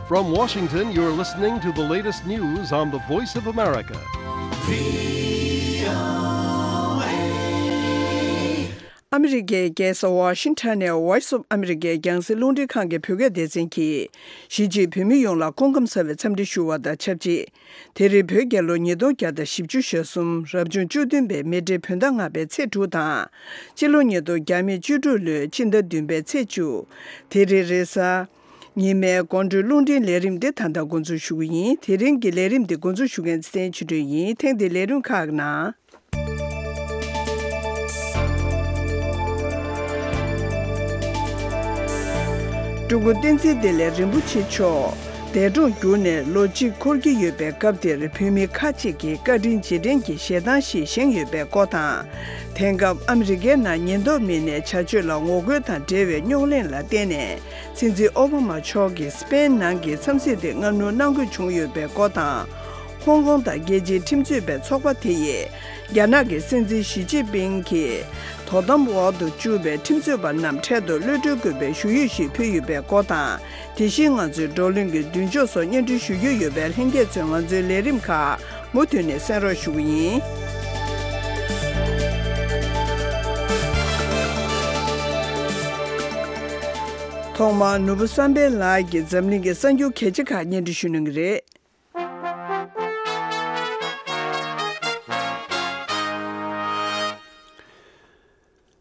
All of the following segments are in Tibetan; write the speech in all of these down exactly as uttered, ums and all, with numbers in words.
From Washington, you're listening to the latest news on the Voice of America. ཨ་མི་རི་ཀའི་རྒྱལ་ས་ཝ་ཤིང་ཊོན་ནས་Voice of America རྒྱང་སྲིང་རླུང་འཕྲིན་ཁང་གི་བོད་སྐད་སྡེ་ཚན་གྱིས། གཞིས་བྱེས་བོད་མི་ཡོངས་ལ་སྐུ་ཁམས་བཟང་བའི་འཚམས་འདྲི་ཞུ་བ་དང་ཆབས་ཅིག་དེ་རིང་བོད་རྒྱལ་ལོ་ཉིས་སྟོང་བརྒྱ་དང་བཞི་བཅུ་ཞེ་གསུམ་རབ་བྱུང་བཅུ་བདུན་པའི་མེ་སྤྲེལ་བོད་ཟླ་ལྔ་པའི་ཚེས་དྲུག་དང་། སྤྱི་ལོ་ཉིས་སྟོང་བརྒྱ་མེད་བཅུ་དྲུག་ལོའི་སྤྱི་ཟླ་བདུན་པའི་ཚེས་བཅུ། དེ་རིང་རེས་གཟའ། ཉི་མའི་དགོང་དྲོའི་རླུང་འཕྲིན་ལས་རིམ་འདི་ད་ལྟ་འགོ་འཛུགས་ཞུ་གི་ཡིན། དེ་རིང་གི་ལས་རིམ་འདི་འགོ་འཛུགས་ཞུ་མཁན་ཚེ་བརྟན་ཆོས་སྒྲོན་ཡིན། ཐེངས་འདིའི་ལས་རིམ་ཁག་ནང་། སྤྲུལ་སྐུ་བསྟན་འཛིན་བདེ་ལེགས་རིན་པོ་ཆེ་མཆོག་འདས་གྲོངས་གྱུར་ནས་ལོ་གཅིག་འཁོར་གྱི་ཡོད་པའི་སྐབས་དེར་བོད་མི་ཁག་ཅིག་གིས་བཀའ་དྲིན་རྗེས་དྲན་གྱི་ཞལ་ཐང་ཞིག་བཞེངས་ཡོད་པའི་སྐོར་དང་། དེང་སྐབས་ཨ་མི་རི་ཀའི་ནང་ཉེན་རྟོག་མི་སྣའི་བྱ་སྤྱོད་ལ་ངོ་རྒོལ་དང་འབྲེལ་བའི་རྙོག་གླེང་ལ་བརྟེན་ནས། སྲིད་འཛིན་ཨོ་བྷ་མ་མཆོག་གིས་སི་པེན་ནང་གི་འཚམས་གཟིགས་དེ་སྔ་སྣུར་གནང་དགོས་བྱུང་ཡོད་པའི་སྐོར་དང་། ཧོང་ཀོང་དང་རྒྱལ་སྤྱིའི་ཁྲིམས་རྩོད་པའི་ཚོགས་པ་དེ་ཡིས། རྒྱ་ནག་གི་སྲིད་འཛིན་ཞི་ཅིན་ཕིང་གིས་དོ་དམ་འོག་ཏུ་བཅུག་པའི་ཁྲིམས་རྩོད་པ་རྣམས་འཕྲལ་དུ་གློད་གྲོལ་དགོས་པའི་ཞུ་ཡིག་ཞིག་ཕུལ་ཡོད་པའི་སྐོར་དང་། དེ་བཞིན་ང་ཚོའི་བགྲོ་གླེང་གི་མདུན་ཕྱོགས་སོགས་སྙན་སྒྲོན་ཞུ་རྒྱུ་ཡོད་པས། ལྷན་རྒྱས་ཚོས་ང་ཚོའི་ལས་རིམ་ཁག་མུ་མཐུད་ནས་གསན་རོགས་ཞུ་གི་ཡིན། ཐོག་མར་ནོར་བུ་བསམ་འཕེལ་ལགས་ཀྱིས་འཛམ་གླིང་གི་གསར་འགྱུར་གལ་ཆེ་ཁག་སྙན་སྒྲོན་ཞུ་གནང་གི་རེད།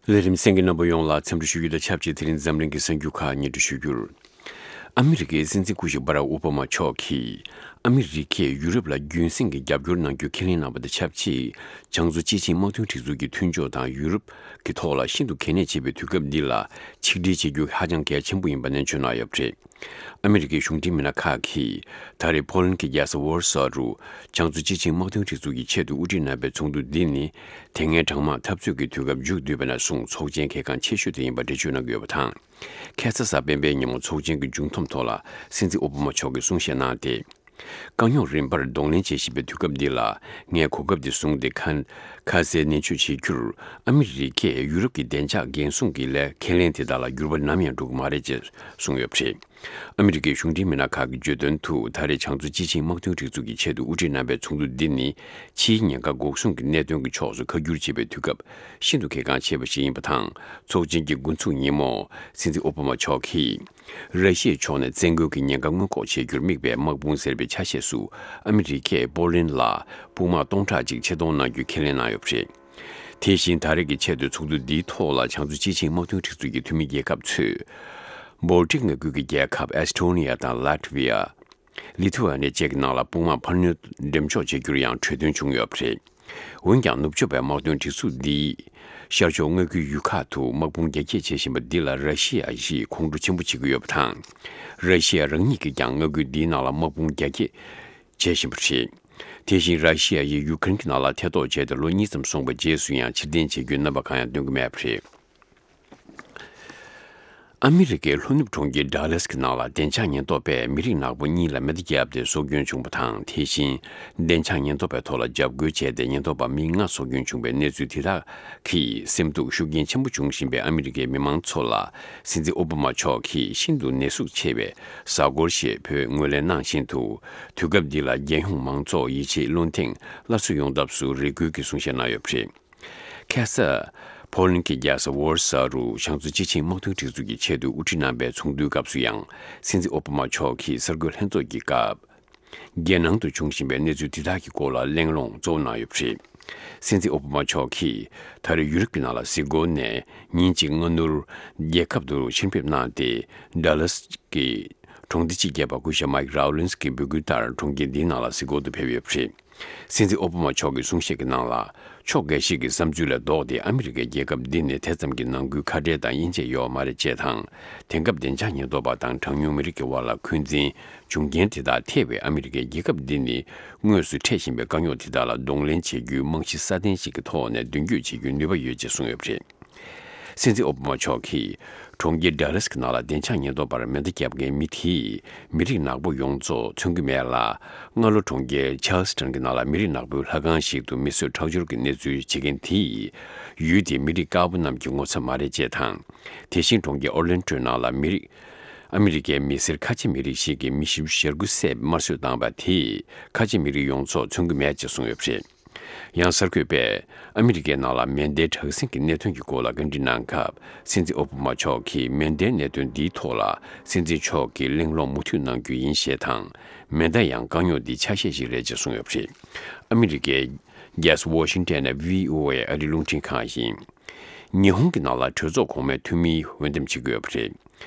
ལས་རིམ་གསན་མཁན་རྣམ་པ་ཡོངས་ལ་འཚམས་འདྲི་ཞུ་རྒྱུ་དང་ཆབས་ཅིག་དེ་རིང་འཛམ་གླིང་གི་གསར་འགྱུར་ཁག་སྙན་སྒྲོན་ཞུ་རྒྱུར། ཨ་མི་རི་ཀའི་སྲིད་འཛིན་སྐུ་ཞབས་སྦ་རག་ཨོ་བྷ་མ་མཆོག་གིས། ཨ་མི་རི་ཀས་ཡུ་རོབ་ལ་རྒྱུན་སྲིང་གི་རྒྱབ་སྐྱོར་གནང་རྒྱུ་ཁས་ལེན་གནང་བ་དང་ཆབས་ཅིག་བྱང་མཚོ་སྤྱི་ཆིངས་དམག་དོན་སྒྲིག་འཛུགས་ཀྱི་མཐུན་ཕྱོགས་དང་ཡུ་རོབ་ཀྱི་ཐོག་ལ་ཤིན་ཏུ་གལ་གནད་ཆེ་བའི་དུས་སྐབས་འདི་ལ་ཆིག་སྒྲིལ་བྱེད་རྒྱུ་ཧ་ཅང་གལ་ཆེན་པོ་ཡིན་པ་ནན་བརྗོད་གནང་ཡོད་པ་རེད། ཨ་མི་རི་ཀའི་གཞུང་འབྲེལ་མི་སྣ་ཁག་གིས་ད་རེས་ཕོ་ལན་གྱི་རྒྱལ་ས་ཝོར་སོ་རུ་བྱང་མཚོ་སྤྱི་ཆིངས་དམག་དོན་སྒྲིག་འཛུགས་ཀྱི་ཆེད་དུ་དབུ་ཁྲིད་གནང་བའི་ཚོགས་འདུ་འདི་ནི་དེ་སྔའི་གྲང་དམག་འཐབ་རྩོད་ཀྱི་དུས་སྐབས་མཇུག་བསྡུས་པ་ནས་བཟུང་ཚོགས་ཆེན་གལ་འགངས་ཆེ་ཤོས་དེ་ཡིན་པ་འགྲེལ་བརྗོད་གནང་གི་ཡོད་པ་དང་། ཁ་སང་གཟའ་སྤེན་པའི་ཉིན་མོ་ཚོགས་ཆེན་གྱི་མཇུག་སྡོམ་ཐོག་ལ་སྲིད་འཛིན་ཨོ་བྷ་མ་མཆོག་གིས་གསུང་བཤད་གནང་སྟེ། དཀའ་རྙོག་རིམ་པར་གདོང་ལེན་བྱེད་བཞིན་པའི་དུས་སྐབས་འདི་ལ་ངས་གོ་སྐབས་འདི་བཟུང་སྟེ་ཁ་ཁ་གསལ་ནན་བརྗོད་བྱེད་རྒྱུར། ཨ་མི་རི་ཀས་ཡུ་རོབ་ཀྱི་བདེ་འཇགས་འགན་སྲུང་གི་ལས་ཁས་ལེན་དེ་དག་ལ་འགྱུར་བ་ནམ་ཡང་འགྲོ་གི་མ་རེད་ཅེས་གསུངས་ཡོད་པ་རེད། ཨ་མི་རི་ཀའི་གཞུང་འབྲེལ་མི་སྣ་ཁག་གིས་བརྗོད་དོན་དུ། ད་རེས་བྱང་མཚོ་སྤྱི་ཆིངས་དམག་དོན་སྒྲིག་འཛུགས་ཀྱི་ཆེད་དུ་དབུ་ཁྲིད་གནང་བའི་ཚོགས་འདུ་འདི་ནི་ཕྱིའི་ཉེན་ཁ་འགོག་སྲུང་གི་གནད་དོན་གྱི་ཕྱོགས་སུ་ཁ་བསྒྱུར་བྱེད་པའི་དུས་སྐབས་ཤིན་ཏུ་གལ་འགངས་ཆེ་བ་ཞིག་ཡིན་པ་དང་། ཚོགས་ཆེན་གྱི་འགོ་ཚུགས་ཉིན་མོ་སྲིད་འཛིན་ཨོ་བྷ་མ་མཆོག་གིས། ར་ཤི་ཡའི་ཕྱོགས་ནས་བཙན་རྒོལ་གྱི་ཉེན་ཁ་སྔོན་འགོག་བྱེད་རྒྱུར་དམིགས་པའི་དམག་དཔུང་ཟེར་བའི་ཆ་ཤས་སུ་ཨ་མི་རི་ཀས་པོ་ལན་ལ་དཔུང་དམག་སྟོང་ཕྲག་ཅིག་ཆེད་གཏོང་གནང་རྒྱུའི་ཁས་ལེན་གནང་ཡོད་པ་རེད། དེ་བཞིན་ད་རེས་ཀྱི་ཆེད་དུ་ཚོགས་འདུ་འདིའི་ཐོག་ལ་བྱང་མཚོ་སྤྱི་ཆིངས་དམག་དོན་སྒྲིག་འཛུགས་ཀྱི་འཐུས་མི་རྒྱལ་ཁབ་ཚོས། བོལ་ཊིག་མངའ་ཁུལ་གྱི་རྒྱལ་ཁབ་ཨེ་སི་ཊོ་ནི་ཡ་དང་ལ་ཊི་ཝི་ཡ། ལི་ཐུ་ཝ་ནི་ཡ་བཅས་ཀྱི་ནང་ལ་དཔུང་དམག་འཕར་སྣོན་འགྲེམས་འཇོག་བྱེད་རྒྱུར་ཡང་གྲོས་མཐུན་བྱུང་ཡོད་པ་རེད། འོན་ཀྱང་ནུབ་ཕྱོགས་པའི་དམག་དོན་སྒྲིག་འཛུགས་འདིས་ཤར་ཕྱོགས་མངའ་ཁུལ་ཡུལ་ཁག་ཏུ་དམག་དཔུང་རྒྱ་སྐྱེད་བྱེད་བཞིན་པ་འདི་ལ་ར་ཤི་ཡ་ཡིས་ཁོང་ཁྲོ་ཆེན་པོ་བྱེད་ཀྱི་ཡོད་པ་དང་། ར་ཤི་ཡ་རང་ཉིད་ཀྱིས་ཀྱང་མངའ་ཁུལ་འདིའི་ནང་ལ་དམག་དཔུང་རྒྱ་སྐྱེད་བྱེད་བཞིན་པ་རེད། དེ་བཞིན་ར་ཤི་ཡ་ཡིས་ཡུ་ཀེ་རེན་གྱི་ནང་ལ་ཐེ་གཏོགས་བྱས་ཏེ་ལོ་གཉིས་ཙམ་སོང་བའི་རྗེས་སུ་ཡང་ཕྱིར་འཐེན་བྱེད་རྒྱུའི་རྣམ་པ་གང་ཡང་སྟོན་གྱི་མེད་པ་རེད། ཨ་མི་རི་ཀའི་ལྷོ་ནུབ་གྲོང་ཁྱེར་ཌ་ལཱས་ཀྱི་ནང་ལ་བདེ་འཇགས་ཉེན་རྟོག་པས་མི་རིགས་ནག་པོ་གཉིས་ལ་མེ་མདའ་བརྒྱབ་སྟེ་སྲོག་སྐྱོན་བྱུང་བ་དང་། དེ་བཞིན་བདེ་འཇགས་ཉེན་རྟོག་པའི་ཐོག་ལ་འཇབ་རྒོལ་བྱས་ཏེ་ཉེན་རྟོག་པ་མི་ལྔ་སྲོག་སྐྱོན་བྱུང་བའི་གནས་ཚུལ་དེ་དག་གིས་སེམས་སྡུག་ཤུགས་རྐྱེན་ཆེན་པོ་བྱུང་བཞིན་པའི་ཨ་མི་རི་ཀའི་མི་མང་ཚོ་ལ་སྲིད་འཛིན་ཨོ་བྷ་མ་མཆོག་གིས་ཤིན་ཏུ་ནད་ཟུག་ཆེ་བའི་གཟའ་འཁོར་ཞེས་བོས་ངོས་ལེན་གནང་བཞིན་དུ། དུས་སྐབས་འདི་ལ་རྒྱལ་ཡོངས་མང་ཚོགས་ཡིད་ཆེས་བློ་འཐེན་སླར་གསོ་ཡོང་ཐབས་སུ་རེ་སྐུལ་གྱི་གསུང་བཤད་གནང་ཡོད་པ་རེད། ཁ་ས། ཕོ་ལན་གྱི་རྒྱལ་ས་ཝོར་སཱ་རུ་བྱང་མཚོ་སྤྱི་ཆིངས་དམག་དོན་སྒྲིག་འཛུགས་ཀྱི་ཆེད་དུ་དབུ་ཁྲིད་གནང་པའི་ཚོགས་འདུའི་སྐབས་སུ་ཡང་། སྲིད་འཛིན་ཨོ་བྷ་མ་མཆོག་གིས་གསར་འགོད་ལྷན་ཚོགས་ཀྱི་སྐབས། རྒྱལ་ནང་དུ་བྱུང་བཞིན་པའི་གནས་ཚུལ་འདི་དག་གི་སྐོར་ལ་གླེང་སློང་གཙོ་བོ་གནང་ཡོད་པ་རེད། སྲིད་འཛིན་ཨོ་བྷ་མ་མཆོག་གིས་ད་རེས་ཡུ་རོབ་ཀྱི་ནང་ལ་གཟིགས་སྐོར་ནས་ཉིན་གཅིག་སྔ་སྣུར་རྒྱལ་ཁབ་ཏུ་ཕྱིར་ཕེབས་གནང་སྟེ། ཌ་ལཱས་ཀྱི་གྲོང་སྡེ་སྤྱི་ཁྱབ་པ་སྐུ་ཞབས་མའིག་རའོ་ལིན་སི་གི་འབོད་སྐུལ་ལྟར་གྲོང་ཁྱེར་འདིའི་ནང་ལ་གཟིགས་སྐོར་དུ་ཕེབས་ཡོད་པ་རེད། སྲིད་འཛིན་ཨོ་བྷ་མ་མཆོག་གི་གསུང་བཤད་ཀྱི་ནང་ལ། ཕྱོགས་འགའ་ཞིག་གི་བསམ་ཚུལ་ལས་ལྡོག་སྟེ་ཨ་མི་རི་ཀའི་རྒྱལ་ཁབ་འདི་ནི་དེ་ཙམ་གྱི་ནང་ཁུལ་ཁ་བྲལ་དང་དབྱེ་འབྱེད་ཡོད་མ་རེད་ཅེས་དང་། དེང་སྐབས་བདེ་འཇགས་ཉེན་རྟོག་པ་དང་གྲངས་ཉུང་མི་རིགས་ཀྱི་དབར་ལ་འཁོན་འཛིན་འབྱུང་རྐྱེན་དེ་དག་ཐེ་བའི་ཨ་མི་རི་ཀའི་རྒྱལ་ཁབ་འདི་ནི་དངོས་སུ་འཕྲད་བཞིན་པའི་དཀའ་རྙོག་དེ་དག་ལ་གདོང་ལེན་བྱེད་རྒྱུའི་རྨང་གཞི་སྲ་བརྟན་ཞིག་གི་ཐོག་ནས་མདུན་སྐྱོད་བྱེད་རྒྱུའི་ནུས་པ་ཡོད་ཅེས་གསུངས་ཡོད་པ་རེད། སྲིད་འཛིན་ཨོ་བྷ་མ་མཆོག་གིས་གྲོང་ཁྱེར་ཌ་ལཱས་ཀྱི་ནང་ལ་བདེ་འཇགས་ཉེན་རྟོག་པར་མེ་མདའ་བརྒྱབ་མཁན་མི་དེས་མི་རིགས་ནག་པོ་ཡོངས་རྫོགས་མཚོན་གྱི་མེད་ལ། སྔ་ལོ་གྲོང་ཁྱེར་ཆཱལ་སི་ཊོན་གྱི་ནང་ལ་མི་རིགས་ནག་པོའི་ལྷ་ཁང་ཞིག་ཏུ་མི་གསོད་ཁྲག་སྦྱོར་གྱི་གནས་ཚུལ་བྱེད་མཁན་དེས་ཡུལ་དེའི་མི་རིགས་དཀར་པོ་རྣམས་ཀྱི་ངོ་ཚ་མ་རེད་ཅེས་དང་། དེ་བཞིན་གྲོང་ཁྱེར་ཨོར་ལན་ཊོའི་ནང་ལ་མི་རིགས་ ཨ་མི་རི་ཀའི་མི་སེར་ཁ་ཆེ་མི་རིགས་ཤིག་གི་མི་བཞི་བཅུ་ཞེ་དགུ་བསད་དམར་གསོད་བཏང་བ་དེས་ཁ་ཆེ་མི་རིགས་ཡོངས་རྫོགས་མཚོན་གྱི་མེད་ཅེས་གསུངས་ཡོད་པ་རེད། ཡང་གསར་འགོད་པས་ཨ་མི་རི་ཀའི་ནང་ལ་མེ་མདའི་དྲག་ཟིང་གི་གནད་དོན་གྱི་སྐོར་ལ་བཀའ་འདྲི་གནང་སྐབས། སྲིད་འཛིན་ཨོ་བྷ་མ་མཆོག་གིས་མེ་མདའི་གནད་དོན་འདིའི་ཐོག་ལ་སྲིད་འཛིན་མཆོག་གིས་གླེང་སློང་མུ་མཐུད་གནང་རྒྱུ་ཡིན་ཞེས་དང་། མེ་མདའ་ཡང་དཀའ་རྙོག་འདིའི་ཆ་ཤས་ཤིག་རེད་ཅེས་གསུངས་ཡོད་པ་རེད། ཨ་མི་རི་ཀའི་རྒྱལ་ས་ཝོ་ཤིང་ཊོན་ནས་བྷི་ཨོ་ཨེ་ཨ་རིའི་རླུང་འཕྲིན་ཁང་ཡིན། ཉི་ཧོང་གི་ནང་ལ་གྲོས་ཚོགས་གོང་མའི་འཐུས་མིའི་འོས་འདེམས་བྱེད་ཀྱི་ཡོད་པ་རེད།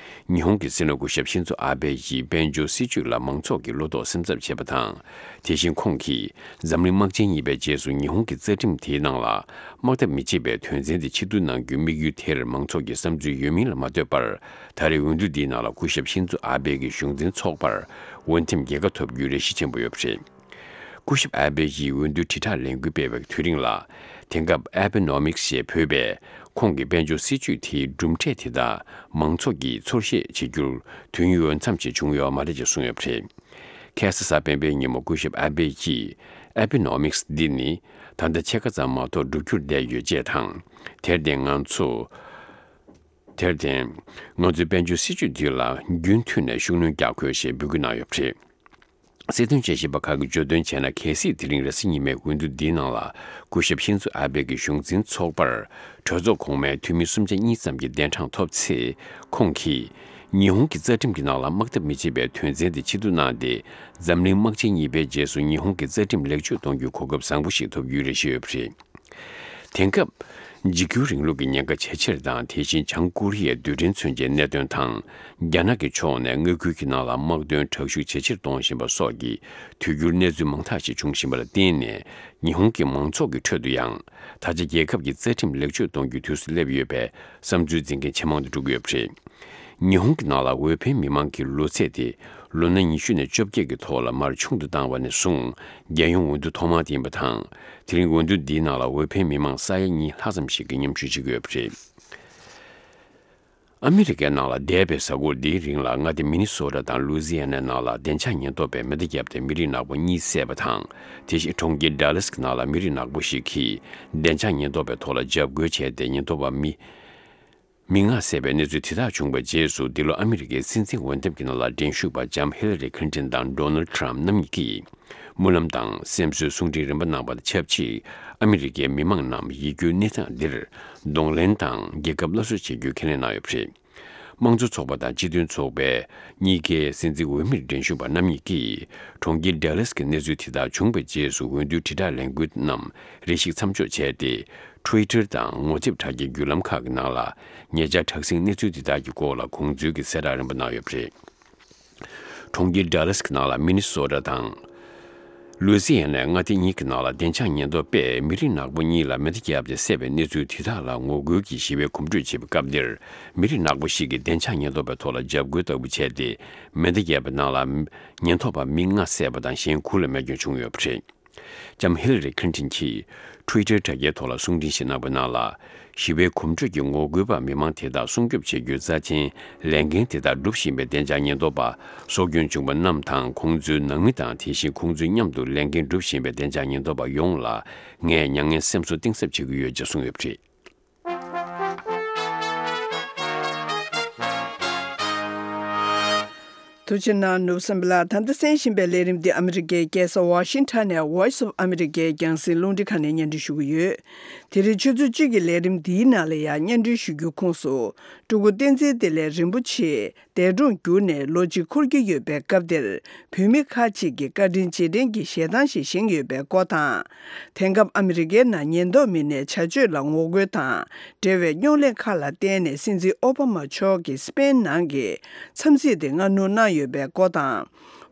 ཉི་ཧོང་གི་སྲིད་བློན་སྐུ་ཞབས་ཤིན་ཛོ་ཨ་བྷེ་ཡིས་དཔལ་འབྱོར་སྲིད་ཇུས་ལ་མང་ཚོགས་ཀྱིས་བློ་དོགས་སེམས་འཚབ་བྱེད་པ་དང་། དེ་བཞིན་ཁོང་གིས་འཛམ་གླིང་དམག་ཆེན་གཉིས་པའི་རྗེས་སུ་ཉི་ཧོང་གི་རྩ་ཁྲིམས་དེའི་ནང་ལ་དམག་འཐབ་མི་བྱེད་པའི་དོན་ཚན་དེ་ཕྱིར་བསྡུ་གནང་རྒྱུའི་དམིགས་ཡུལ་དེར་མང་ཚོགས་ཀྱི་བསམ་ཚུལ་ཡོད་མིན་ལ་མ་ལྟོས་པར། ད་རེས་འོས་བསྡུ་འདིའི་ནང་ལ་སྐུ་ཞབས་ཤིན་ཛོ་ཨ་བྷེ་གི་གཞུང་འཛིན་ཚོགས་པར་འོས་འདེམས་རྒྱལ་ཁ་ཐོབ་རྒྱུའི་རེ་ཞིག་ཆེན་པོ་ཡོད་པ་རེད། སྐུ་ཞབས་ཨ་བྷེ་ཡིས་འོས་བསྡུ་དྲིལ་བསྒྲགས་ལས་འགུལ་སྤེལ་བའི་དུས་རིང་ལ། དེང་སྐབས་ཨེ་བྷི་ནོ་མིག་སི་ཞེས་འབོད་པའི་ཁོང་གི་དཔལ་འབྱོར་སྲིད་ཇུས་དེའི་གྲུབ་འབྲས་དེ་དག་མང་ཚོགས་ཀྱིས་ཚོར་ཤེས་བྱེད་རྒྱུར་དུས་ཡུན་འོས་འཚམ་ཞིག་བྱུང་ཡོད་མ་རེད་ཅེས་གསུངས་ཡོད་པ་རེད། ཁ་སང་གཟའ་སྤེན་པའི་ཉིན་མོ་སྐུ་ཞབས་ཨ་བྷེ་ཡིས་ཨེ་བྷི་ནོ་མིག་སི་འདི་ནི་ད་ལྟ་ཕྱེད་ཀ་ཙམ་མ་གཏོགས་འགྲུབ་རྒྱུར་བསྡད་ཡོད་ཅེས་དང་། དེར་བརྟེན་ང་ཚོ། དེར་བརྟེན། ང་ཚོའི་དཔལ་འབྱོར་སྲིད་ཇུས་འདི་ལ་རྒྱུན་མཐུད་ནས་ཤུགས་སྣོན་རྒྱག་དགོས་ཞེས་འབོད་སྐུལ་གནང་ཡོད་པ་རེད། སྲིད་དོན་དཔྱད་ཞིབ་པ་ཁག་གིས་བརྗོད་དོན་བྱས་ན། གལ་སྲིད་དེ་རིང་རེས་གཟའ་ཉི་མའི་འོས་བསྡུ་འདིའི་ནང་ལ་སྐུ་ཞབས་ཤིན་ཛོ་ཨ་བྷེ་གི་གཞུང་འཛིན་ཚོགས་པར་གྲོས་ཚོགས་གོང་མའི་འཐུས་མི་སུམ་ཆ་གཉིས་ཙམ་གྱི་གདན་གྲངས་ཐོབ་ཚེ། ཁོང་གིས་ཉི་ཧོང་གི་རྩ་ཁྲིམས་ཀྱི་ནང་ལ་དམག་འཐབ་མི་བྱེད་པའི་དོན་ཚན་དེ་ཕྱིར་བསྡུ་གནང་སྟེ། འཛམ་གླིང་དམག་ཆེན་གཉིས་པའི་རྗེས་སུ་ཉི་ཧོང་གི་རྩ་ཁྲིམས་ལེགས་བཅོས་གཏོང་རྒྱུའི་གོ་སྐབས་བཟང་པོ་ཞིག་ཐོབ་རྒྱུའི་རེ་ཞུ་ཡོད་པ་རེད། དེང་སྐབས། འཇིགས་སྐུལ་རིང་ལུགས་ཀྱི་ཉེན་ཁ་ཇེ་ཆེར་དང་། དེ་བཞིན་བྱང་ཀོ་རི་ཡའི་རྡུལ་ཕྲན་མཚོན་ཆའི་གནད་དོན་དང་། རྒྱ་ནག་གི་ཕྱོགས་ནས་མངའ་ཁུལ་གྱི་ནང་ལ་དམག་དོན་དྲག་ཤུགས་ཇེ་ཆེར་གཏོང་བཞིན་པ་སོགས་ཀྱི་དུས་འགྱུར་གནས་ཚུལ་མང་དག་ཞིག་འབྱུང་བཞིན་པ་ལ་བརྟེན་ནས། ཉི་ཧོང་གི་མང་ཚོགས་ཀྱི་ཁྲོད་དུ་ཡང་། ད་ཆ་རྒྱལ་ཁབ་ཀྱི་རྩ་ཁྲིམས་ལེགས་བཅོས་གཏོང་རྒྱུའི་དུས་སུ་སླེབས་ཡོད་པའི་བསམ་ཚུལ་འཛིན་མཁན་ཇེ་མང་དུ་འགྲོ་གི་ཡོད་པ་རེད། ཉི་ཧོང་གི་ནང་ལ་འོས་འཕེན་མི་མང་གི་ལོ་ཚད་དེ་ལོ་ན་ཉི་ཤུ་ནས་བཅོ་བརྒྱད་ཀྱི་ཐོག་ལ་མར་ཆུང་དུ་བཏང་བ་ནས་བཟུང་། རྒྱལ་ཡོངས་འོས་བསྡུ་ཐོག་མ་དེ་ཡིན་པ་དང་། དེ་རིང་འོས་བསྡུ་འདིའི་ནང་ལ་འོས་འཕེན་མི་མང་ས་ཡ་གཉིས་ལྷག་ཙམ་ཞིག་གིས་མཉམ་ཞུགས་བྱེད་ཀྱི་ཡོད་པ་རེད། ཨ་མི་རི་ཀའི་ནང་ལ་འདས་པའི་གཟའ་འཁོར་འདིའི་རིང་ལ་མངའ་སྡེ་མི་ནི་སོ་ཊ་དང་ལུའུ་ཟི་ཡ་ནའི་ནང་ལ་བདེ་འཇགས་ཉེན་རྟོག་པས་མེ་མདའ་བརྒྱབ་སྟེ་མི་རིགས་ནག་པོ་གཉིས་བསད་པ་དང་། དེ་བཞིན་གྲོང་ཁྱེར་ཌ་ལཱ་སི་ནང་ལ་མི་རིགས་ནག་པོ་ཞིག་གིས་བདེ་འཇགས་ཉེན་རྟོག་པའི་ཐོག་ལ་འཇབ་རྒོལ་བྱས་ཏེ། ཉེན་རྟོག་པ་མི། མི་ལྔ་བསད་པའི་གནས་ཚུལ་དེ་དག་བྱུང་བའི་རྗེས་སུ། འདི་ལོ་ཨ་མི་རི་ཀའི་སྲིད་འཛིན་འོས་འདེམས་ཀྱི་ནང་ལ་འགྲན་ཞུགས་པ་ལྕམ་ཧི་ལ་རི་ཁི་ལིན་ཊོན་དང་ཌོ་ནལ་ཊམ་རྣམ་གཉིས་ཀྱིས་སྨོན་ལམ་དང་སེམས་གསོའི་གསུང་འཕྲིན་རིམ་པ་གནང་བ་དང་ཆབས་ཅིག་ཨ་མི་རི་ཀའི་མི་མང་རྣམས་ཡིད་སྐྱོའི་གནས་སྟངས་འདིར་གདོང་ལེན་དང་རྒྱལ་ཁབ་སླར་གསོ་བྱེད་རྒྱུའི་ཁས་ལེན་གནང་ཡོད་པ་རེད། དམངས་གཙོ་ཚོགས་པ་དང་སྤྱི་མཐུན་ཚོགས་པའི་གཉིས་ཀའི་སྲིད་འཛིན་འོས་མིར་འགྲན་ཞུགས་པ་རྣམ་གཉིས་ཀྱིས། གྲོང་ཁྱེར་ཌལ་ལཱ་སི་གི་གནས་ཚུལ་དེ་དག་བྱུང་བའི་རྗེས་སུ་འོས་བསྡུའི་དྲིལ་བསྒྲགས་ལས་འགུལ་རྣམས་རེ་ཞིག་མཚམས་འཇོག་བྱས་ཏེ། ཊུ་ཝི་ཊར་དང་ངོ་དེབ་དྲ་རྒྱའི་བརྒྱུད་ལམ་ཁག་གི་ནང་ལ་ཉེ་ཆར་དྲག་ཟིང་གནས་ཚུལ་དེ་དག་གི་སྐོར་ལ་དགོངས་ཚུལ་གྱི་གསལ་བསྒྲགས་རིམ་པ་གནང་ཡོད་པ་རེད། གྲོང་ཁྱེར་ཌལ་ལཱ་སི་གི་ནང་ལ་མི་ནི་སོ་ཊ་དང་ལུའི་སི་ཡ་ནའི་མངའ་སྡེ་གཉིས་ཀྱི་ནང་ལ་བདེ་འཇགས་ཉེན་རྟོག་པས་མི་རིགས་ནག་པོ་གཉིས་ལ་མེ་མདའ་བརྒྱབ་སྟེ་བསད་པའི་གནས་ཚུལ་དེ་དག་ལ་ངོ་རྒོལ་གྱིས་ཞི་བའི་གོམ་བགྲོད་བྱེད་པའི་སྐབས་འདིར། མི་རིགས་ནག་པོ་ཞིག་གིས་བདེ་འཇགས་ཉེན་རྟོག་པའི་ཐོག་ལ་འཇབ་རྒོལ་ལྟ་བུ་བྱས་ཏེ། མེ་མདའ་བརྒྱབ་པའི་ནང་ལ་ཉེན་རྟོག་པ་མི་ལྔ་བསད་པ་དང་། གཞན་དགུ་ལ་རྨས་སྐྱོན་བྱུང་ཡོད་པ་རེད། ལྕམ་ཧི་ལ་རི་ཁི་ལིན་ཊོན་གྱིས་ཊུ་ཝི་ཊར་དྲ་རྒྱའི་ཐོག་ལ་གསུང་འཕྲིན་ཞིག་གནང་བའི་ནང་ལ། ཞི་བའི་གོམ་བགྲོད་ཀྱི་ངོ་རྒོལ་པ་མི་མང་དེ་དག་སྲུང་སྐྱོབ་བྱེད་རྒྱུའི་རྩ་ཆེན་ལས་འགན་དེ་དག་སྒྲུབ་བཞིན་པའི་བདེ་འཇགས་ཉེན་རྟོག་པ། སྲོག་སྐྱོན་བྱུང་བ་རྣམས་དང་། ཁོང་ཚོའི་ནང་མི་དང་། དེ་བཞིན་ཁོང་ཚོའི་མཉམ་དུ་ལས་འགན་སྒྲུབ་བཞིན་པའི་བདེ་འཇགས་ཉེན་རྟོག་པ་ཡོངས་ལ། ངས་མྱ་ངན་སེམས་གསོ་གཏིང་ཟབ་བྱེད་ཀྱི་ཡོད་ཅེས་གསུངས་ཡོད་པ་རེད། ཐུགས་རྗེ་གནང་། ནོར་བུ་བསམ་འཕེལ་ལགས། ད་ལྟ་གསན་བཞིན་པའི་ལས་རིམ་འདི་ཨ་མི་རི་ཀའི་རྒྱལ་ས་ཝ་ཤིང་ཊོན་ནས་Voice of America རྒྱང་སྲིང་རླུང་འཕྲིན་ཁང་ནས་སྙན་སྒྲོན་ཞུ་གི་ཡོད། དེ་རིང་ཆུ་ཚོད་གཅིག་གི་ལས་རིམ་འདིའི་ནང་ལ་ཡང་སྙན་སྒྲོན་ཞུ་རྒྱུའི་ཁོངས་སུ། སྤྲུལ་སྐུ་བསྟན་འཛིན་བདེ་ལེགས་རིན་པོ་ཆེ་འདས་གྲོངས་གྱུར་ནས་ལོ་གཅིག་འཁོར་གྱི་ཡོད་པའི་སྐབས་འདིར། བོད་མི་ཁག་ཅིག་གིས་བཀའ་དྲིན་རྗེས་དྲན་གྱི་ཞལ་ཐང་ཞིག་བཞེངས་ཡོད་པའི་སྐོར་དང་། དེང་སྐབས་ཨ་མི་རི་ཀའི་ནང་ཉེན་རྟོག་མི་སྣའི་བྱ་སྤྱོད་ལ་ངོ་རྒོལ་དང་འབྲེལ་བའི་རྙོག་གླེང་ཁག་ལ་བརྟེན་ནས། སྲིད་འཛིན་ཨོ་བྷ་མ་མཆོག་གིས་སི་པེན་ནང་གི་འཚམས་གཟིགས་དེ་སྔ་སྣུར་གནང་ཡོད་པའི་སྐོར་དང་།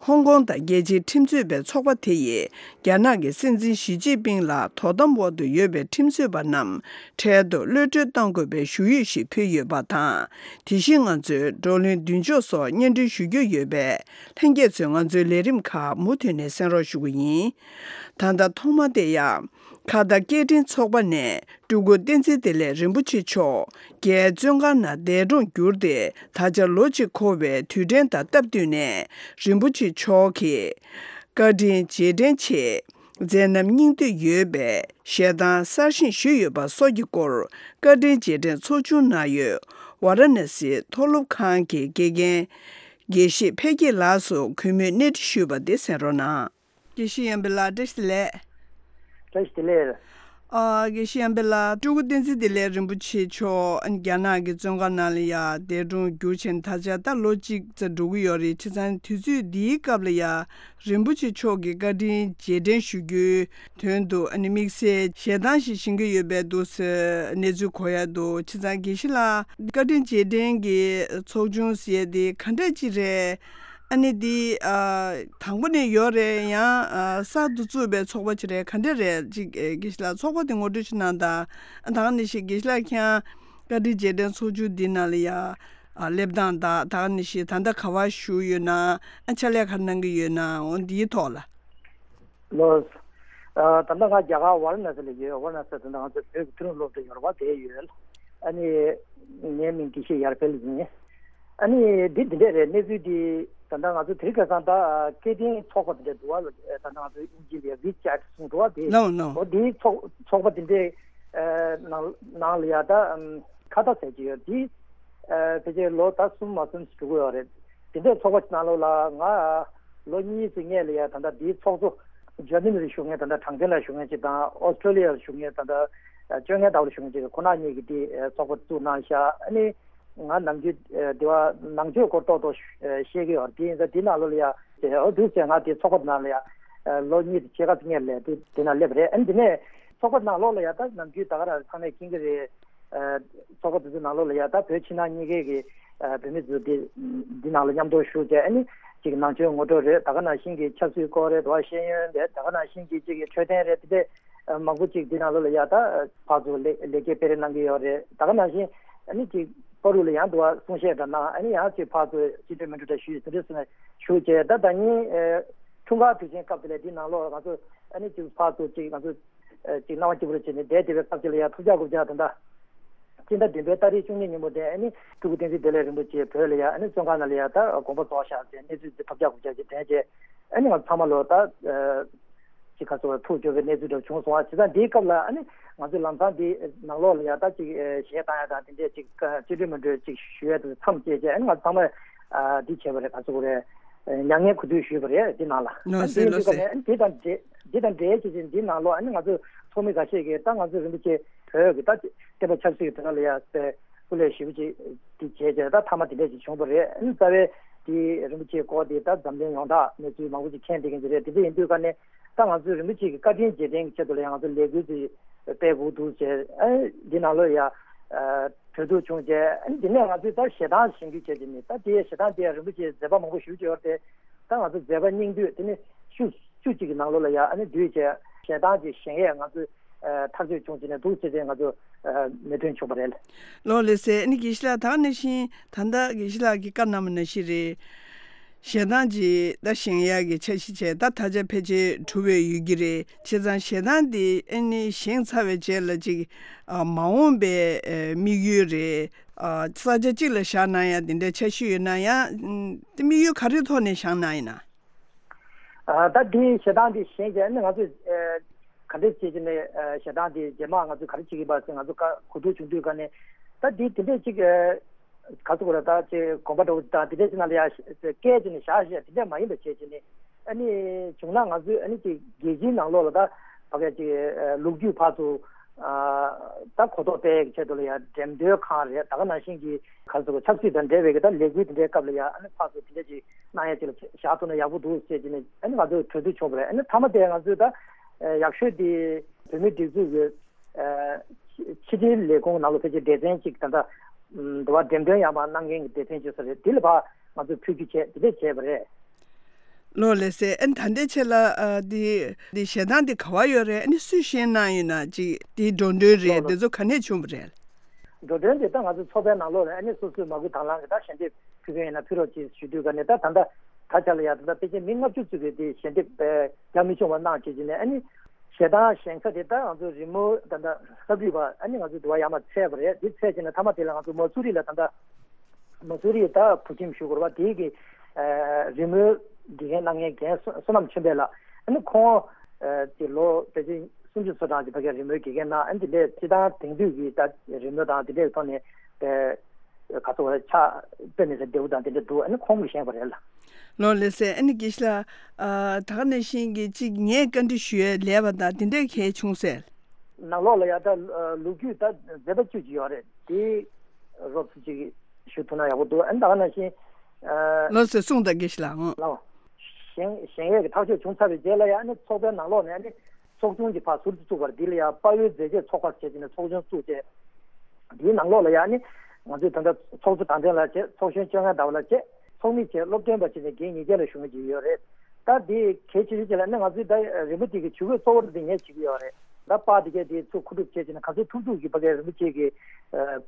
ཧོང་ཀོང་དང་རྒྱལ་སྤྱིའི་ཁྲིམས་རྩོད་པའི་ཚོགས་པ་དེ་ཡིས་རྒྱ་ནག་གི་སྲིད་འཛིན་ཞི་ཅིན་ཕིང་ལ་དོ་དམ་འོག་ཏུ་ཡོད་པའི་ཁྲིམས་རྩོད་པ་རྣམས་འཕྲལ་དུ་གློད་གྲོལ་གཏང་དགོས་པའི་ཞུ་ཡིག་ཞིག་ཕུལ་ཡོད་པ་དང་། དེ་བཞིན་ང་ཚོའི་བགྲོ་གླེང་མདུན་ཕྱོགས་སོགས་སྙན་སྒྲོན་ཞུ་རྒྱུ་ཡོད་པས། ལྷན་རྒྱས་ཚོས་ང་ཚོའི་ལས་རིམ་ཁག་མུ་མཐུད་ནས་གསན་རོགས་ཞུ་གི་ཡིན། ད་ལྟ་ཐོག་མ་དེ་ཡང་། ཁ་བརྡ་སྐད་འཕྲིན་ཚོགས་པ་ནས་སྤྲུལ་སྐུ་བསྟན་འཛིན་བདེ་ལེགས་རིན་པོ་ཆེ་མཆོག་རྒྱའི་བཙོན་ཁང་ནང་འདས་གྲོངས་གྱུར་ཏེ། ད་ཆ་ལོ་གཅིག་འཁོར་བའི་དུས་དྲན་དང་སྟབས་བསྟུན་ནས། རིན་པོ་ཆེ་མཆོག་གི་བཀའ་དྲིན་རྗེས་དྲན་ཆེད། མཛད་རྣམ་སྙིང་བསྡུས་ཡོད་པའི་ཞལ་ཐང་གསར་བཞེངས་ཞུས་ཡོད་པ་སོགས་ཀྱི་སྐོར། བཀའ་དྲིན་རྗེས་དྲན་ཚོགས་ཆུང་ནང་ཡོད་ཝཱ་ར་ཎ་སིའི་མཐོ་སློབ་ཁང་གི་དགེ་རྒན། དགེ་བཤེས་འཕེལ་རྒྱས་ལགས་སུ་གུས་མོས་གནས་འདྲི་ཞུས་པ་དེ་གསན་རོགས་གནང་། དགེ་བཤེས་ཡང་པི་ལགས་བཀྲ་ཤིས་བདེ་ལེགས། བཀྲ་ཤིས་བདེ་ལེགས། ཨ། དགེ་བཤེས་ཡང་པི་ལགས། སྤྲུལ་སྐུ་བསྟན་འཛིན་བདེ་ལེགས་རིན་པོ་ཆེ་མཆོག་རྒྱ་ནག་གི་བཙོན་ཁང་ནང་ལ་ཡ་འདས་གྲོངས་གྱུར་བྱས་ནས་ད་ཆ་ད་ལོ་གཅིག་ཙམ་འགྲོ་གི་ཡོད་རེད། བྱས་ཙང་དུས་ཚོད་འདིའི་སྐབས་ལ་ཡ་རིན་པོ་ཆེ་མཆོག་གི་བཀའ་དྲིན་རྗེས་དྲན་ཞུ་རྒྱུའི་དོན་དུ་ཨ་ནི་དམིགས་བསལ་ཞལ་ཏང་ཞིག་བཞེངས་ཀྱི་ཡོད་པའི་འདུག་ཟེར་གནས་ཚུལ་གོ་ཡ་འདུག་བྱས་ཙང་དགེ་བཤེས་ལགས་བཀའ་དྲིན་རྗེས་དྲན་གྱི་ཚོགས་ཆུང་ཟེར་ཡ་དེ་ག་འདྲ་ཅིག་རེད། ཨ་ནི་འདི་ཨ་དང་པོ་ནས་ཡོད་རེད། ཡང་ཨ་གསར་དུ་བཙུགས་པའི་ཚོགས་པ་ཅིག་རེད། ག་འདྲ་རེད། ཅིག་ཨེ་དགེ་བཤེས་ལགས་ཚོགས་པ་དེ་ངོ་སྤྲོད་ཅིག་གནང་དང་། ཨ་ད་ག་ནང་བཞིན་དགེ་བཤེས་ལགས་ཁྱེད་རང་བཀའ་དྲིན་རྗེས་དྲན་ཚོགས་ཆུང་འདི་ནང་ལ་ཡ་ཨ་སླེབས་སྟངས་དང་། ད་ག་ནང་བཞིན་ད་ལྟ་ག་པར་བཞུགས་ཡོད་ན། ཨ་ཕྱག་ལས་ག་རེ་གནང་གི་ཡོད་ན། འོ་འདིའི་ཐོག་ལ། ལགས། ཨ་ད་ལྟ་ང་རྒྱ་གར་ཝཱ་ར་ཎ་སི་ལ་ཡོད། ཝཱ་ར་ཎ་སི་དེ་ང་ཚོ་བོད་ཀྱི་མཐོ་རིམ་སློབ་གྲྭ་ཡོད་རེད་པ། དེར་ཡོད། ཨ་ནི་ངའི་མིང་དགེ་བཤེས་ཡར་འཕེལ་ཡིན། ཨ་ནི་འདི་འདི་འདྲས་རེད། གནས་ཚུལ་འདི་ད་ལྟ་ང་ཚོ་དེ་རིང་ཁ་སང་ད་སྐད་འཕྲིན་ཚོགས་པ་འདི་འདྲས་འདུག་པ། ད་ལྟ་ང་ཚོ་དབྱིན་ཇི་ལ་ཡ་ཝི་ཅེ་ཊི་གསུངས་འདུག་པ། དེ་ལའོ་ལའོ། འོ་འདིའི་ཚོགས་ཚོགས་པ་འདི་འདྲས་ཨ་ནང་ནང་ལ་ཡ་ད་ཨམ་ཁ་བརྡ་ཟེར་གྱི་ཡོད། འདི་ཨ་ཕལ་ཆེར་ལོ་ད་གསུམ་མ་གསུམ་ཞིག་འགྲོ་གི་ཡོད་རེད། དེ་འདྲའི་ཚོགས་པ་ནང་ལོགས་ལ་ང་ལོ་གཉིས་ཙམ་སྔོན་ལ་ཡ་ད་ལྟ་འདིའི་ཚོགས་གཙོ་འཇར་མ་ནི་ལ་བཞུགས་མཁན་ད་ལྟ་གྲངས་ཅན་ལ་བཞུགས་མཁན་ཅིག་དང་། ཨོ་སི་ཀྲོ་ལི་ཡ་ལ་བཞུགས་མཁན་ད་ལྟ་སྤྱོད་མཁན་ལྟ་བུ་ལ་བཞུགས་མཁན་ཅིག་ཁོ་ན་གཉིས་ཀྱིས་འདི་ཚོགས་པ་བཙུགས་གནང་ཤག་ཨ་ནི་ང་ནམ་རྒྱུན་འདི་བ་ནང་ཆོས་སྐོར་ཏོག་ཏོག་ཤེས་ཀྱི་ཡོད། དེ་ཡིན་ཙང་འདི་ནང་ལོགས་ལ་ཡ་འོ་འདུག་ཟེར། ང་འདི་ཚོགས་པ་ནང་ལ་ཡ་ལོ་གཉིས་དང་ཕྱེད་ཀ་ཙམ་སྔོན་ལ་འདི་འདི་ནང་སླེབས་པ་རེད། ཨ་ནི་འདི་ནས་ཚོགས་པ་ནང་ལོགས་ལ་ཡ་ད་ནམ་རྒྱུན་ད་ག་རང་ཚང་མས་མཁྱེན་གྱི་རེད། ཚོགས་པ་དེ་ཚོའི་ནང་ལོགས་ལ་ཡ་ད་བོད་ཕྱི་ནང་གཉིས་ཀའི་གི་བོད་མི་ཚོ་འདི་འདི་ནང་ལ་མཉམ་དུ་ཞུགས་བྱས། ཨ་ནི་གཅིག་ནང་ཆོས་ངོ་སྤྲོད་རེད། ད་ག་ནང་བཞིན་གྱི་ཆབ་སྲིད་སྐོར་རེད། དེ་བ་ཤེས་ཡོན་རེད། ད་ག་ནང་བཞིན་གྱི་གཅིག་གི་འཕྲོད་བསྟེན་རེད། དེ་འདྲས་མང་པོ་གཅིག་འདི་ནང་ལོགས་ལ་ཡ་ད་ཕར་ཚུར་ལེགས་ལེགས་སྐྱེས་སྤེལ་རེས་གནང་གི་ཡོད་རེད། ད་ག་ནང་བཞིན་ཨ་ནི་གཅིག་བར་དུ་ལ་ཡང་དུ་བ་གསུང་བཤད་འདྲ་གནང་། ཨ་ནི་ཡང་གཅིག་ཕར་ཚུར་ཅི་འདྲ་མི་འདྲ་འདྲ་ཞུས་ཟིན་འདྲ་སོང་ཞུ་བྱས། ད་ད་ཉིན་འཁྲུངས་སྐར་དུས་ཆེན་སྐབས་དེ་ལ་འདི་ནང་ལོགས་ང་ཚོ་ཨ་ནི་གཅིག་ཕར་ཚུར་གཅིག་ང་ཚོ་ཨ་ཅིག་སྣང་བ་སྐྱིད་པོ་རེ་བྱས་ནས་བསྡད་བསྡད་པའི་སྐབས་ཅིག་ལ་ཡ་ཐུགས་ཅག་རྐུབ་ཅག་ད་ལྟ་སྤྱི་ཟླ་བདུན་པའི་ཏ་རིག་བཅུ་གཉིས་ཉིན་མོ་དེ་ཨ་ནི་སྤྲུལ་སྐུ་བསྟན་འཛིན་བདེ་ལེགས་རིན་པོ་ཆེ་བོད་ལ་ཡ་ཨ་ནི་བཙོན་ཁང་ནང་ལ་ཡ་ད་དགོངས་པ་རྫོགས་ཤག་ཟེར་གནས་ཚུལ་དེ་ཐུགས་ཅག་རྐུབ་ཅག་ཅིག་དྲན་བྱས། ཨ་ནི་ང་ཚང་མ་ལོ་ད་ཨ་ཅིག་ག་ཚོད་ཐུགས་སྐྱོ་བའི་གནས་ཚུལ་འདྲ་བྱུང་སོང་བ། བྱས་ཙང་འདིའི་སྐབས་ལ་ཨ་ནི་ང་ཚོས་ལམ་སང་འདི་ནང་ལོགས་ལ་ཡ་ད་ཅིག་ཨ་གཞས་བཏང་ཡ་དང་དེ་འདྲས་ཅིག་ཅི་འདྲ་མི་འདྲ་ཅིག་ཞུ་ཡ་དེ་མཚམས་བཅད་བྱས། ཨ་ནི་ང་ཚང་མས་ཨ་འདི་བྱས་པ་རེད། ག་ཚོད་རེད། མྱ་ངན་གུས་འདུད་ཞུས་པ་རེད་འདི་ནང་ལ། ལགས་སེ་ལགས་སེ། ཨ་ནི་འདི་དང་འབྲེལ་འདི་དང་འབྲེལ་བྱས་ཅིག་འདི་ནང་ལོགས་ཨ་ནི་ང་ཚོ་ཚོགས་མི་འགའ་ཤས་ཀྱིས་ད་ང་ཚོ་རིན་པོ་ཆེ་བོད་ཀྱི་ད་བསྟན་པ་ཆབ་སྲིད་ཀྱི་དོན་ལ་ཡ་སེ་སྐུ་ལས་ཞེ་པོ་ཅིག་འདི་བྱས་བྱས་ད་མཐའ་མ་དེ་འདྲས་ཅིག་བྱུང་བ་རེད། ཨ་ནི་རྩ་བའི་འདི་རིན་པོ་ཆེའི་སྐོར་འདི་ད་འཛམ་གླིང་ཡོངས་གྲགས་གནས་ཚུལ་མང་པོ་ཅིག་མཁྱེན་བསྡད་མཁན་ཅིག་རེད། དེ་འདྲ་ཡིན་དུས་ཀ་ནས་ད་ང་ཚོས་རིན་པོ་ཆེ་གི་བཀའ་དྲིན་རྗེས་དྲན་གྱི་ཆེད་དུ་ལ་ཡང་ང་ཚོ་ལས་འགུལ་ཅིག་སྤེལ་དགོས་འདུག་ཟེར། ཨ་འདི་ནང་ལོགས་ཡ་གྲོས་བསྡུར་བྱུང་རྗེས་ཨ་འདི་ནས་ང་ཚོས་ད་ཞལ་ཐང་བཞེངས་རྒྱུ་བྱས་ཀྱི་ནི། ད་དེའི་ཞལ་ཐང་དེ་ཡང་རིན་པོ་ཆེའི་མཛད་པ་མང་པོ་ཞེ་པོ་ཅིག་ཡོད་རེད་དེ། ད་ང་ཚོ་མཛད་པ་སྙིང་བསྡུས་དེ་ནི་བཅུ་བཅུ་གཅིག་གི་ནང་ལོགས་ལ་ཡ་ཨ་ནི་བསྡུས་བྱས་ཞལ་ཐང་ཅིག་བཞེངས་ཡས་ང་ཚོས་ཨ་ཐག་གཅོད་བྱུང་བྱས་ནས་འདུག་ཟེར་ཏེ་ང་ཚོ་ཨ་མོས་མཐུན་བྱུང་བ་རེད། ལགས་ལགས་སེ། ཨ་ནི་དགེ་བཤེས་ལགས་ད་ག་ནང་བཞིན་ད་ལྟ་དགེ་བཤེས་ལགས་ཀྱིས་བཀའ་གནང་བ་ནང་བཞིན་རེད། ཞལ་ཐང་ཅིག་ད་བཞེངས་ཡག་གི་འཆར་གཞི་བྱས། ད་ད་ཆ་ཕལ་ཆེར་གྲུབ་པའི་ཡོད་ཀྱི་རེད། བྱས་ཙང་ཞལ་ཐང་འདི་ཨ་ནི་བཞེངས་ཚར་བའི་རྗེས་ལ་ཅིག་ཨ་མ་འོངས་པའི་ཨ་དམིགས་ཡུལ་རེད། ཨ་ས་ཆ་གཅིག་ལ་བཞག་གནང་ཡག་འདི་འདྲའི་འཆར་གཞི་ཡོད་ན་ཡང་ཨ་དམིགས་ཡུལ་ག་རེ་ཐོག་ནས་བཞག་གནང་ཡིན་ན། ཨ་ད་འདི་ཞལ་ཐང་འདི་བཞེངས་རྗེས་ཨ་ནི་ང་ཚོས་ཨ་ག་འདྲས་བྱས་ཀྱི་ནས་ཨ་ཞལ་ཐང་འདི་རྗེས་མ་ང་ཚོས་ག་རེ་བྱེད་ཀྱི་ཡིན་པ་ཟེར་ང་ཚོ་བཀའ་གོ་བསྡུར་བྱུང་དུས་ཀ་ནས་ད་འདི་དེ་འདྲས་ཅིག་ཨ་ག་ཚོད་གོ་ར་ད་ཅིག་དགོན་པ་འདྲ་བོ་དང་དེ་འདྲས་ཅིག་ནང་ལ་ཡ་བཀལ་བྱས་ནས་བཞག་བཞག་དེ་འདྲས་མ་ཡིན་པ་བྱས་བྱས་ནས་ཨ་ནི་བྱུང་ན་ང་ཚོས་ཨ་ནི་ཅིག་རྒྱལ་སྤྱིའི་ནང་ལོགས་ལ་ད་ཕ་གི་ཅིག་ཨ་ལོ་རྒྱུས་ཕར་ཚུར་ཨ་ད་གོ་རྟོགས་སྤེལ་ཡག་གི་ཆེད་དུ་ལ་ཡ་འགྲེམས་སྟོན་ཁང་རེད། ད་ག་ནང་བཞིན་གྱི་ག་ཚོད་གོ་ཆབ་སྲིད་དང་འབྲེལ་བའི་གི་ད་ལས་འགུལ་དེ་འདྲའི་སྐབས་ལ་ཡ་ཨ་ནི་ཕར་ཚུར་དེ་འདྲས་ཅིག་གནང་ཡ་ཅིག་ལ་བཞག་ཐུབ་ན་ཡག་པོ་འདུག་ཟེར་གྱི་ནས་ཨ་ནི་ང་ཚོ་གྲོས་བསྡུར་བྱུང་བ་རེད། ཨ་ནི་མཐའ་མ་དེ་ང་ཚོས་ད་ཨ་ཡག་ཤོས་དེ་བོད་མིའི་སྒྲིག་འཛུགས་ཀྱི་ཨ་ཕྱི་དྲིལ་ལས་ཁུངས་ནང་ལ་ཕལ་ཆེར་སྡེ་ཚན་གཅིག་ད་ལྟ་ཨམ་འདི་བ་འགྲེམས་སྟོན་ཡང་མ་གནང་མཁན་གྱི་སྡེ་ཚན་གཅིག་ས་རེད། དེ་ལ་ཕར་ང་ཚོས་ཕུལ་རྒྱུ་བྱས་དེ་འདྲས་བྱས་པ་རེད། ལགས་ལགས་སེ། ཨ་ནི་ད་ལྟའི་ཆེད་ལ་ཨ་འདི་འདི་ཞལ་ཐང་འདི་ག་པར་ཡོད་རེད། ཨ་ནི་སུས་བཞེངས་གནང་ཡོད་ན་ཅིག་འདི་འགྲོ་གྲོན་རེད། ལགས་ལགས། འདི་ཚོ་ག་ནས་བྱུང་བ་རེད། འགྲོ་གྲོན་དེ་ད་ང་ཚོ་ཚོགས་པའི་ནང་ལོགས་ལ་ཨ་ནི་སོ་སོའི་མ་བུ་དང་བླངས་ཀྱིས་ད་ཞལ་འདེབས་ཕུལ་མཁན་ཡིན་ན་ཕུལ་རོགས་ཅེས་ཞུ་དུས་ཀ་ནས་ད་ད་ལྟ་ད་ཆ་ལ་ཡ་ད་ལྟ་ཕལ་ཆེར་མི་ལྔ་བཅུ་ཙམ་གྱིས་དེ་ཞལ་འདེབས་རྒྱ་མི་ཆུང་བ་གནང་བྱས་ཀྱི་ནས་ཨ་ནི་ཞལ་ཐང་བཞེངས་ས་དེ་ད་ང་ཚོ་རི་མོ་ད་ལྟ་ས་བུད་པ་ཨ་ནི་ང་ཚོ་དུ་བ་ཡར་མར་འཚོལ་བ་རེད། དེ་འཚོལ་བྱས་ནས་མཐའ་མ་དེ་ལ་ང་ཚོ་མ་སུ་རི་ལ་ད་ལྟ་མ་སུ་རི་ད་བོད་ཁྱིམ་ཞུ་དགོས་རེད་པ། དེའི་གི་ཨ་རི་མོའི་དགེ་རྒན་གནང་མཁན་རྒན་བསོད་ནམས་ཆོས་འཕེལ་ལགས་ཨ་ནི་ཁོང་ཨ་དེ་ལོ་ཕལ་ཆེར་སུམ་ཅུ་སོ་གྲངས་ཀྱི་ཕ་གིའི་རི་མོའི་དགེ་རྒན་གནང་། ཨ་ནི་དེ་འདྲའི་སྤྱི་བཏང་དེང་དུས་ཀྱི་ད་རི་མོ་དང་དེ་འདྲའི་ཐོག་ནས་ཨ་ ག་ཚོད་ཆ་དཔེ་མི་སྲིད་བདེ་བོ་དང་དེ་འདྲ་འདུག་ཨ་ནི་ཁོང་གིས་བཞེངས་པ་རེད་ལ། ལགས་ལགས་སེ། ཨ་ནི་དགེ་བཤེས་ལགས། ཨ། ད་ག་ནང་བཞིན་གྱི་གཅིག་ངས་བཀའ་འདྲི་ཞུ་ཡས་ལས་པ་དང་དེ་འདྲས་གལ་བྱུང་ཟེར། ནང་ལོགས་ལ་ཡ་ད་ལོ་རྒྱུས་ད་མཛད་པ་བཅུ་ཅིག་ཡོད་རེད། དེ་རོབ་ཙམ་ཅིག་ཞུ་ཐུབ་ན་ཡག་པོ་འདུག་ཨ་ནི་ད་ག་ནང་བཞིན། ཨ། ལགས་སེ། གསུངས་དང་། དགེ་བཤེས་ལགས། ཨང་། ལགས། བཞེངས་བཞེངས་ཡས་ཀྱི་ཐག་གཅོད་བྱུང་ཚར་བའི་རྗེས་ལ་ཡ་ཨ་ནི་ཚོགས་པའི་ནང་ལོགས་ནས་ཨ་ནི་ཚོགས་ཆུང་གི་ཕར་ཟུར་དུ་བཙུགས་པར་འདི་ལ་ཡ་དཔལ་ཡུལ་མཛད་རྗེས་ཚོགས་པ་བྱས་བྱས་ནས་ཚོགས་ཆུང་བཙུགས་བྱས། འདིའི་ནང་ལོགས་ལ་ཡ་ཨ་ནི་ང་ཚོའི་ད་ལྟ་ཚོགས་གཙོ་དྲང་བདེན་ལགས་བྱས། ཚོགས་གཞོན་བཅོ་ལྔ་ཟླ་བ་ལགས་བྱས། ཚོགས་མི་བྱས། སློབ་སྟོན་པ་བྱས་ནས་འགན་ཉེར་བརྒྱད་ལ་ཞུ་མཁན་ཅིག་ཡོད་རེད། ད་འདི་གལ་ཆེ་ཤོས་ཅིག་ལ་ནི་ང་ཚོའི་ད་རིན་པོ་ཆེ་གི་ཇུས་འགོད་གཙོ་བོ་འདི་ངས་བྱེད་ཀྱི་ཡོད་རེད། ད་པར་འདི་གས་འདི་ཚུར་མཁོ་སྒྲུབ་བྱས་བྱས་ནས་ག་ཚོད་ཐུབ་ཐུབ་ཀྱིས་ཕ་གིའི་རིན་པོ་ཆེ་གི་ཨ་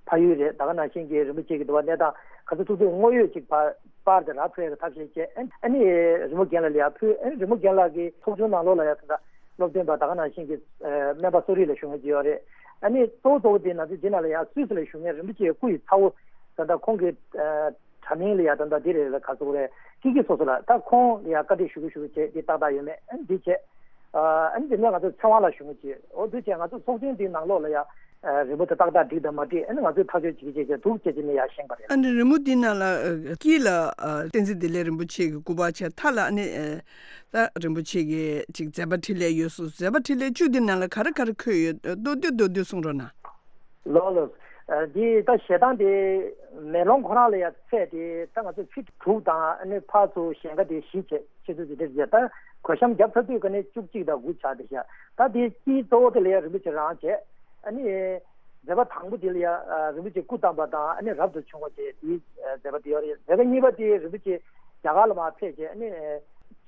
ཕ་ཡུལ་རེད། ད་ག་ནང་བཞིན་གྱི་རིན་པོ་ཆེ་གི་འདུག་པ་གནས་སྟངས་ག་ཚོད་ཐུབ་ཐུབ་དངོས་ཡོད་ཅིག་པར་པར་དེ་རག་ཐུབ་ཡག་གི་ཐབས་ཤེས་བྱས། ཨ་ཨ་ནི་རི་མོ་རྒན་ལགས་ལ་ཡར་ཕུལ། ཨ་ནི་རི་མོ་རྒན་ལགས་ཀྱིས་ཚོགས་ཆུང་ནང་ལོགས་ལ་ཡར་ད་ལྟ་སློབ་སྟོན་པ་ད་ག་ནང་བཞིན་གྱི་ཨ་སྨན་པ་གསོ་རིག་ལ་ཞུ་མཁན་ཅིག་ཡོད་རེད། ཨ་ནི་གཙོ་བོ་གཙོ་བོ་དེ་ང་ཚོ་འདི་ནང་ལ་ཡར་སུད་སི་ལ་བཞུགས་མཁན་རིན་པོ་ཆེའི་སྐུ་ཡི་ཚ་བོ་ད་ལྟ་ཁོང་གི་ཨ་དྲ་མིང་ལ་ཡ་ད་ལྟ་འདི་རེད་ལ་ག་ཚོད་རེད། ཀི་ཀི་སོ་སོ་ལ་ད་ཁོང་ལ་ཡ་བཀའ་འདྲི་ཞུ་གི་ཞུ་གི་བྱས་འདི་ཏག་ཏག་ཡོད་མེད་ཨ་འདི་བྱས། ཨ་ནི་འདི་ནས་ང་ཚོ་ཚེ་དབང་ལགས་ཞུ་མི་བྱེད། འོ་འདི་བྱས་ང་ཚོ་ཚོགས་ཆེན་འདིའི་ནང་ལོགས་ལ་ཡ་རི་མོ་དེ་ཏག་ཏག་འགྲིག་དང་མ་འགྲིག་ཨ་ནི་ང་ཚོས་ཐག་གཅོད་བྱེད་ཀྱི་བྱེད་ཀྱི་འདུག་བྱས་ཀྱི་ནས་ཡ་བཞེངས་པ་རེད། ཨ་ནི་རི་མོ་འདི་ནང་ལ་དཀྱིལ་ལ་བསྟན་འཛིན་བདེ་ལེགས་རིན་པོ་ཆེ་གི་སྐུ་པར་བྱས། མཐའ་ལ་ཨ་ནི་ད་རིན་པོ་ཆེ་གི་ཅིག་མཛད་པ་འཕྲིན་ལས་ཡོད་སོང་། མཛད་པ་འཕྲིན་ལས་བཅུ་འདི་ནང་ལ་ག་རེ་ག་རེ་འཁོད་ཡོད། མདོར་བསྡུས་མདོར་བསྡུས་གསུང་རོགས་གནང་། ལགས་ལགས། ཨ་འདི་ད་ཞལ་ཐང་དེ་མེ་ལོང་ཁོ་རང་ལ་ཡ་ཚད་དེ་ད་ང་ཚོ་ཕིཊ་དྲུག་དང་ཨ་ནི་ཕར་ཚུར་ཞེང་ཁ་དེ་བཞི་བྱས་ཆེ་ཚོད་དེ་འདྲ་བྱས། ད་གོས་ཤམ་བརྒྱབ་ཚར་དུས་ཀ་ནས་བཅུ་གཅིག་དང་དགུ་ཆགས་དེ་ཤག་ད་དེ་དཀྱིལ་གཙོ་བོ་དེ་ལ་ཡ་རིན་པོ་ཆེ་རང་བྱས། ཨ་ནི་མཛད་པ་དང་པོ་དེ་ལ་ཡ་རིན་པོ་ཆེ་སྐུ་བལྟམས་པ་དང་ཨ་ནི་རབ་ཏུ་བྱུང་བ་བཅས་དེའི་མཛད་པ་དེ་ཡོད་རེད། མཛད་པ་གཉིས་པ་དེ་རིན་པོ་ཆེ་རྒྱ་གར་ལ་མར་ཕེབས་བྱས་ཨ་ནི་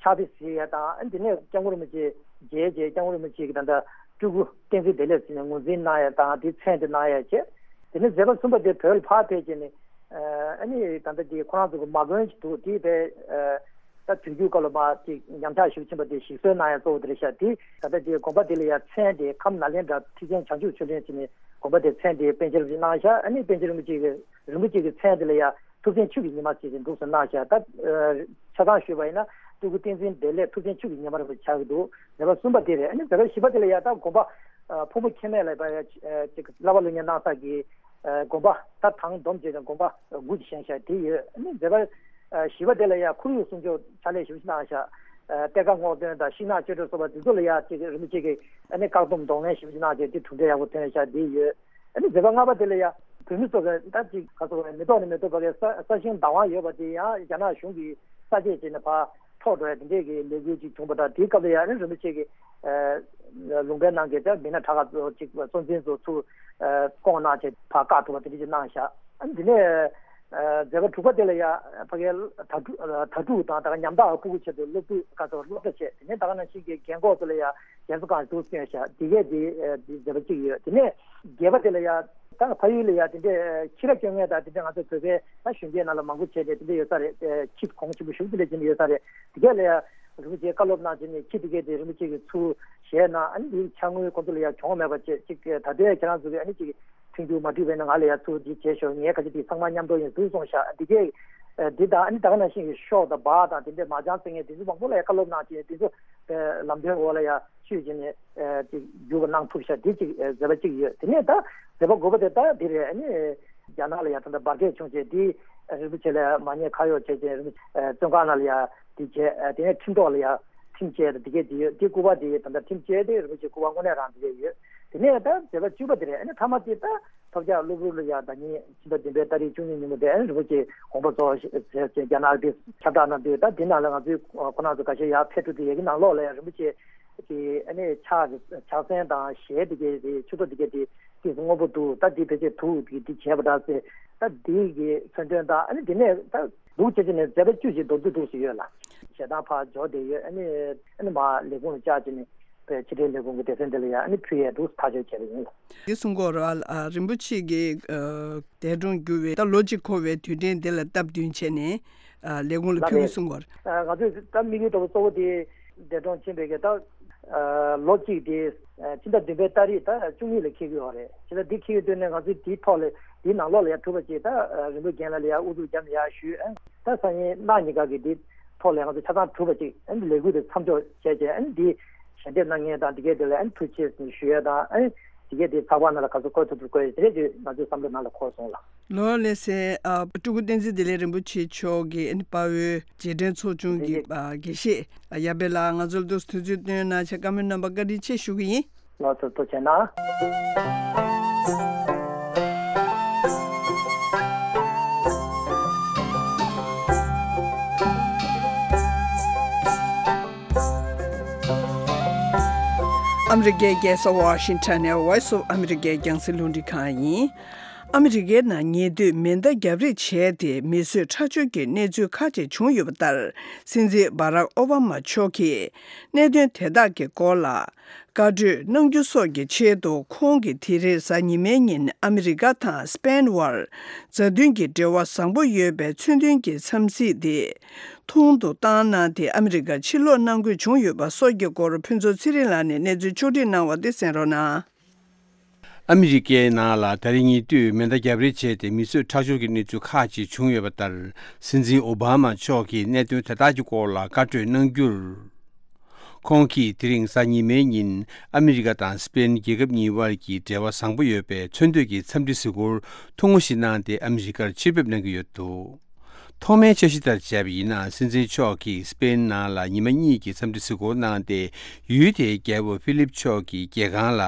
ཕྱག་དཔེ་གཟིགས་ཡ་དང་། ཨ་ནི་དེ་ནས་སྐྱབས་མགོན་རིན་པོ་ཆེ་མཇལ་བྱས་སྐྱབས་མགོན་རིན་པོ་ཆེ་གི་ད་ལྟ་སྤྲུལ་སྐུ་བསྟན་འཛིན་བདེ་ལེགས་ཟེར་ནས་ངོས་འཛིན་གནང་ཡ་དང་དེའི་མཚན་དེ་གནང་ཡ་བྱས། དེ་ནས་མཛད་པ་གསུམ་པ་དེ་བོད་ལ་ཕར་ཕེབས་བྱས་ནས་ཨ་ནི་ད་ལྟ་དེ་ཁོ་རང་ཚོ་གི་མ་དགོན་ཞིག་འདུག་དེ་དཔེ་ད་དུས་འགྱུར་སྐབས་ལ་མར་ཅིག་ཉམས་ཆག་ཞིག་ཕྱིན་པ་དེ་ཞིག་གསོ་གནང་ཡ་གཙོ་བོ་དེ་རེད་ཤག་དེ་ད་ལྟ་དེ་དགོན་པ་དེ་ལ་ཡ་མཚན་དེ་ཁམས་ནཱ་ལེནྡྲ་ཁྲི་ཆེན་བྱང་ཆུབ་ཆོས་གླིང་ཟེར་ནས་དགོན་པ་དེ་མཚན་དེ་པཎ་ཆེན་རིན་པོ་ཆེ་གནང་ཤག་ཨ་ནི་པཎ་ཆེན་རིན་པོ་ཆེ་གི་རིན་པོ་ཆེ་གི་མཚན་དེ་ལ་ཡ་ཐུབ་བསྟན་ཆོས་ཀྱི་ཉི་མ་ཟེར་ཏེ་འདུག་སེ་གནང་ཤག་ད་ཨ་ཆ་ཚང་ཞུས་པ་ཡིན་ན་སྤྲུལ་སྐུ་བསྟན་འཛིན་བདེ་ལེགས་ཐུབ་བསྟན་ཆོས་ཀྱི་ཉི་མ་རིན་པོ་ཆེ་ཆགས་ཀྱི་འདུག་མཛད་པ་གསུམ་པ་དེ་རེད། ཨ་ནི་མཛད་པ་བཞི་པ་དེ་ལ་ཡ་ད་དགོན་པ་ཨ་ཕུང་པོ་མཁྱེན་མེད་ལ་ཡ་ཅིག་བསླབ་པ་སློབ་གཉེར་གནང་ས་གི་ཨ་དགོན་པ་ད་དང་སྡོམ་བྱས་ནས་དགོན་པ་དགུ་ཅིག་བཞེངས་ཤག་དེ་ཡོད། ཨ་ནི་མཛད་པ་ཨ་བཞི་པ་དེ་ལ་ཡ་ཁོར་ཡུག་སྲུང་སྐྱོབ་ཕྱག་ལས་ཞེ་པོ་ཅིག་གནང་ཤག་ཨ་གཏེར་ཁ་སྔོག་འདོན་དང་ཤིང་ནགས་གཅོད་འབྲེག་སོགས་པ་དེ་ཚོ་ལ་ཡ་ཅིག་རིན་པོ་ཆེ་གི་ཨ་ནི་བཀག་སྡོམ་གདོང་ལེན་ཞེ་པོ་ཅིག་གནང་ཤག་དེ་གྲུབ་འབྲས་ཡག་པོ་ཐོན་ཤག་དེ་ཡོད། ཨ་ནི་མཛད་པ་ལྔ་པ་དེ་ལ་ཡ་བོད་མི་ཚོ་གི་ད་ཅིག་ག་ཚོད་རེད། མི་ཐོག་ནས་མི་ཐོག་བར་གྱི་ས་ས་ཞིང་བདག་དབང་ཡོད་པ་དེ་ཡང་རྒྱ་ནག་གཞུང་གིས་ས་དཔྱད་བྱས་ནས་ཕར་འཕྲོག་འགྲོ་ཡ་དེ་འདྲས་ཀྱི་ལས་འགུལ་ཅིག་བྱུང་བ་དང་། དེའི་སྐབས་ལ་ཡ་ཨ་ནི་རིན་པོ་ཆེ་གིས་ཨ་ལུང་པའི་ནང་གི་ད་མི་སྣ་ཁྲ་ཁ་ཚོ་ཅིག་གཙོ་འཛིན་ཚོ་ཚུར་ཨ་བསྐོངས་གནང་བྱས་ཕར་བཀག་ཐུབ་པ་དེ་འདྲས་ཅིག་གནང་ཤག་ཨ་ནི་དེ་ནས་ཨ་མཛད་པ་དྲུག་པ་དེ་ལ་ཡ་ཕ་གིའི་དྭ་ཕྲུག་དྭ་ཕྲུག་དང་ད་ག་ཉམ་ཐག་ཕྲུ་གུ་ཆེད་དུ་སློབ་ཕྲུག་ཁ་ཚོ་སློབ་གྲྭ་བྱས། དེ་ནས་ད་ག་ནང་བཞིན་གྱི་རྒན་འཁོགས་ཚོ་ལ་ཡ་རྒན་གསོ་ཁང་ཞིག་བཙུགས་བྱས་ཤག་དེ་གས་དེ་ཨ་དེ་མཛད་པ་གཅིག་ཡོད། དེ་ནས་བརྒྱད་པ་དེ་ལ་ཡ་ད་ཕ་ཡུལ་ལ་ཡ་དེ་འདྲས་ཁྱི་ར་སྐྱོང་མཁན་དང་དེ་འདྲས་ང་ཚོ་བོད་པའི་ད་གཞོན་སྐྱེས་ནང་ལ་མང་པོ་བྱས་ཏེ་དེ་འདྲས་ཡོད་ས་རེད། ཁྱི་གོང་ཆེན་པོ་ཞེ་པོ་ཅིག་ལ་བྱས་ནས་ཡོད་ས་རེད། དེ་གས་ལ་ཡ་རིན་པོ་ཆེ་བཀའ་སློབ་གནང་བྱས་ནས་ཁྱི་དེ་གས་དེ་རིན་པོ་ཆེ་གིས་ཚུར་བཞེས་གནང་། ཨ་ནི་དེའི་ཕྱག་དངུལ་ཁོང་ཚོ་ལ་ཡ་གྱོང་མེད་པ་བྱས་ཅིག་ད་ལྟའི་ཁྱེད་རང་ཚོ་གིས་ཨ་ནི་ཅིག་མཐུན་འགྱུར་མ་འགྲིག་པ་ཡིན་ན་ང་ལ་ཡ་ཚུར་འདི་བྱས་ཤོག་ངའི་ཁ་ཆེ་དེ་ཚང་མ་མཉམ་དུ་ཡིན་ཟེར་གསུངས་ཤག་འདི་གས་ཨ་འདི་དང་ཨ་ནི་ད་ག་ནང་བཞིན་གྱི་ཤོག་དང་སྦག་དང་དེ་འདྲས་མ་ཅང་བཙལ་མཁན་དེ་ཚོ་མང་པོ་ལ་ཡ་བཀའ་སློབ་གནང་བྱས། དེ་ཚོ་ཨ་ལམ་སྟོན་འོག་ལ་ཡ་ཆུད་བྱས་ནས་ཨ་ཅིག་འགྱུར་བ་གནང་ཐུབ་ཤག་དེ་གཅིག་ཨ་མཛད་པ་གཅིག་ཡོད། དེ་ནས་ད་མཛད་པ་དགུ་པ་དེ་ད་འདི་རེད། ཨ་ནི་རྒྱ་ནག་ལ་ཡ་ད་ལྟ་འབར་གས་བྱུང་བྱས་དེ་རིན་པོ་ཆེ་ལ་མ་ཉེས་ཁ་གཡོགས་བྱས་བྱས་རིན་པོ་ཨ་བཙོན་ཁང་ནང་ལ་ཡ་དེ་བྱས། ཨ་དེ་ནས་ཁྲིམས་ཐོག་ལ་ཡ་ཁྲིམས་བཅད་དེ་གས་དེ་ཡོད། དེ་སྐུ་པར་དེ་ད་ལྟ་ཁྲིམས་བཅད་དེ་རིན་པོ་ཆེ་སྐུ་པར་དངོས་གནས་རང་དེ་གས་ཡོད། དེ་ནས་ད་མཛད་པ་བཅུ་པ་དེ་རེད། ཨ་ནི་མཐའ་མ་དེ་ད་ཐོབ་རྒྱལ་གློ་བུར་ལ་ཡ་ཟླ་ཉིན་ཕྱི་ཟླ་བདུན་པའི་ཏ་རིག་བཅུ་གཉིས་ཉིན་མོ་དེ་ཨ་ནི་རིན་པོ་ཆེ་དགོངས་པ་རྫོགས་ཟེར་ཅེས་རྒྱ་ནག་དེ་ཁྱབ་བསྒྲགས་གནང་དུས། ད་དེ་ནང་ལ་ང་ཚོའི་ཁོ་རང་ཚོ་ཁ་ཤས་ཡར་ཕེབས་འགྲོ་དུས་ཡ་གི་ནང་ལོགས་ལ་ཡ་རིན་པོ་ཆེ་གི་ཨ་ནི་ཕྱག་གི་ཕྱག་མཚན་དང་ཞལ་དེ་གས་དེ་མཆུ་ཏོ་དེ་གས་དེ་ཏོག་ཙམ་སྔོན་པོ་འདུག་ད་འདི་ཕལ་ཆེར་དུག་གི་འདི་བྱས་པ་འདྲ་ཟེར། ད་འདི་གི་མཚོན་དོན་དང་ཨ་ནི་འདི་ནས་ད་འདུག་བྱས་བྱས་ནས་མཛད་པ་བཅུ་ཞིག་མདོར་བསྡུས་འདུག་ཟེར་ཡོད་ལ། ཞལ་ཐང་ཕར་འབྱོར་བསྡད་ཡོད། ཨ་ནི་ཨ་ནི་མར་ལས་ཁུངས་ལ་བཅར་བྱས་ནས་པའི་ཕྱི་དྲིལ་ལས་ཁུངས་ཀྱི་སྡེ་ཚན་འདི་ལ་ཡང་ཨ་ནི་ཕུལ་ཡས་འདུག་ཐག་གཅོད་བྱས་པ་ཡིན། འདི་གསུང་གི་ཡོད་རེད་བ། ཨ། རིན་པོ་ཆེ་གིས་ཨ་འདས་གྲོངས་གྱུར་བའི་ད་ལོ་གཅིག་འཁོར་བའི་དུས་དྲན་འདི་ལ་སྟབས་བསྟུན་བྱས་ནས་ཨ་ལས་ཁུངས་ལ་ལགས་ཕུལ་གྱི་རེད། གསུང་གི་ཡོད་རེད། ཨ། ང་ཚོས་ད་དམིགས་ཡུལ་ལྟ་བུ་གཙོ་བོ་དེ་འདས་གྲོངས་ཕྱིན་པའི་གི་ད་ཨ་ལོ་གཅིག་དེ་ཨ་ཕྱི་ཟླ་བདུན་པའི་ཏ་རིག་ད་བཅུ་གཉིས་ལ་འཁེལ་གྱི་ཡོད་རེད། ཕྱི་ཟླ་འདི་འཁེལ་གྱི་དུས་ནས་ང་ཚོས་དེའི་ཐོག་ལ་དེའི་ནང་ལོགས་ལ་ཡང་གྲུབ་པ་ཅིག་ད་ཨ་རིན་པོ་རྒན་ལགས་ལ་ཡང་ཨུ་ཚུགས་བརྒྱབ་ནས་ཡར་ཞུས། ཨ་ད་སང་ཉིན་གནངས་ཉིན་ག་གི་དེ་ཐོག་ལ་ང་ཚོ་ཆ་ཚང་གྲུབ་པ་ཅིག་ཨ་ནི་ལས་འགུལ་དེ་མཚམས་འཇོག་བྱས་རྗེས་ཨ་ནི་འདི་ཞལ་འདེབས་གནང་མཁན་དང་འདི་གས་དེ་ལ་ཨ་ནི་ཐུགས་རྗེ་ཆེ་ཞུ་ཡས་དང་། ཨ་ནི་འདི་གས་དེ་ཚགས་པར་ནང་ལ་ག་ཚོད་བཀོད་ཐུབ་ཐུབ་བཀོད་ཡས་དེ་འདྲས་ཅིག་ང་ཚོའི་བསམ་བློ་ནང་ལ་འཁོར་སོང་ལགས། ལོ་ལེ་སེ། ཨ། སྤྲུལ་སྐུ་བསྟན་འཛིན་བདེ་ལེགས་རིན་པོ་ཆེ་མཆོག་གི་ཨ་ནི་དཔའ་བོའི་རྗེས་དྲན་ཚོགས་ཆུང་གི་ཨ་དགེ་བཤེས། ཨ། ཡབ་བེ་ལགས། ང་ཚོར་འདུག་སེ་དུས་ཚོད་བཏོན་གནང་བྱས་བཀའ་མོལ་གནང་བར་བཀའ་དྲིན་ཆེ་ཞུ་གི་ཡིན། ལགས་སོ། ཐུགས་རྗེ་གནང་། ཨ་མི་རི་ཀའི་རྒྱལ་ས་ཝ་ཤིང་ཊོན་ནས་Voice of America རྒྱང་སྲིང་རླུང་འཕྲིན་ཁང་ཡིན། ཨ་མི་རི་ཀའི་ནང་ཉེ་དུས་མེ་མདའ་བརྒྱབ་རེས་བྱས་ཏེ་མི་གསོད་ཁྲག་སྦྱོར་གྱི་གནས་ཚུལ་ཁག་ཅིག་བྱུང་ཡོད་པ་ལྟར། སྲིད་འཛིན་བྷ་རག་ཨོ་བྷ་མ་མཆོག་གིས་གནད་དོན་དེ་དག་གི་སྐོར་ལ་བཀའ་གྲོས་གནང་རྒྱུ་སོགས་ཀྱི་ཆེད་དུ། ཁོང་གིས་དེ་རིང་གཟའ་ཉི་མའི་ཉིན་ཨ་མི་རི་ཀ་དང་སི་པེན་དབར་མཛའ་མཐུན་གྱི་འབྲེལ་བ་བཟང་པོ་ཡོད་པའི་མཚོན་དོན་གྱི་འཚམས་གཟིགས་དེ་ཐུང་དུ་བཏང་གནང་སྟེ། ཨ་མི་རི་ཀར་ཕྱིར་ལོག་གནང་དགོས་བྱུང་ཡོད་པ་སོགས་ཀྱི་སྐོར། ཕུན་ཚོགས་ཚེ་རིང་ལགས་ནས་གནས་ཚུལ་ཕྱོགས་སྒྲིག་གནང་བ་དེ་གསན་རོགས་གནང་། ཨ་མི་རི་ཀའི་ནང་ལ་ད་རེས་ཉེ་དུས་མེ་མདའ་བརྒྱབ་རེས་བྱས་ཏེ་མི་གསོད་ཁྲག་སྦྱོར་གྱི་གནས་ཚུལ་ཁག་ཅིག་བྱུང་ཡོད་པ་ལྟར། སྲིད་འཛིན་ཨོ་བྷ་མ་མཆོག་གིས་གནད་དོན་དེ་དག་གི་སྐོར་ལ་བཀའ་གྲོས་གནང་རྒྱུར། ཁོང་གིས་དེ་རིང་གཟའ་ཉི་མའི་ཉིན་ཨ་མི་རི་ཀ་དང་སི་པེན་རྒྱལ་ཁབ་གཉིས་དབར་གྱི་འབྲེལ་བ་བཟང་པོ་ཡོད་པའི་མཚོན་འདོད་ཀྱི་འཚམས་འདྲི་གཟིགས་སྐོར་ཐུང་ངུ་ཞིག་གནང་སྟེ་ཨ་མི་རི་ཀར་ཕྱིར་ཕེབས་གནང་གི་ཡོད་འདུག་ཐོག་མའི་འཆར་གཞི་ལྟར་བྱས་པ་ཡིན་ན། སྲིད་འཛིན་མཆོག་གིས་སི་པེན་ནང་ལ་ཉི་མ་གཉིས་ཀྱི་འཚམས་འདྲི་གཟིགས་སྐོར་གནང་སྟེ། ཡུལ་དེའི་རྒྱལ་པོ་ཧྥི་ལིབ་མཆོག་གི་རྒྱལ་ཁང་ལ་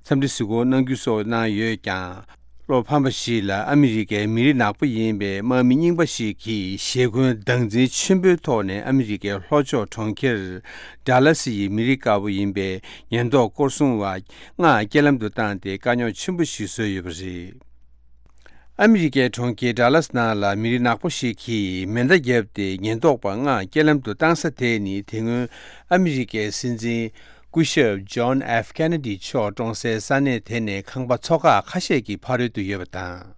འཚམས་འདྲི་གཟིགས་སྐོར་གནང་རྒྱུ་སོགས་གནང་ཡོད་ཀྱང་། བློ་ཕམ་པ་ཞིག་ལ། ཨ་མི་རི་ཀའི་མི་རིགས་ནག་པོ་ཡིན་པའི་དམག་མི་རྙིང་པ་ཞིག་གིས་ཞེ་འཁོན་སྡང་འཛིན་ཆེན་པོའི་ཐོག་ནས་ཨ་མི་རི་ཀའི་ལྷོ་ཕྱོགས་གྲོང་ཁྱེར་ཌ་ལ་སི་ཡི་མི་རིགས་དཀར་པོ་ཡིན་པའི་ཉེན་རྟོག་སྐོར་སྲུང་བ་ལྔ་རྐྱེན་ལམ་དུ་བཏང་སྟེ་དཀའ་རྙོག་ཆེན་པོ་ཞིག་བཟོས་ཡོད་པ་རེད། ཨ་མི་རི་ཀའི་གྲོང་ཁྱེར་ཌ་ལ་སི་ནང་ལ་མི་རིགས་ནག་པོ་ཞིག་གིས་མེ་མདའ་བརྒྱབ་སྟེ་ཉེན་རྟོག་པ་ལྔ་རྐྱེན་ལམ་དུ་བཏང་ས་དེ་ནི། དེ་སྔོན་ཨ་མི་རི་ཀའི་སྲིད་འཛིན་སྐུ་ཞབས་ཇོན་ཨེཕ་ཁེ་ནེ་ཌི་མཆོག་གྲོངས་སའི་ས་གནས་དེ་ནས་ཁང་པ་ཚོ་ཁག་ཁ་ཤས་ཀྱི་ཕ་རོལ་ཏུ་ཡོད་པ་དང་།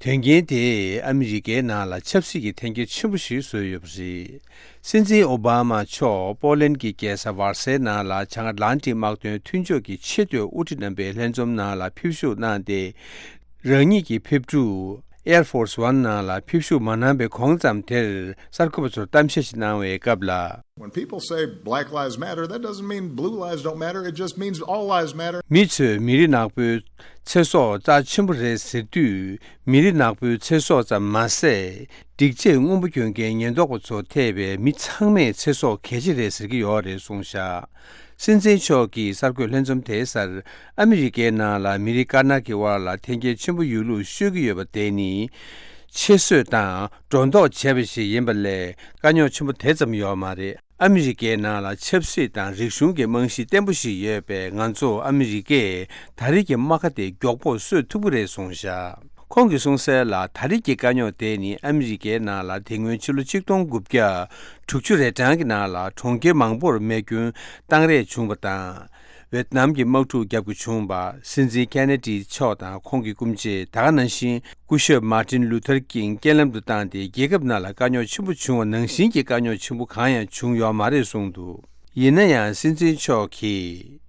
དོན་རྐྱེན་དེས་ཨ་མི་རི་ཀའི་ནང་ལ་ཆབ་སྲིད་ཀྱི་འཐེན་འཁྱེར་ཆེན་པོ་ཞིག་བཟོས་ཡོད་པ་རེད། སྲིད་འཛིན་ཨོ་བྷ་མ་མཆོག་པོ་ལན་གྱི་རྒྱལ་ས་ཝར་སའི་ནང་ལ་བྱང་ཨ་ཊ་ལན་ཊིག་དམག་དོན་མཐུན་ཕྱོགས་ཀྱི་ཆེས་མཐོའི་དབུ་ཁྲིད་རྣམ་པའི་ལྷན་འཛོམས་ནང་ལ་ཕེབས་ཞུགས་གནང་སྟེ། རང་ཉིད་ཀྱི་ཕེབས་འཁྲུག་Air Force One ནང་ལ་ཕེབས་ཞུགས་མ་གནང་བའི་གོང་ཙམ་དེར་གསར་འགོད་པ་ཚོར་གཏམ་བཤད་ཞིག་གནང་བའི་སྐབས་ལ། When people say Black Lives Matter, that doesn't mean Blue Lives don't matter. It just means all lives matter. མི་ཚོས་མི་རིགས་ནག་པོའི་ཚེ་སྲོག་རྩ་ཆེན་པོ་རེད་ཟེར་དུས། མི་རིགས་ནག་པོའི་ཚེ་སྲོག་ཙམ་མ་ཟད། སྒྲིག་ཆས་སྔོན་པོ་གྱོན་མཁན་ཉེན་རྟོག་པ་ཚོ་ཐེ་བའི་མི་ཚང་མའི་ཚེ་སྲོག་གལ་ཆེ་རེད་ཟེར་གྱི་ཡོད་རེད་གསུངས་བཞག་སྲིད་འཛིན་མཆོག་གིས་གསར་འགོད་ལྷན་འཛོམས་དེའི་སར། ཨ་མི་རི་ཀའི་ནང་ལ་མི་རིགས་དཀར་ནག་གི་དབར་ལ་འཐེན་འཁྱེར་ཆེན་པོ་ཡོད་ལུགས་ཤོད་ཀྱི་ཡོད་པ་དེ་ནི། ཆེད་བཟོས་དང་སྒྲོ་འདོགས་བྱས་པ་ཞིག་ཡིན་པ་ལས། དཀའ་རྙོག་ཆེན་པོ་དེ་ཙམ་ཡོད་མ་རེད། ཨ་མི་རི་ཀའི་ནང་ལ་ཆབ་སྲིད་དང་རིག་གཞུང་གི་རྨང་གཞི་བརྟན་པོ་ཞིག་ཡོད་པས། ང་ཚོ་ཨ་མི་རི་ཀས་ད་རེས་ཀྱི་རྨ་ཁ་དེ་མགྱོགས་པོར་གསོ་ཐུབ་ཀྱི་རེད་གསུངས་བཞག་ཁོང་གིས་གསུངས་གསལ་ལ། ད་རེས་ཀྱི་དཀའ་རྙོག་དེ་ནི་ཨ་མི་རི་ཀའི་ནང་ལ་དེ་སྔོན་ཕྱི་ལོ་ཆིག་སྟོང་དགུ་བརྒྱ་དྲུག་ཅུ་རེ་གྲངས་ཀྱི་ནང་ལ་གྲོང་ཁྱེར་མང་པོར་རྨས་སྐྱོན་བཏང་རེས་བྱུང་བ་དང་། ཝེ་ཏི་ནམ་གྱི་དམག་འཁྲུག་བརྒྱབ་དགོས་བྱུང་བ། སྲིད་འཛིན་ཁེ་ནེ་ཌི་མཆོག་དང་ཁོང་གི་སྐུ་མཆེད། ད་ག་ནང་བཞིན་སྐུ་ཞབས་མར་ཏིན་ལུ་ཐར་ཀིང་རྐྱེན་ལམ་དུ་བཏང་སྟེ། རྒྱལ་ཁབ་ནང་ལ་དཀའ་རྙོག་ཆེན་པོ་བྱུང་བ་ནང་བཞིན་གྱི་དཀའ་རྙོག་ཆེན་པོ་གང་ཡང་བྱུང་ཡོད་མ་རེད་གསུངས་འདུག་ཡིན་ན་ཡང་། སྲིད་འཛིན་མཆོག་གིས་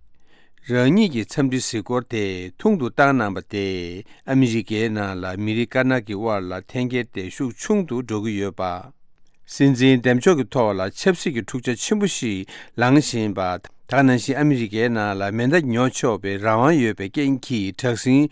རང་ཉིད་ཀྱི་འཚམས་འདྲི་གཟིགས་སྐོར་དེ་ཐུང་དུ་བཏང་གནང་བ་དེས། ཨ་མི་རི་ཀའི་ནང་ལ་མི་རིགས་དཀར་ནག་གི་དབར་ལ་འཐེན་འཁྱེར་དེ་ཤུགས་ཆུང་དུ་འགྲོ་གི་ཡོད་པ། སྲིད་འཛིན་འདེམས་ཕྱོགས་ཀྱི་ཐོག་ལ་ཆབ་སྲིད་ཀྱི་འཁྲུག་ཆ་ཆེན་པོ་ཞིག་ལངས་བཞིན་པ། ད་ག་ནང་བཞིན་ཨ་མི་རི་ཀའི་ནང་ལ་མེ་མདའ་ཉོ་ཆོག་པའི་རང་དབང་ཡོད་པའི་རྐྱེན་གྱིས། དྲག་ཟིང་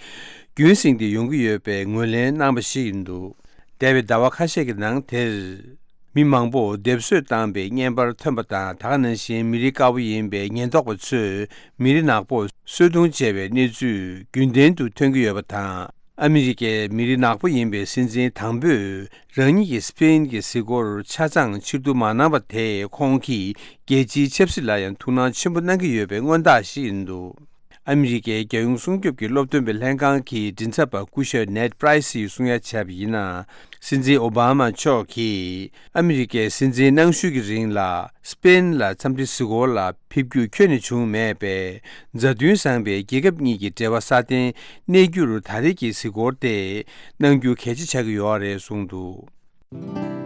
རྒྱུན་བསྲིངས་ཏེ་ཡོང་གི་ཡོད་པའི་ངོས་ལེན་གནང་བ་ཞིག་ཡིན་འདུག་འདས་པའི་ཟླ་བ་ཁ་ཤས་ཀྱི་ནང་དེར། མི་མང་པོ་སྡེབ་གསོད་བཏང་པའི་བརྙན་པར་ཐོན་པ་དང་། ད་ག་ནང་བཞིན་མི་རིགས་དཀར་པོ་ཡིན་པའི་ཉེན་རྟོག་པ་ཚོས་མི་རིགས་ནག་པོར་གསོད་རྡུང་བྱས་པའི་གནས་ཚུལ་རྒྱུན་ལྡན་དུ་ཐོན་གྱི་ཡོད་པ་དང་། ཨ་མི་རི་ཀའི་མི་རིགས་ནག་པོ་ཡིན་པའི་སྲིད་འཛིན་དང་པོས་རང་ཉིད་ཀྱི་སི་པེན་གྱི་གཟིགས་སྐོར་ཆ་ཚང་ཕྱིར་བསྡུ་མ་གནང་བ་དེས། ཁོང་གིས་རྒྱལ་སྤྱིའི་ཆབ་སྲིད་ལ་ཡང་ཐུགས་སྣང་ཆེན་པོ་གནང་གི་ཡོད་པའི་མངོན་རྟགས་ཤིག་ཡིན་འདུག་ཨ་མི་རི་ཀའི་རྒྱལ་ཡོངས་སྲུང་སྐྱོབ་ཀྱི་སློབ་སྟོན་པའི་ལྷན་ཁང་གི་མགྲིན་ཚབ་པ་སྐུ་ཞབས་ནེད་པྲའི་སིས་གསུང་ཡ་བྱས་པ་ཡིན་ན། སྲིད་འཛིན་ཨོ་བྷ་མ་མཆོག་གིས་ཨ་མི་རི་ཀའི་སྲིད་འཛིན་གནང་ཤུལ་གྱི་རིང་ལ། སི་པེན་ལ་འཚམས་འདྲི་གཟིགས་སྐོར་ལ་ཕེབས་རྒྱུ་ཁྱོན་ནས་བྱུང་མེད་པས། མཛའ་མཐུན་བཟང་པའི་རྒྱལ་ཁབ་གཉིས་ཀྱི་འབྲེལ་བ་སྲ་བརྟན་གནས་རྒྱུར་ད་རེས་ཀྱི་གཟིགས་སྐོར་དེ་གནང་རྒྱུ་གལ་ཆེ་ཆགས་ཀྱི་ཡོད་རེད་གསུངས་འདུག་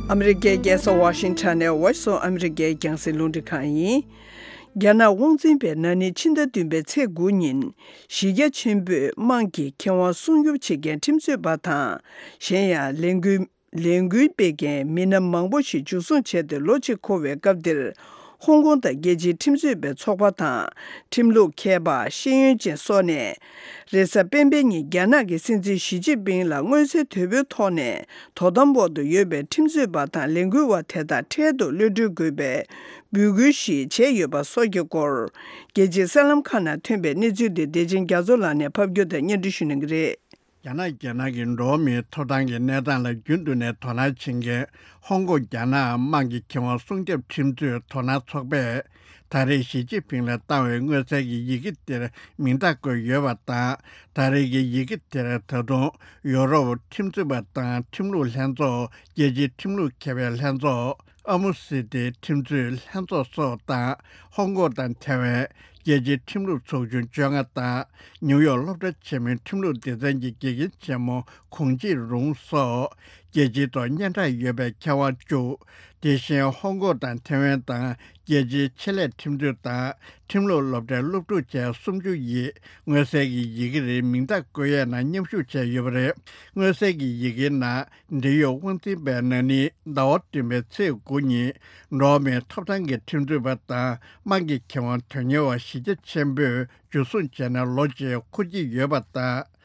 ཨ་མི་རི་ཀའི་རྒྱལ་ས་ཝ་ཤིང་ཊོན་ནས་Voice of America རྒྱང་སྲིང་རླུང་འཕྲིན་ཁང་ཡིན། རྒྱ་ནག་དབང་འཛིན་པས་ན་ནིང་ཕྱི་ཟླ་བདུན་པའི་ཚེས་དགུ་ཉིན་གཞི་རྒྱ་ཆེན་པོས་དམངས་ཀྱི་ཁེ་དབང་སྲུང་སྐྱོབ་བྱེད་མཁན་ཁྲིམས་རྩོད་པ་དང་། གཞན་ཡང་ལས་འགུལ་ ལས་འགུལ་སྤེལ་མཁན་མི་སྣ་མང་པོ་ཞིག་འཇུ་བཟུང་བྱས་ཏེ་ལོ་གཅིག་འཁོར་བའི་སྐབས་འདིར། ཧོང་ཀོང་དང་རྒྱལ་སྤྱིའི་ཁྲིམས་རྩོད་པའི་ཚོགས་པ་དང་། ཁྲིམས་ལུགས་མཁས་པ། ཤེས་ཡོན་ཅན་སོགས་ནས། རེས་གཟའ་སྤེན་པའི་ཉིན་རྒྱ་ནག་གི་སྲིད་འཛིན་ཞི་ཅིན་ཕིང་ལ་མངོན་གསལ་དོད་པོའི་ཐོག་ནས་དོ་དམ་འོག་ཏུ་ཡོད་པའི་ཁྲིམས་རྩོད་པ་དང་ལས་འགུལ་བ་དེ་དག་འཕྲལ་དུ་གློད་གྲོལ་དགོས་པའི་འབོད་སྐུལ་ཞིག་བྱས་ཡོད་པ་སོགས་ཀྱི་སྐོར། རྒྱལ་སྤྱིའི་གསར་ལམ་ཁག་ནང་ཐོན་པའི་གནས་ཚུལ་དེ་བདེ་ཆེན་རྒྱ་མཚོ་ལགས་ནས་ཕབ་སྒྱུར་དང་སྙན་སྒྲོན་ཞུ་གནང་གི་རེད། རྒྱ་ནག་རྒྱལ་ནང་གི་འགྲོ་བ་མིའི་ཐོབ་ཐང་གི་གནས་སྟངས་ལ་རྒྱུན་དུ་ནས་དོ་སྣང་བྱེད་མཁན་ཧོང་ཀོང་རྒྱ་ནག་དམངས་ཀྱི་ཁེ་དབང་སྲུང་སྐྱོབ་ཁྲིམས་རྩོད་དོ་སྣང་ཚོགས་པས། ད་རེས་ཞི་ཅིན་ཕིང་ལ་བཏང་བའི་མངོན་གསལ་གྱི་ཡི་གེ་དེར་མིང་རྟགས་བཀོད་ཡོད་པ་དང་། ད་རེས་ཀྱི་ཡི་གེ་དེར་ད་དུང་ཡོ་རོབ་ཁྲིམས་རྩོད་པ་དང་ཁྲིམས་ལུགས་ལྷན་ཚོགས། རྒྱལ་སྤྱིའི་ཁྲིམས་ལུགས་མཁས་པའི་ལྷན་ཚོགས། ཨ་མུ་སི་ཏི་ཁྲིམས་རྩོད་ལྷན་ཚོགས་སོགས་དང་། ཧོང་ཀོང་དང་ཐེ་ཝན། རྒྱལ་སྤྱིའི་ཁྲིམས་ལུགས་ཚོགས་ཆུང་བཅོ་ལྔ་དང་། ནིའུ་ཡོག་སློབ་གྲྭ་ཆེན་མོའི་ཁྲིམས་ལུགས་སྡེ་ཚན་གྱི་དགེ་རྒན་ཆེན་མོ་གུང་ཅི་རུང་སོགས། རྒྱལ་སྤྱིའི་ཐོག་སྙན་གྲགས་ཡོད་པའི་མཁས་དབང་བཅུ། དེ་བཞིན་ཧོང་ཀོང་དང་ཐེ་ཝན་དང་རྒྱལ་སྤྱིའི་ཆེད་ལས་ཁྲིམས་རྩོད་དང་ཁྲིམས་ལུགས་སློབ་གྲྭའི་སློབ་ཕྲུག་བཅས་སུམ་ཅུ་ཡིས་མངོན་གསལ་གྱི་ཡི་གེ་རེའི་མིང་རྟགས་བཀོད་ཡས་ནང་མཉམ་ཞུགས་བྱས་ཡོད་པ་རེད། མངོན་གསལ་གྱི་ཡི་གེའི་ནང་། འབྲེལ་ཡོད་དབང་འཛིན་པས་ན་ནིང་ཟླ་བ་བདུན་པའི་ཚེས་དགུ་ཉིན། འགྲོ་བ་མིའི་ཐོབ་ཐང་གི་ཁྲིམས་རྩོད་པ་དང་དམངས་ཀྱི་ཁེ་དབང་དོན་གཉེར་བ་གཞི་རྒྱ་ཆེན་པོས་འཇུ་བཟུང་བྱས་ནས་ལོ་གཅིག་འཁོར་གྱི་ཡོད་པ་དང་།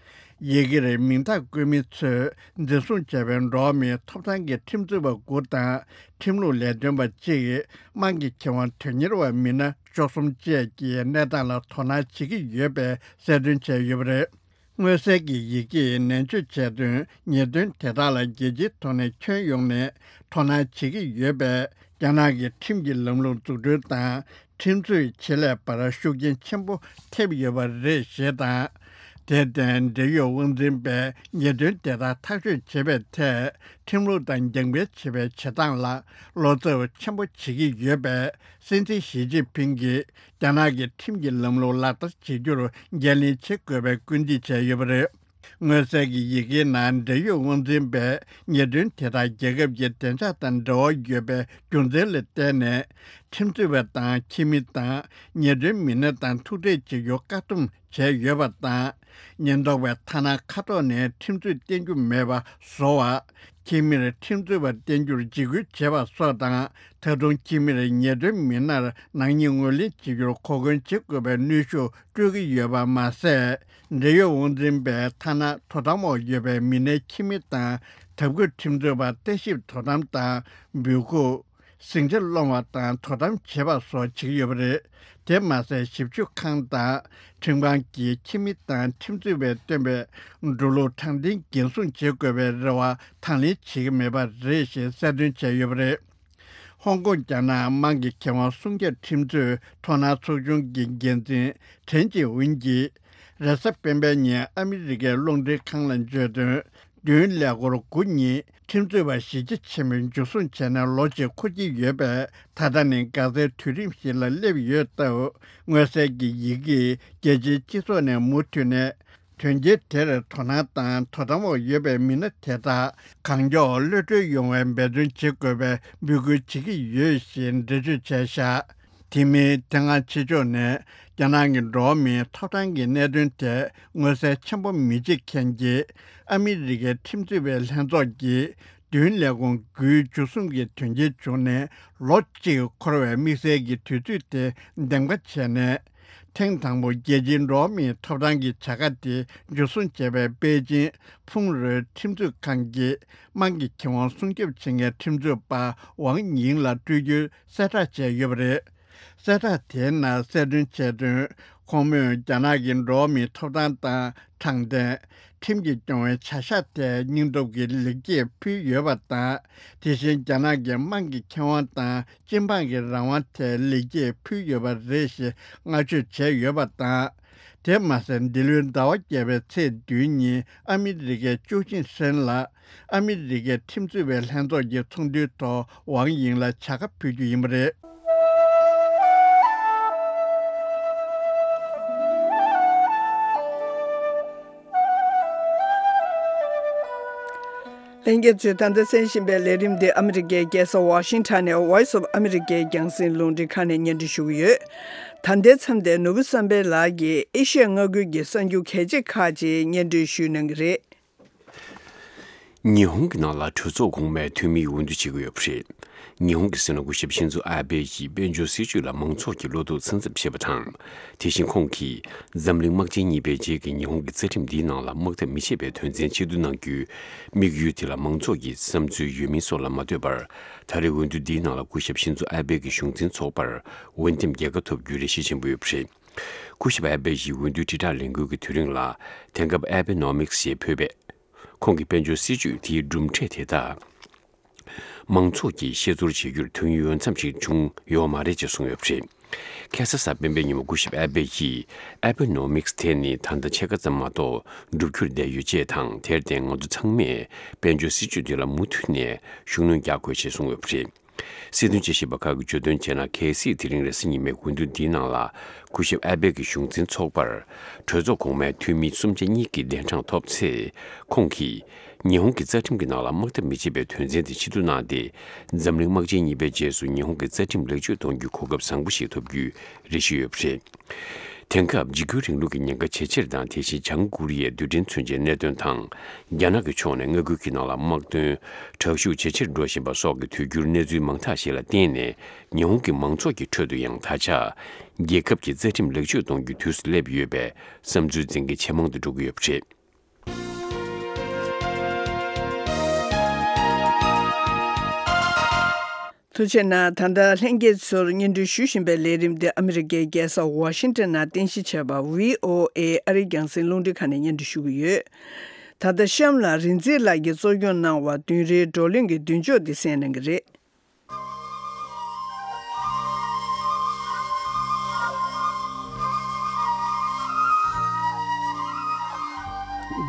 ཡི་གེ་རེའི་མིང་རྟགས་བཀོད་མི་ཚོས་འཛིན་བཟུང་བྱས་པའི་འགྲོ་བ་མིའི་ཐོབ་ཐང་གི་ཁྲིམས་རྩོད་པ་དགུ་དང་ཁྲིམས་ལུགས་ལས་དོན་པ་གཅིག་དམངས་ཀྱི་ཁེ་དབང་དོན་གཉེར་བ་མི་སྣ་བཅུ་གསུམ་བཅས་ཀྱི་གནས་སྟངས་ལ་དོ་སྣང་བྱེད་ཀྱི་ཡོད་པའི་གསལ་སྟོན་བྱས་ཡོད་པ་རེད། མངོན་གསལ་གྱི་ཡི་གེས་ནན་བརྗོད་བྱས་དོན། ཉེས་དོན་དེ་དག་ལ་རྒྱལ་སྤྱིའི་ཐོག་ནས་ཁྱོན་ཡོངས་ནས་དོ་སྣང་བྱེད་ཀྱི་ཡོད་པས། རྒྱ་ནག་གི་ཁྲིམས་ཀྱི་ལམ་ལུགས་འཛུགས་སྐྲུན་དང་ཁྲིམས་རྩོད་ཆེད་ལས་པར་ཤུགས་རྐྱེན་ཆེན་པོ་ཐེབས་ཡོད་པ་རེད་ཞེས་དང་། དེར་བརྟེན་འབྲེལ་ཡོད་དབང་འཛིན་པས་ཉེས་དོན་དེ་དག་ཐག་གཅོད་བྱེད་པའི་ཐད་ཁྲིམས་ལུགས་དང་རྒྱབ་འགལ་བྱེད་པའི་བྱེད་སྟངས་ལ་བློ་འཚབ་ཆེན་པོ་བྱེད་ཀྱི་ཡོད་པས། སྲིད་འཛིན་ཞི་ཅིན་ཕིང་གིས་རྒྱ་ནག་གི་ཁྲིམས་ཀྱི་ལམ་ལུགས་ལག་བསྟར་བྱེད་རྒྱུར་འགན་ལེན་བྱེད་དགོས་པའི་སྐུལ་འདེད་བྱས་ཡོད་པ་རེད། མངོན་གསལ་གྱི་ཡི་གེའི་ནང་འབྲེལ་ཡོད་དབང་འཛིན་པས་ཉེས་དོན་དེ་དག་རྒྱལ་ཁབ་ཀྱི་བདེ་འཇགས་དང་འབྲེལ་བ་ཡོད་པའི་རྒྱུ་མཚན་ལ་བརྟེན་ནས། ཁྲིམས་རྩོད་པ་དང་ཁྱིམ་མི་དང་ཉེས་དོན་མི་སྣ་དང་ཐུག་འཕྲད་བྱེད་རྒྱུ་བཀག་སྡོམ་བྱས་ཡོད་པ་དང་། ཉེན་རྟོག་པས་ཐ་ན་ཁ་ཐོག་ནས་ཁྲིམས་རྩོད་བསྟེན་རྒྱུ་མེད་པ་བཟོ་བ། ཁྱིམ་མིར་ཁྲིམས་རྩོད་པ་བསྟེན་རྒྱུར་འཇིགས་སྐུལ་བྱེད་པ་སོགས་དང་། ད་དུང་ཁྱིམ་མིར་ཉེས་དོན་མི་སྣར་ནག་ཉེས་ངོས་ལེན་བྱེད་རྒྱུར་གོ་སྐོན་བྱེད་དགོས་པའི་གནོན་ཤུགས་སྤྲོད་ཀྱི་ཡོད་པ་མ་ཟད། འབྲེལ་ཡོད་དབང་འཛིན་པས་ཐ་ན་དོ་དམ་འོག་ཡོད་པའི་མི་སྣའི་ཁྱིམ་མི་དང་དྭགས་པོའི་ཁྲིམས་རྩོད་པ་ལྟ་ཞིབ་དོ་དམ་དང་འབོད་སྐུལ། ཟིང་ཆ་སློང་བ་དང་དོ་དམ་བྱེད་པ་སོགས་བྱེད་ཀྱི་ཡོད་པ་རེད། དེ་མ་ཟད་ཞིབ་དཔྱོད་ཁང་དང་ཁྲིམས་ཁང་གིས་ཁྱིམ་མི་དང་ཁྲིམས་རྩོད་པས་བཏོན་པའི་འགྲོ་ལུགས་དྲང་བདེན་འགན་སྲུང་བྱེད་དགོས་པའི་རེ་བ་དང་ལེན་བྱེད་ཀྱི་མེད་པ་རེད་ཞེས་གསལ་སྟོན་བྱས་ཡོད་པ་རེད། ཧོང་ཀོང་རྒྱ་ནག་དམངས་ཀྱི་ཁེ་དབང་སྲུང་སྐྱོབ་ཁྲིམས་རྩོད་དོ་སྣང་ཚོགས་ཆུང་གི་འགན་འཛིན་ཁྲེན་ཅི་ཝུན་གྱིས། རེས་གཟའ་སྤེན་པའི་ཉིན་ཨ་མི་རི་ཀའི་རླུང་འཕྲིན་ཁང་ལ་བརྗོད་དོན། མདུན་ཀླད་ཀོར་དགུ་ཉིན་ཁྲིམས་རྩོད་པ་གཞི་རྒྱ་ཆེན་པོས་འཇུ་བཟུང་བྱས་ནས་ལོ་གཅིག་འཁོར་གྱི་ཡོད་པས། ད་ལྟ་ནི་འགག་རྩའི་དུས་རིམ་ཞིག་ལ་སླེབས་ཡོད་སྟབས། མངོན་གསལ་གྱི་ཡི་གེས་རྒྱལ་སྤྱིའི་སྤྱི་ཚོགས་ནས་མུ་མཐུད་ནས་དོན་རྐྱེན་དེར་དོ་སྣང་དང་དོ་དམ་འོག་ཡོད་པའི་མི་སྣ་དེ་དག་གང་མགྱོགས་གློད་གྲོལ་ཡོང་བའི་འབད་བརྩོན་བྱེད་དགོས་པའི་འབོད་སྐུལ་བྱེད་ཀྱི་ཡོད་ཞེས་འགྲེལ་བརྗོད་བྱས་བཞག་དེ་མིན་དེ་སྔ་ཕྱི་ཕྱོགས་ནས་རྒྱ་ནག་གི་འགྲོ་བ་མིའི་ཐོབ་ཐང་གི་གནད་དོན་དེ་མངོན་གསལ་ཆེན་པོ་མི་བྱེད་མཁན་གྱི་ཨ་མི་རི་ཀའི་ཁྲིམས་རྩོད་པའི་ལྷན་ཚོགས་ཀྱིས་མདུན་ལས་ཁུངས་དགུའི་འཇུ་བཟུང་གི་དོན་རྐྱེན་བྱུང་ནས་ལོ་གཅིག་འཁོར་བའི་དམིགས་བསལ་གྱི་དུས་ཚོད་དེ་འདེམས་ཀ་བྱས་ནས། ཐེངས་དང་པོ་རྒྱལ་སྤྱིའི་འགྲོ་བ་མིའི་ཐོབ་ཐང་གི་བྱ་དགའ་དེ་འཇུ་བཟུང་བྱས་པའི་པེ་ཅིན་ཕུང་རོལ་ཁྲིམས་རྩོད་ཁང་གིས་དམངས་ཀྱི་ཁེ་དབང་སྲུང་སྐྱོབ་བྱེད་མཁན་ཁྲིམས་རྩོད་པ་ཝང་ཡིང་ལ་སྤྲོད་རྒྱུའི་གསལ་བསྒྲགས་བྱས་ཡོད་པ་རེད། གསལ་བསྒྲགས་དེའི་ནང་གསལ་སྟོན་བྱས་དོན། ཁོང་མོས་རྒྱ་ནག་གི་འགྲོ་བ་མིའི་ཐོབ་ཐང་དང་དྲང་བདེན། ཁྲིམས་ཀྱིས་སྐྱོང་བའི་བྱ་གཞག་ཐད་སྙིང་སྟོབས་ཀྱི་ལེགས་སྐྱེས་ཕུལ་ཡོད་པ་དང་། དེ་བཞིན་རྒྱ་ནག་གི་དམངས་ཀྱི་ཁེ་དབང་དང་སྤྱི་འབངས་ཀྱི་རང་དབང་ཐད་ལེགས་སྐྱེས་ཕུལ་ཡོད་པ་རེད་ཞེས་བསྔགས་བརྗོད་བྱས་ཡོད་པ་དང་། དེ་མ་ཟད་འདི་ལོའི་ཟླ་བ་བརྒྱད་པའི་ཚེས་བདུན་ཉིན་ཨ་མི་རི་ཀའི་ཅོ་ཅིན་ཧྲེན་ལ། ཨ་མི་རི་ཀའི་ཁྲིམས་རྩོད་པའི་ལྷན་ཚོགས་ཀྱི་ཚོགས་འདུའི་ཐོག་ཝང་ཡིང་ལ་བྱ་དགའ་ཕུལ་རྒྱུ་ཡིན་པ་རེད། ལྷན་རྒྱས་ཚོས་ད་ལྟ་གསན་བཞིན་པའི་ལས་རིམ་འདི་ཨ་མི་རི་ཀའི་རྒྱལ་ས་ཝ་ཤིང་ཊོན་ནས་Voice of America རྒྱང་སྲིང་རླུང་འཕྲིན་ཁང་ནས་སྙན་སྒྲོན་ཞུ་གི་ཡོད། ད་ལྟའི་མཚམས་དེར་ནོར་བུ་བསམ་འཕེལ་ལགས་ཀྱིས་ཨེ་ཤི་ཡ་མངའ་ཁུལ་གྱི་གསར་འགྱུར་གལ་ཆེ་ཁག་ཅིག་སྙན་སྒྲོན་ཞུ་གནང་གི་རེད། ཉི་ཧོང་གི་ནང་ལ་གྲོས་ཚོགས་གོང་མའི་འཐུས་མིའི་འོས་བསྡུ་བྱེད་ཀྱི་ཡོད་པ་རེད། ཉི་ཧོང་གི་སྲིད་བློན་སྐུ་ཞབས་ཤིན་ཛོ་ཨ་བྷེ་ཡིས་དཔལ་འབྱོར་སྲིད་ཇུས་ལ་མང་ཚོགས་ཀྱིས་བློ་དོགས་ཚ་འཚབ་བྱེད་པ་དང་། དེ་བཞིན་ཁོང་གིས་འཛམ་གླིང་དམག་ཆེན་གཉིས་པའི་རྗེས་ཀྱི་ཉི་ཧོང་གི་རྩ་ཁྲིམས་འདིའི་ནང་ལ་དམག་འཐབ་མི་བྱེད་པའི་དོན་ཚན་ཆེད་བསྡུ་གནང་རྒྱུའི་དམིགས་ཡུལ་དེ་ལ་མང་ཚོགས་ཀྱི་བསམ་ཚུལ་ཡོད་མིན་སོགས་ལ་མ་ལྟོས་པར། ད་རེས་འོས་བསྡུ་འདིའི་ནང་ལ་སྐུ་ཞབས་ཤིན་ཛོ་ཨ་བྷེ་གི་གཞུང་འཛིན་ཚོགས་པར་འོས་འདེམས་རྒྱལ་ཁ་ཐོབ་རྒྱུའི་རེ་ཞིག་ཆེན་པོ་ཡོད་པ་རེད། སྐུ་ཞབས་ཨ་བྷེ་ཡིས་འོས་བསྡུའི་དྲིལ་བསྒྲགས་ལས་འགུལ་གྱི་དུས་རིང་ལ། དེང་སྐབས་ཨ་བྷེ་ནོ་མིག་སི་ཞེས་འབོད་པའི། ཁོང་གི་དཔལ་འབྱོར་སྲིད་ཇུས་དེའི་གྲུབ་འབྲས་དེ་དག་མང་ཚོགས་ཀྱིས་ཤེས་ཚོར་བྱེད་རྒྱུར་དོན་ཡོད་མཚམས་ཤིག་བྱུང་ཡོད་མ་རེད་ཅེས་གསུངས་ཡོད་པ་རེད། ཁ་སང་གཟའ་སྤེན་པའི་ཉིན་མོ་སྐུ་ཞབས་ཨ་བྷེ་ཡིས་ཨ་བྷེ་ནོ་མིག་སི་དེ་ནི་ད་ལྟ་ཕྱེད་ཀ་ཙམ་མ་གཏོགས་འགྲུབ་རྒྱུར་བསྡད་ཡོད་ཅེས་དང་། དེར་བརྟེན་ང་ཚོ་ཚང་མས་དཔལ་འབྱོར་སྲིད་ཇུས་དེ་ལ་མུ་མཐུད་ནས་ཤུགས་སྣོན་རྒྱག་དགོས་ཞེས་གསུངས་ཡོད་པ་རེད། སྲིད་དོན་དཔྱད་ཞིབ་པ་ཁག་གིས་བརྗོད་དོན་བྱས་ན། གལ་སྲིད་དེ་རིང་རེས་གཟའ་ཉི་མའི་འོས་བསྡུ་འདིའི་ནང་ལ་སྐུ་ཞབས་ཨ་བྷེ་གི་གཞུང་འཛིན་ཚོགས་པར་གྲོས་ཚོགས་གོང་མའི་འཐུས་མི་གསུམ་ཆ་གཉིས་ཀྱི་གདན་གྲངས་ཐོབ་ཚེ། ཁོང་གིས་ཉི་ཧོང་གི་རྩ་ཁྲིམས་ཀྱི་ནང་ལ་དམག་འཐབ་མི་བྱེད་པའི་དོན་ཚན་དེ་ཕྱིར་བསྡུ་གནང་སྟེ། འཛམ་གླིང་དམག་ཆེན་གཉིས་པའི་རྗེས་སུ་ཉི་ཧོང་གི་རྩ་ཁྲིམས་ལེགས་བཅོས་གཏོང་རྒྱུའི་གོ་སྐབས་བཟང་པོ་ཞིག་ཐོབ་རྒྱུའི་རེ་ཞུ་ཡོད་པ་རེད། དེང་སྐབས་འཇིགས་སྐུལ་རིང་ལུགས་ཀྱི་ཉེན་ཁ་ཇེ་ཆེར་དང་། དེ་བཞིན་བྱང་ཀོ་རི་ཡའི་རྡུལ་ཕྲན་མཚོན་ཆའི་གནད་དོན་དང་། རྒྱ་ནག་གི་ཕྱོགས་ནས་མངའ་ཁུལ་གྱི་ནང་ལ་དམག་དོན་དྲག་ཤུགས་ཇེ་ཆེར་འགྲོ་བཞིན་པ་སོགས་ཀྱི་དུས་འགྱུར་གནས་ཚུལ་མང་དག་ཞིག་ལ་བརྟེན་ནས། ཉི་ཧོང་གི་མང་ཚོགས་ཀྱི་ཁྲོད་དུ་ཡང་ད་ཆ་རྒྱལ་ཁབ་ཀྱི་རྩ་ཁྲིམས་ལེགས་བཅོས་གཏོང་རྒྱུའི་དུས་སུ་སླེབས་ཡོད་པའི་བསམ་ཚུལ་འཛིན་མཁན་ཇེ་མང་དུ་འགྲོ་གི་ཡོད་པ་རེད། ཐུགས་རྗེ་གནང་། ད་ལྟ་ལྷན་རྒྱས་ཚོར་སྙན་སྒྲོན་ཞུ་བཞིན་པའི་ལས་རིམ་འདི་ཨ་མི་རི་ཀའི་རྒྱལ་ས་ཝ་ཤིང་ཏོན་ནང་རྟེན་གཞི་བྱས་པ་ཝི་ཨོ་ཨེ་ཨ་རིའི་རྒྱང་སྲིང་རླུང་འཕྲིན་ཁང་ནས་སྙན་སྒྲོན་ཞུ་གི་ཡོད། ད་ལྟ་གཤམ་ལ་རིག་འཛིན་ལགས་ཀྱིས་གཙོ་སྐྱོང་གནང་བ་བདུན་རེའི་བགྲོ་གླེང་གི་མདུན་ལྕོག་འདི་གསན་གནང་གི་རེད།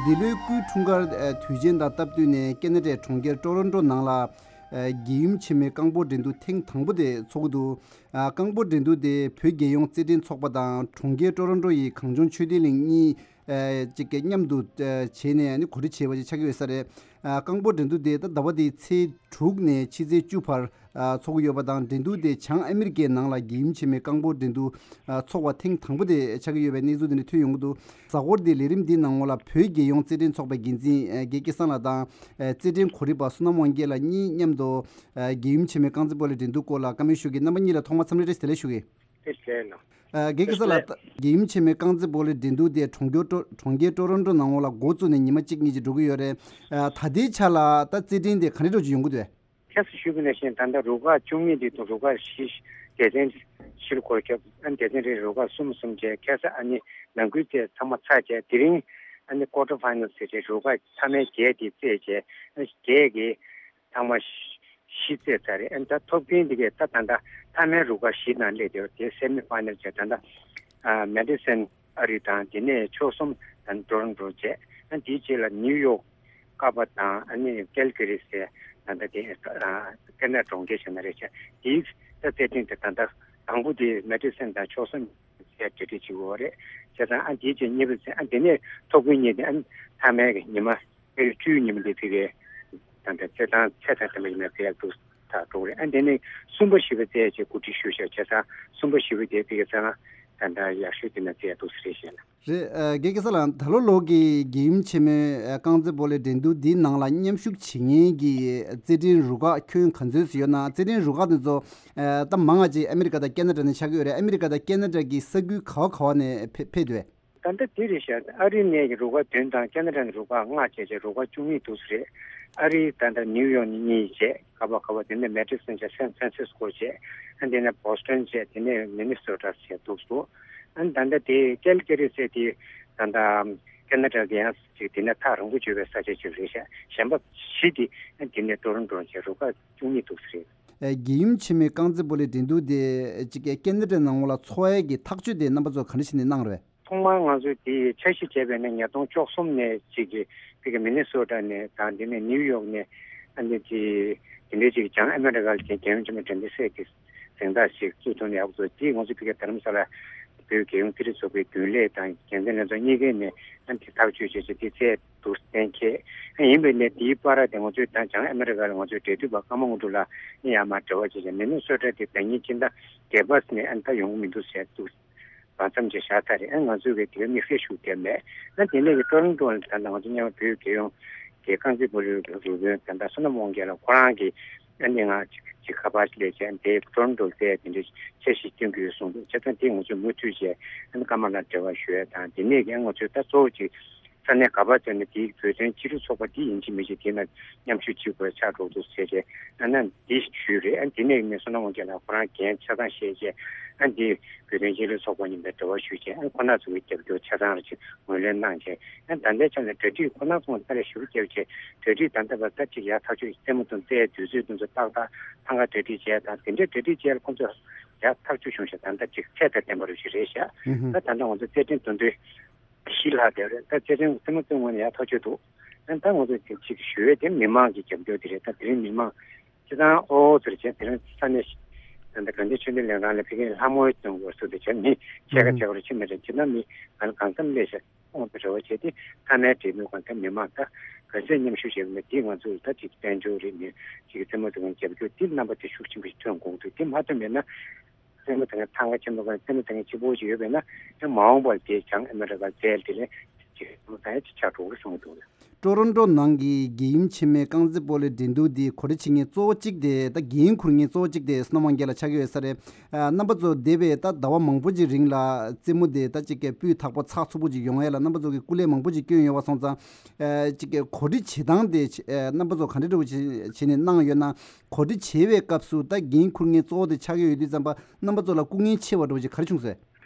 འདི་ལོའི་སྐུའི་འཁྲུངས་སྐར་དུས་ཆེན་དང་སྟབས་བསྟུན་ནས་ཀེ་ན་ཌའི་གྲོང་ཁྱེར་ཀྲོ་རོན་ཀྲོ་ནང་ལ། རྒྱལ་ཡུམ་ཆེན་མོའི་རྐང་སྤོལ་འགྲན་བསྡུར་ཐེངས་དང་པོ་དེ་འཚོགས་ཀྱི་འདུག་རྐང་སྤོལ་འགྲན་བསྡུར་དེ་བོད་རྒྱལ་ཡོངས་རྩེད་འགྲན་ཚོགས་པ་དང་གྲོང་ཁྱེར་ཀྲོ་རོན་ཀྲོ་ཡི་གངས་ལྗོངས་ཆོས་ལྡན་གླིང་གཉིས། ཨ་ཅིག་གི་མཉམ་དུ་ཨ་བྱས་ནས་ནི་གོ་སྒྲིག་བྱས་པ་ཅིག་ཆགས་ཀྱི་ཡོད་ས་རེད། ཨ་རྐང་སྤོལ་འགྲན་བསྡུར་དེ་ད་ཟླ་བ་འདིའི་ཚེས་དྲུག་ནས་ཕྱི་ཚེས་བཅུ་བར་ཨ་འཚོགས་ཀྱི་ཡོད་པ་དང་། འགྲན་བསྡུར་དེ་བྱང་ཨ་མི་རི་ཀའི་ནང་ལ་རྒྱལ་ཡུམ་ཆེན་མོའི་རྐང་སྤོལ་འགྲན་བསྡུར་ཨ་འཚོགས་པ་ཐེངས་དང་པོ་དེ་ཆགས་ཀྱི་ཡོད་པའི་གནས་ཚུལ་དེ་འདྲ་ཐོན་ཡོང་གི་འདུག་གཟའ་འཁོར་འདིའི་ལས་རིམ་འདིའི་ནང་ལ་བོད་རྒྱལ་ཡོངས་རྩེད་འགྲན་ཚོགས་པའི་འགན་འཛིན་ཨ་རྒན་སྐལ་བཟང་ལགས་དང་། ཨ་རྩེད་འགྲན་གོ་སྒྲིག་པ་བསོད་ནམས་དབང་རྒྱལ་ལགས་གཉིས་མཉམ་དུ་ཨ་རྒྱལ་ཡུམ་ཆེན་མོའི་རྐང་རྩེད་སྤོ་ལོའི་འགྲན་བསྡུར་སྐོར་ལ་བཀའ་མོལ་ཞུ་གི། རྣམ་པ་གཉིས་ལ་ཐོག་མར་འཚམས་འདྲི་བཀྲ་ཤིས་བདེ་ལེགས་ཞུ་གི། བཀྲ་ཤིས་བདེ་ལེགས། ཨ་རྒན་སྐལ་བཟང་ལགས། རྒྱལ་ཡུམ་ཆེན་མོའི་རྐང་རྩེད་སྤོ་ལོའི་འགྲན་བསྡུར་དེ་གྲོང་ཁྱེར་ཀྲོ་གྲོང་ཁྱེར་ཀྲོ་རོན་ཀྲོ་ནང་ལ་འགོ་བཙུགས་ནས་ཉི་མ་གཅིག་གཉིས་ཅིག་འགྲོ་གི་ཡོད་རེད། ཨ་ད་ལྟའི་ཆ་ལ་ད་རྩེད་འགྲན་དེ་ག་འདྲ་འདྲ་ཅིག་ཡོང་གི་འདུག་ཁ་སང་ཞུས་པ་ནང་བཞིན་ད་ལྟ་རུ་ཁག་བཅུ་གཉིས་དེ་དང་རུ་ཁག་བཞི། སྡེ་ཚན་བཞིར་བགོས་ཀྱང་ཨ་ནི་སྡེ་ཚན་རེར་རུ་ཁག་གསུམ་གསུམ་བྱས། ཁ་སང་ཨ་ནི་ནང་ཁུལ་རྩེད་ཚང་མ་ཚར་བྱས། དེ་རིང་ཨ་ནི་ཀོ་ཊར་ཕའི་ནལ་ཟེར་བྱས་རུ་ཁག་མཐའ་མའི་བརྒྱད་དེ་རྩེད་བྱས། ཨ་ནི་བརྒྱད་ཀྱིས་ཚང་མ་བཞི་བརྩེགས་ཚར་རེད། ཨ་ནི་ད་ཐོབ་མཁན་འདི་གས་ད་ད་ལྟ་མཐའ་མའི་རུ་ཁག་བཞི་ནང་སླེབས་བསྡད་ཡོད་རེད། དེ་སེ་མི་ཕའི་ནལ་བྱས། ད་ལྟ་ཨ་མེ་ཌི་སན་ཨ་རི་དང་། དེ་ནས་ཕྱོགས་གསུམ་ད་ནི་ཊོ་རོན་ཊོ་བྱས། ཨ་ནི་དེའི་རྗེས་ལ་ནིའུ་ཡོག་ཀ་པ་དང་། ཨ་ནི་ཀལ་ཀ་རི་ཟེར་ད་ལྟ་དེ་ཨ་ཀེ་ན་ཌ་གྲོང་ཁྱེར་ཞིག་ནང་རེད་བྱས། དེའི་ད་རྩེད་འགྲན་དེ་ད་ལྟ་དང་པོ་དེ་མེ་ཌི་སན་དང་ཕྱོགས་གསུམ་ཟེར་གྲ་སྒྲིག་བྱེད་དགོས་པ་རེད། བྱས་ཙང་ཨ་དེའི་རྗེས་གཉིས་པ་ཟེར། ཨ་དེ་ནས་ཐོབ་མཁན་གཉིས་དེ་ཨ་ནི་མཐའ་མའི་གི་ཉི་མ་ཕེབས་བཅུའི་ཉི་མ་དེ་ཕ་གིའི་ད་ལྟ་རྩེད་ཐང་ཚད་དང་ལྡན་པ་ཡིན་ན་རྩེ་ཡག་འདུག་ད་འགྲོ་གི་རེད། ཨ་དེ་ནས་གསུམ་པ་བཞི་པ་རྩེ་ཡག་ཅིག་གོ་སྒྲིག་ཞུ་བཞག་བྱས་ཙང་གསུམ་པ་བཞི་པ་དེ་ཕ་གིའི་རྩེད་ཐང་ད་ལྟ་ཡག་ཤོས་དེ་ན་རྩེ་ཡག་འདུག་ཟེར་བཤད་ན། རེད། ཨ་རྒན་སྐལ་བཟང་ལགས། ད་ལོ་ལོ་གི་རྒྱལ་ཡུམ་ཆེན་མོའི་ཨ་རྐང་རྩེད་སྤོ་ལོའི་འགྲན་བསྡུར་འདིའི་ནང་ལ་མཉམ་ཞུགས་བྱེད་མཁན་གྱི་རྩེད་འགྲན་རུ་ཁག་ཁྱོན་ག་ཚོད་ཙམ་ཡོད་ན། རྩེད་འགྲན་རུ་ཁག་དེ་ཚོ་ཨ་ད་མང་ང་ཅིག་ཨ་མི་རི་ཀ་དང་ཁེ་ན་ཌ་ནས་ཆགས་ཀྱི་ཡོད་རེད། ཨ་མི་རི་ཀ་དང་ཁེ་ན་ཌ་གི་ས་ཁུལ་ག་བ་ག་བ་ནས་ཕེབས་ཕེབས་འདུག་གས། ད་ལྟ་འདི་རེད་ཤག་ཨ་རི་ནས་རུ་ཁག་བདུན་དང་ཁེ་ན་ཌ་ནས་རུ་ཁག་ལྔ་བྱས་བྱས་རུ་ཁག་བཅུ་གཉིས་འདུག་ས་རེད། ཨ་རི་ད་ལྟ་ནིའུ་ཡོག་ནས་གཉིས་བྱས། ཀ་པ་ཀ་པ། དེ་ནས་མེ་ཌི་སོན་བྱས། སན་ཧྥ་རན་སིས་ཀོ་བྱས། ཨ་དེ་ནས་བོ་སི་ཊོན་བྱས། དེ་ནས་མི་ནི་སོ་ཊ་བྱས་འདུག་སོ། ཨ་ད་ལྟ་དེ་ཀལ་ཀ་རི་ཟེར་དེ་ད་ལྟ་ཁེ་ན་ཌ་གི་ཡང་ཅིག་དེ་ནས་ཐག་རིང་པོ་བྱོས་པའི་ས་ཆ་ཅིག་རེད་ཤག་གཞན་པ་བཞི་དེ་ཨ་དེ་ནས་ཊོ་རོན་ཊོ་བྱས་རུ་ཁག་བཅུ་གཉིས་འདུག་ས་རེད། ཨ་རྒྱལ་ཡུམ་ཆེན་མོའི་རྐང་རྩེད་སྤོ་ལོའི་འགྲན་བསྡུར་དེ་ཅིག་ཁེ་ན་ཌ་ནང་ལ་འཚོགས་ཡས་ཀྱི་ཐག་གཅོད་དེ་རྣམ་པ་ཚོ་ག་འདྲ་བྱས་ནས་གནང་རེད། ཐོག་མར་ང་ཚོས་དེ་འཆར་གཞི་བྱས་པ་ཡིན་ན་ཉིས་སྟོང་བཅུ་གསུམ་ནས་ཅིག་གི་ཕ་གི་མི་ནི་སོ་ཊ་ནས་དང་། དེ་ནས་ནིའུ་ཡོག་ནས། ཨ་ནི་དེ་དེ་འདྲའི་ཅིག་བྱང་ཨ་མི་རི་ཀ་ལ་རྒྱལ་ཡུམ་ཆེན་མོའི་འགྲན་བསྡུར་སའི་གི་གཟེངས་རྟགས་ཤིག་བཙུགས་ཐུབ་ན་ཡག་པོ་འདུག་དེ་ང་ཚོ་ཕ་གི་རྡ་རམ་ས་ལ་བོད་རྒྱལ་ཡོངས་རྩེད་འགྲན་ཚོགས་པའི་རྒྱུན་ལས་དང་འགན་འཛིན་ལྷན་ཚོགས་གཉིས་ཀས་ནས་ཨ་ནི་དེ་ཐག་གཅོད་བྱས་བྱས་དེ་རྩེ་འདུག་གཏན་འཁེལ། ཨ་ཡིན་པས་ན་དེའི་བར་དེ་ང་ཚོའི་ད་བྱང་ཨ་མི་རི་ཀ་ལ་ང་ཚོའི་འབྲེལ་མཐུད་པ་ཀརྨ་དངོས་གྲུབ་ལགས་ནས་ཡར་མར་འབྲེལ་བ་བྱས་བྱས། མི་ནི་སོ་ཊ་དེ་ཟླ་ཉིན་སྤྱི་ཟླ་བརྒྱད་པ་ནས་ཨ་ནི་ད་ཡོང་གི་མི་འདུག་ཟེར་འདུག་བར་མཚམས་ཅིག་བཞག་ཚར་རེད། ཨ་ང་ཚོས་གི་དེ་ག་དམིགས་བསལ་ཞུ་བསྡད་མེད། ཨ་དེ་ནས་གི་ཊོ་རོན་ཊོ་ལ་ད་ལྟ་ང་ཚོ་མཉམ་བོད་རྒྱལ་ཡོངས་ དེ་རྐང་རྩེད་སྤོ་ལོའི་རུ་དཔོན་ད་ལྟ་བསོད་ནམས་དབང་རྒྱལ་ལགས་ཁོ་རང་གིས་ཨ་ནི་ང་ཅིག་ཅིག་ཁ་པར་སླེབས་བྱས་དེ་ཊོ་རོན་ཊོ་ལ་བཙལ་དེ་འདྲའི་འཆར་གཞི་བཏོན་གྱི་ཡོད་གསུངས་འདུག་བྱས་ཙང་དེ་ང་ཚོས་མུ་མཐུད་བྱས་ཨ་ནི་ཀརྨ་ལགས་འབྲེལ་བ་ཞུ་ཡ་དང་དེ་ནས་ཀྱང་ང་ཚོས་ད་གཙོ་བོ་ཅིག་ས་གནས་ག་པར་བཙལ་ན་དེའི་བོད་དོན་སྤྱི་མཐུན་ཚོགས་པ་དེ་ཡིན་གཅིག་མིན་གཅིག་དེ་ན་མཉམ་ཞུགས་བྱེད་དགོས་ཆགས་འགྲོ་འདུག་ཟེར་བྱས་ཨ་ནི་འདི་ཞུས་རེད། ཨ་ནི་དེ་ནས་ནི་བསོད་ནམས་དབང་རྒྱལ་ལགས་ཁོ་རང་འགན་ཆ་ཚང་བཞེས་བྱས་ཨ་ནི་འདི་བོད་དོན་སྤྱི་མཐུན་ཚོགས་པ་མཉམ་དུ་འབྲེལ་བ་ཞུས་བྱས་ཨ་ནི་ཁོ་ན་ཚོ་གི་རྒྱབ་སྐྱོར་ཆ་ཚང་རེ་ཅིག་ངོས་ལེན་གནང་བྱས། ཡང་ད་ལྟའི་ཆ་ནས་གྲ་སྒྲིག་ཁོ་ན་ཚོ་ལ་ཕར་ལ་ཞུ་རྒྱབ་བྱས་གྲ་སྒྲིག་ད་ལྟ་བར་ད་ཅིག་ཡར་ཐག་ཆོད་རྩེད་མོ་དང་རྩེད་དུས་ཚོད་དེ་ཚོ་ཏག་ཏག་ཐང་ག་གྲ་སྒྲིག་བྱས་དང་དེ་འདྲའི་གྲ་སྒྲིག་བྱས་ལ་ཁོ་ཚོ་ཡར་ཐག་ཆོད་བྱུང་ཤག་ད་ལྟ་ཅིག་ཚད་དང་ལྡན་པ་རུ་ཞིག་རེད་ཤག་ཨུ་ཧུམ། ད་ད་ལྟ་ང་ཚོ་རྩེད་འགྲན་འདོན་དུས་བཞི་ལྷག་བསྡད་རེད། ད་རྩེད་འགྲན་རྩེད་མོ་རྩེད་ངོས་ནས་ཡར་ཐག་ཆོད་འདུག་ཨ་ད་ང་ཚོ་ཅིག་ཞུ་ཡས་དེ་མི་མང་གི་རྒྱབ་སྐྱོར་དེ་རེད། ད་དེ་རིང་མི་མང་སྤྱི་བཏང་ཨོ་ཟེར་བྱས་དེ་རིང་ས་གནས་ད་ལྟ་དགའ་ལྡན་ཆོས་ལྡན་གླིང་རང་ལ་ཕ་གིའི་ལྷ་མོའི་སྟེང་དགོས་སུ་དེ་བྱས་མི་ཕྱེད་ཀ་ཕྱེད་ཀ་རུ་ཕྱིན་མི་རེད། སྤྱིར་ན་མི་ང་ལ་གང་འཚམ་སླེབས་ཤག་ཁོང་དུ་རེ་བ་བྱས་ཏེ་མཐའ་མའི་འབྲེལ་མོལ་སྒང་ད་མི་མང་ད་ག་ཚད་མཉམ་ཞུགས་བྱས་པ་ན་དེ་ང་ཚོ་ད་ཅིག་དཔལ་འབྱོར་རེད་མི་ཅིག་རྩེད་མོ་དེ་གང་རྒྱབ་སྐྱོར་དེ་རྣམ་པ་དེ་ཤུགས་ཆེན་པོ་ཞིག་ཐོན་དགོས་འདུག་དེ་མ་ཐོན་པས་ན་རྩེད་མོ་དེ་གང་ཐང་ག་ཆེན་པོ་གང་རྩེད་མོ་དེ་གང་གཅིག་པོ་ཞིག་ཡོད་པས་ན་ཡང་མ་འོངས་པར་དེ་བྱང་ཨ་མི་རི་ཀ་རྩེད་དེ་ལས་ཅིག་རྩེད་མོ་ད་ཡང་ཅིག་ཆགས་འགྲོ་གི་གསུངས་འདུག་ཊོ་རོན་ཊོ་ནང་གི་རྒྱལ་ཡུམ་ཆེན་མོའི་རྐང་རྩེད་སྤོ་ལོའི་འགྲན་བསྡུར་འདི་གོ་སྒྲིག་བྱེད་མཁན་གཙོ་བོ་གཅིག་དེ་ད་འགན་འཁུར་མཁན་གཙོ་བོ་གཅིག་དེ་བསོད་ནམས་དབང་རྒྱལ་ལགས་ཆགས་ཀྱི་ཡོད་ས་རེད། ཨ་རྣམ་པ་ཚོ་འདས་པའི་ད་ཟླ་བ་མང་པོ་ཅིག་རིང་ལ་རྩེད་མོ་དེ་ད་ཅིག་གི་སྤུས་དག་པོ་ཚགས་ཚུད་པོ་ཅིག་ཡོང་ཡ་ལ་རྣམ་པ་ཚོ་གི་སྐུ་ལས་མང་པོ་ཅིག་བསྐྱོན་ཡོད་པ་སོང་ཙང་། ཨ་ཅིག་གི་གོ་སྒྲིག་བྱེད་སྟངས་དེ་ཨ་རྣམ་པ་ཚོ་ག་འདྲ་འདྲ་བོ་ཅིག་བྱས་ནས་གནང་ཡོད་ན། གོ་སྒྲིག་བྱེད་པའི་སྐབས་སུ་ད་འགན་འཁུར་མཁན་གཙོ་བོ་དེ་ཆགས་ཀྱི་ཡོད་དུས་ཙམ་པ་རྣམ་པ་ཚོ་ལ་སྐུ་ངལ་ཆེ་བ་འདྲ་བོ་ཅིག་ག་རེ་བྱུང་སོང་།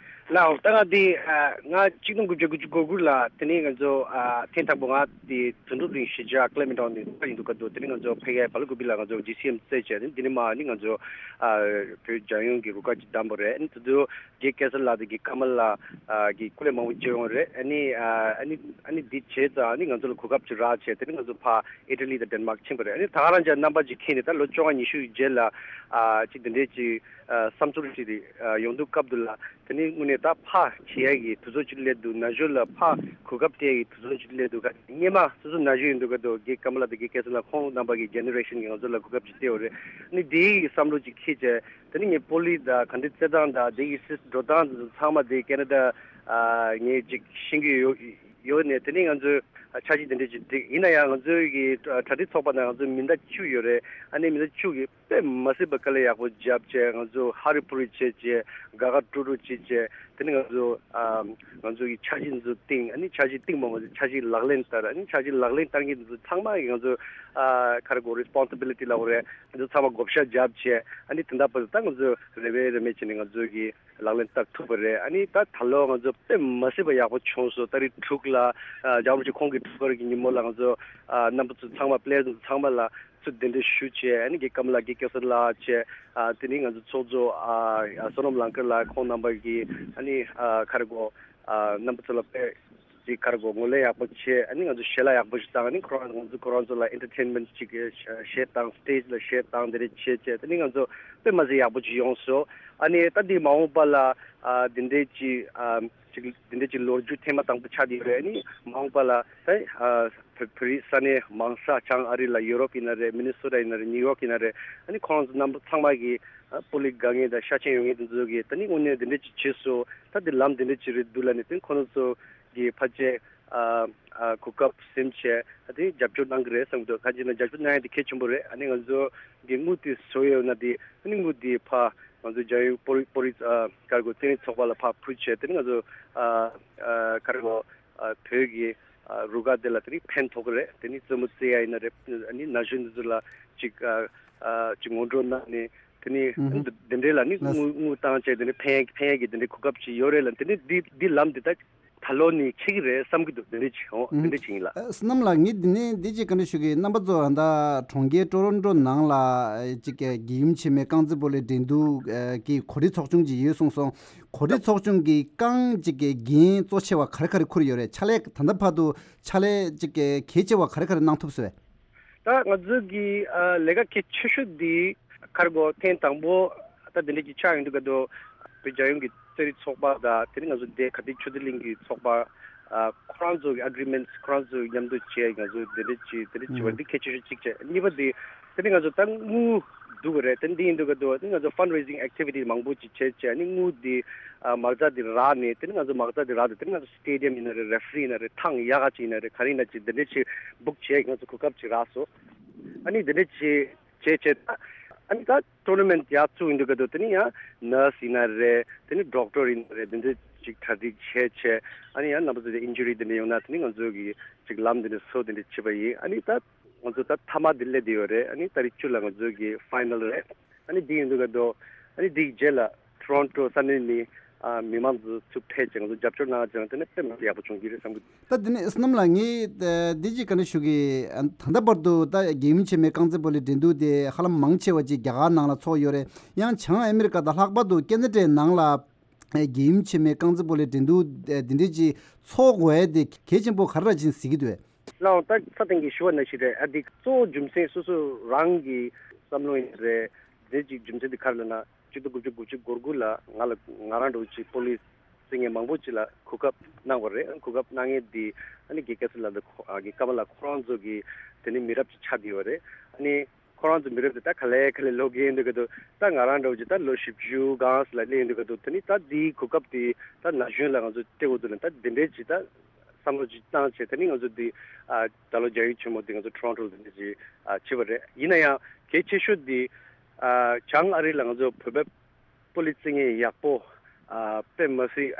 ལགས་འོང་། ད་ང་འདི་ཨ་ང་གཅིག་སྟོང་དགུ་བརྒྱ་དགུ་བཅུ་གོ་དགུ་ལ་དེ་ནས་ང་ཚོ་ཨ་ཐེངས་དང་པོ་ང་འདི་དོན་གྲུབ་གླིང་གཞིས་ཆགས་ཀླད་མེད་གྲོང་ནས་ཡིན་འདུག་ག་འདུག་དེ་ནས་ང་ཚོ་ཕ་གིའི་བལ་ཀུ་པི་ལ་ང་ཚོ་ཇི་སི་ཨེམ་རྩེད་བྱས། དེ་ནས་མ་ནི་ང་ཚོ་ཨ་བོད་རྒྱལ་ཡོངས་ཀྱི་རུ་ཁག་ཅིག་བདམས་པ་རེད། ཨ་ནི་དེ་ཚོ་རྒན་སྐལ་བཟང་ལགས་དང་རྒན་ཀརྨ་ལགས་ཨ་གི་སྐུ་ལས་མང་པོ་བྱས་ཡོང་རེད། ཨ་ནི་ཨ་ཨ་ནི་ཨ་ནི་འདི་བྱས་ཙང་ཨ་ནི་ང་ཚོ་ལ་གོ་སྐབས་ཅིག་རག་བྱས། དེ་ནས་ང་ཚོ་ཕར་ཨི་ཊ་ལི་དང་ཌེན་མཱག་ཕྱིན་པ་རེད། ཨ་ནི་ད་ག་རང་ཅག་རྣམ་པ་ཅིག་ཁྱེར་ནས་ད་ལོ་བཅོ་ལྔ་ཉི་ཤུ་ཡི་རྗེས་ལ་ཨ་ཅིག་འདི་འདྲས་ཅིག་ཨ་བསམ་ཚུལ་ཅིག་ཨ་ཡོང་དུས་སྐབས་དུ་ལ། དེ་ནས་དངོས་གནས་ད་ཕར་བྱེད་ཡ་གི་དུས་ཚོད་ཅིག་སླེབས་འདུག་ན་གཞོན་ལ་ཕར་གོ་སྐབས་སྤྲད་ཡ་གི་དུས་ཚོད་ཅིག་སླེབས་འདུག་ག་སྔོན་མ་སོ་སོ་ན་གཞོན་ཡིན་འདུག་ག་འདུག་རྒན་ཀརྨ་ལགས་དང་རྒན་སྐལ་བཟང་ལགས་ཁོང་རྣམ་པ་གི་ཇེ་ནེ་རེ་ཤན་གྱིས་ང་ཚོ་ལ་གོ་སྐབས་ཅིག་སྤྲད་ཡོད་རེད། ཨ་ནི་དེའི་བསམ་བློ་ཅིག་འཁྱེར་བྱས། དེ་ནས་ངས་སྤོ་ལོ་དང་ག་འདྲ་རྩེད་སྟངས་དང་དེ་ཡི་སྲིད་འགྲོ་སྟངས་དེ་ཚོ་ཚང་མ་དེ་ཁེ་ན་ཌ་ཨ་ངས་ཅིག་ཤེས་ཀྱི་ཡོད་ཡོད་ནས། དེ་ནས་ང་ཚོས་འཆར་གཞི་དེ་འདྲ་ཅིག་བསྒྲིགས། ཡིན་ན་ཡང་ང་ཚོའི་གི་གྲ་སྒྲིག་ཚོགས་པ་ནང་ང་ཚོ་མི་ཟླ་བཅུ་ཡོད་རེད། ཨ་ནི་མི་ཟླ་བཅུ་གི་དཔེ་མ་སྲིད་པ་དཀའ་ལས་ཡག་པོ་བརྒྱབ་བྱས། ང་ཚོ་ཧ་རི་ཕུ་རི་བྱས་བྱས་དགའ་དགའ་སྤྲོ་སྤྲོ་བྱས་བྱས། དེ་ནས་ང་ཚོ་ཨ་ང་ཚོ་གི་འཆར་གཞི་འདི་ཚོ་བཏིང་། ཨ་ནི་འཆར་གཞི་བཏིང་མ་མ་ཚོ་འཆར་གཞི་ལག་ལེན་བསྟར། ཨ་ནི་འཆར་གཞི་ལག་ལེན་བསྟར་མཁན་འདི་ཚོ་ཚང་མ་གི་ང་ཚོ་ཨ་ག་རེ་གོ་རེ་སི་པོན་སི་བི་ལི་ཊི་ལབ་དགོས་རེད། ང་ཚོ་ཚང་མ་བགོ་བཤའ་བརྒྱབ་བྱས། ཨ་ནི་དེ་འདྲ་བར་དུ་ད་ང་ཚོ་རེ་བའི་རེ་མེད་བྱས་ནས་ང་ཚོ་གི་ལག་ལེན་བསྟར་ཐུབ་པ་རེད། ཨ་ནི་ད་ད་ལོ་ང་ཚོ་དཔེ་མ་སྲིད་པ་ཡག་པོ་བྱུང་སོང་། ཏ་རིག་དྲུག་ལ་ཨ་རྒྱལ་བ་རིན་པོ་ཆེ་ཁོང་གི་འཁྲུངས་སྐར་གྱི་ཉིན་མོ་ལ་ང་ཚོ་ཨ་རྣམ་པ་ཚོ་ཚང་མ་པི་ལེ་ཡར་ཚོ་ཚང་མ་ལ་ཚུར་གདན་འདྲེན་ཞུ་བྱས། ཨ་ནི་རྒན་ཀརྨ་ལགས་རྒན་སྐལ་བཟང་ལགས་བྱས། ཨ་དེ་ནས་ང་ཚོ་ཚོགས་གཙོ་ཨ་བསོད་ནམས་ལང་དཀར་ལགས་ཁོང་རྣམ་པ་གིས་ཨ་ནི་ཨ་ག་རེ་གོ་ཨ་རྣམ་པ་ཚོ་ལ་དཔེ་ཅིག་ག་རེ་གོ་ངོས་ལེན་ཡག་པོ་བྱས། ཨ་ནི་ང་ཚོ་ཞལ་ལག་ཡག་པོ་ཞིག་བཏང་། ཨ་ནི་ཁོ་རང་ང་ཚོ་ཁོ་རང་ཚོ་ལ་ཨེན་ཊར་ཊེན་མེན་ཊི་ཅིག་གཞས་བཏང་། སི་ཊེ་ཇི་ལ་གཞས་བཏང་། དེ་འདྲ་བྱས་བྱས། དེ་ནི་ང་ཚོ་དཔེ་མ་སྲིད་ཡག་པོ་ཅིག་ཡོང་སོང་། ཨ་ནི་ད་འདི་མ་འོངས་པ་ལ་ཨ་འདི་འདྲའི་ཅིག་ཨ་ཅིག་འདི་འདྲའི་ཅིག་ལོ་རྒྱུས་ཐེངས་མ་དང་པོ་ཆགས་བསྡད་ཡོད་རེད། ཨ་ནི་མ་འོངས་པ་ལ་ད་ཨ་བོད་བོད་རིགས་ས་གནས་མང་ས་བྱང་ཨ་རི་ལ་ཡུ་རོབ་ཡིན་ན་རེད། མི་ནི་སོ་ཊ་ཡིན་ན་རེད། ནིའུ་ཡོག་ཡིན་ན་རེད། ཨ་ནི་ཁོང་རྣམ་པ་ཚང་མ་གིས་ཨ་སྤོ་ལོ་དགའ་མཁན་དང་ཤ་ཞེན་ཡོད་མཁན་དེ་ཚོ་གིས་ད་ནི་དངོས་གནས་འདི་འདྲ་ཅིག་བྱས་སོང་། ད་འདི་ལམ་འདི་འདྲ་ཅིག་རེད་འདུག་ལབ་ནས། དེ་ཁོ་ཚོ་གིས་ཕལ་ཆེར་ཨ་ཨ་གོ་སྐབས་ཟིན་བྱས་ཨ་དེ་རྒྱབ་སྐྱོར་གནང་གི་རེད་བསམ་གྱི་འདུག་གང་ཅི་ན་རྒྱབ་སྐྱོར་གནང་ཡ་དེ་གལ་ཆེན་པོ་རེད། ཨ་ནི་ང་ཚོ་གི་དངུལ་དེ་བཟོ་ཡོད་ན་དེ་ཨ་ནི་དངུལ་དེ་ཕར་ང་ཚོ་རྒྱལ་ཡོངས་སྤོ་རི་སྤོ་རི་ཨ་ག་རེ་གོ་རྩེད་རིགས་ཚོགས་པ་ལ་ཕར་ཕུལ་བྱས། དེ་ནི་ང་ཚོ་ཨ་ཨ་ག་རེ་གོ་ཨ་བོད་ཀྱི་ཨ་རུ་ཁག་དེ་ལ་དེ་ནི་ཕན་ཐོགས་ཀྱི་རེད། དེ་ནི་རྩེད་མོ་རྩེ་ཡ་ཡིན་ན་རེད། ཨ་ནི་ན་གཞོན་འདི་ཚོ་ལ་ཅིག་ཨ་ཨ་ཅིག་ངོ་སྤྲོད་གནང་ནས། དེ་ནི་ཨུ་ཧུ། འདི་འདི་འདྲའི་ལ་ནི་ལགས། དངུལ་དངུལ་བཏང་བྱས་དེ་ནི་ཕན་ཕན་ཡ་གི་དེ་འདྲའི་གོ་སྐབས་ཅིག་ཡོད་རེད་ལ། དེ་ནི་འདི་འདི་ལམ་འདི་ད་ད་ལོ་ནས་ཆགས་ཀྱི་རེད་བསམ་གྱི་འདུག་དེ་འདྲ་ཅིག་འོ་ཨུ་དེ་འདྲ་ཅིག་ཡིན་ལགས། ཨ་བསོད་ནམས་ལགས། ངས་འདི་ནས་འདི་ཅིག་བཀའ་འདྲི་ཞུ་གི་ཡིན། རྣམ་པ་ཚོ་ད་གྲོང་ཁྱེར་ཀྲོ་རོན་ཀྲོ་ནང་ལ་ཅིག་གི་རྒྱལ་ཡུམ་ཆེན་མོའི་རྐང་རྩེད་སྤོ་ལོའི་འགྲན་བསྡུར་གྱི་གོ་སྒྲིག་ཚོགས་ཆུང་ཅིག་ཡོད་གསུངས་སོང་། གོ་སྒྲིག་ཚོགས་ཆུང་གིས་རྐང་ཅིག་གི་འགན་གཙོ་ཆེ་བ་ག་རེ་ག་རེ་འཁུར་ཡོད་རེད། ཕྱག་ལས་ད་ལྟ་བར་དུ་ཕྱག་ལས་ཅིག་གི་གལ་ཆེ་བ་ག་རེ་ག་རེ་གནང་ཐུབ་སོང་། ད་ང་ཚོ་གི་ཨ་ལས་ཀ་གལ་ཆེ་ཤོས་འདི་ག་རེ་གོ་ཐེངས་དང་པོ་ད་འདི་འདྲ་གི་ཆགས་ཡོང་དུས་ག་དུས་བོད་རྒྱལ་ཡོངས་ཀྱི་རྩེད་རིགས་ཚོགས་པ་དང་དེ་ནི་ང་ཚོ་འདི་ག་འདི་ཆུ་ཚོད་གླིང་གི་ཚོགས་པ་ཨ་ཁོ་རང་ཚོ་གི་ཨེ་གྷི་རི་མེན་ཊི་ཁོ་རང་ཚོ་མཉམ་དུ་བྱས། ང་ཚོ་འདི་འདྲ་ཅིག་འདི་འདྲ་བྱེད་པ་འདི་གལ་ཆེ་ཤོས་གཅིག་བྱས། གཉིས་པ་འདི་དེ་ནི་ང་ཚོ་ད་དངུལ་ འདུག་གི་རེད། དེ་འདི་ཡིན་འདུག་གི་འདུག་དེ་ང་ཚོ་fundraising activity མང་པོ་ཅིག་བྱས་བྱས་ནི་དངུལ་འདི་ཨ་མ་རྩ་འདི་རག་ནས། དེ་ནི་ང་ཚོ་མ་རྩ་འདི་རག་དུས་དེ་ནི་ང་ཚོ་stadium ཡིན་ན་རེད། Referee ཡིན་ན་རེད། ཐང་ཡག་ག་ཅིག་ཡིན་ན་རེད། ག་རེ་ཡིན་ན་ཅིག་འདི་འདྲས་ཅིག་book བྱས་ང་ཚོ་གོ་སྐབས་ཅིག་རག་སོང་། ཨ་ནི་འདི་འདྲས་ཅིག་བྱས་བྱས། ཨ་ནི་ད་tournament ཡག་བཙུགས་ཡིན་འདུག་གི་འདུག་དེ་ནི་ཡང་nurse ཡིན་ན་རེད། དེ་ནི་doctor ཡིན་ན་རེད། འདི་འདྲས་ཅིག་གྲ་སྒྲིག་བྱས་བྱས། ཨ་ནི་ཡང་རྣམ་པ་ཚོ་དེ་injury འདི་འདྲས་ཡོང་ན་དེ་ནི་ང་ཚོ་གི་ཅིག་ལམ་འདི་འདྲས་བཟོ་འདི་འདྲས་བྱེད་པ་ཡིན། ཨ་ནི་ད་ང་ཚོ་ད་མཐའ་མ་འདི་སླེབས་བསྡད་ཡོད་རེད། ཨ་ནི་ཏ་རིག་བཅུ་ལ་ང་ཚོ་གི་final རེད། ཨ་ནི་འདི་ཡིན་འདུག་ག་འདུག་ཨ་ནི་འདིའི་རྗེས་ལ་Toronto ས་གནས་ནས་ཨ་མི་མང་ཚོ་ཚུར་ཕེབས་བྱས་ང་ཚོ་རྒྱབ་སྐྱོར་གནང་བྱས་ན་དེ་ནི་དཔེ་མ་སྲིད་ཡག་པོ་བྱུང་གི་རེད་བསམ་གི་འདུག་ད་དེ་ནས་བསོད་ནམས་ལགས། ངས་འདི་ཅིག་བཀའ་འདྲི་ཞུ་གི། ད་ལྟ་བར་དུ་ད་རྒྱལ་ཡུམ་ཆེན་མོའི་རྐང་རྩེད་སྤོ་ལོའི་འགྲན་བསྡུར་དེ་ཧ་ལམ་མང་ཆེ་བ་ཅིག་རྒྱ་གར་ནང་ལ་ཚོགས་ཡོད་རེད། ཡང་བྱང་ཨ་མི་རི་ཀ་དང་ལྷག་པར་དུ་ཁེ་ན་ཌའི་ནང་ལ་རྒྱལ་ཡུམ་ཆེན་མོའི་རྐང་རྩེད་སྤོ་ལོའི་འགྲན་བསྡུར་འདི་འདྲ་ཅིག་ཚོགས་དགོས་ཡ་དེ་གལ་ཆེན་པོ་ག་རེ་ར་ཅིག་གཟིགས་ཀྱི་འདུག་ལགས་འོང་། ད་ས་སྟེང་གི་ཞུ་བ་ནང་བཞིན་རེད། ཨ་འདི་གཙོ་བོ་རྒྱུ་མཚན་སོ་སོ་རང་གི་བསམ་བློ་ཡིན་རེད། དེ་ཅིག་རྒྱུ་མཚན་དེ་ག་རེ་ལབ་ན། ཆིག་སྟོང་དགུ་བརྒྱ་དགུ་བཅུ་གོ་དགུ་ལ་ང་ལ་ང་རང་འདྲ་བོ་ཅིག་སྤོ་ལོ་རྩེད་མཁན་མང་པོ་ཅིག་ལ་གོ་སྐབས་གནང་བ་རེད། གོ་སྐབས་གནང་མཁན་དེ་ཨ་ནི་དགེ་བཀྲ་ཚེ་ལགས་དང་ཁོ་ཨ་དགེ་ཀ་མ་ལགས་ཁོ་རང་ཚོ་གི་དེ་ནི་མི་རབས་ཅིག་ཆགས་བསྡད་ཡོད་རེད། ཨ་ནི་ཁོ་རང་ཚོ་མི་རབས་དེ་ད་ག་ལེ་ག་ལེ་ལོག་གི་ཡིན་འདུག་གི་འདུག་ད་ང་རང་འདྲ་བོ་ཅིག་ད་ལོ་བཞི་བཅུ་སྒང་ལ་སླེབས་ཡིན་འདུག་གི་འདུག་དེ་ནི་ད་དེའི་གོ་སྐབས་དེ་ད་ན་གཞོན་ལ་ང་ཚོ་སྤྲད་དགོས་འདུག་ལ། ད་དེ་འདྲའི་ཅིག་ད་བསམ་བློ་ཅིག་བཏང་བྱས། དེ་ནི་ང་ཚོ་འདི་ཨ་ད་ལོ་རྒྱལ་ཡུམ་ཆེན་མོ་འདི་ང་ཚོ་Toronto ལ་འདི་འདྲ་ཅིག་ཨ་བྱས་པ་རེད། ཡིན་ན་ཡང་གལ་ཆེ་ཤོས་འདི་ཨ་བྱང་ཨ་རི་ལ་ང་ཚོ་བོད་པའི་སྤོ་ལོ་རྩེད་མཁན་ཡག་པོ་ཨ་དཔེ་མ་སྲིད་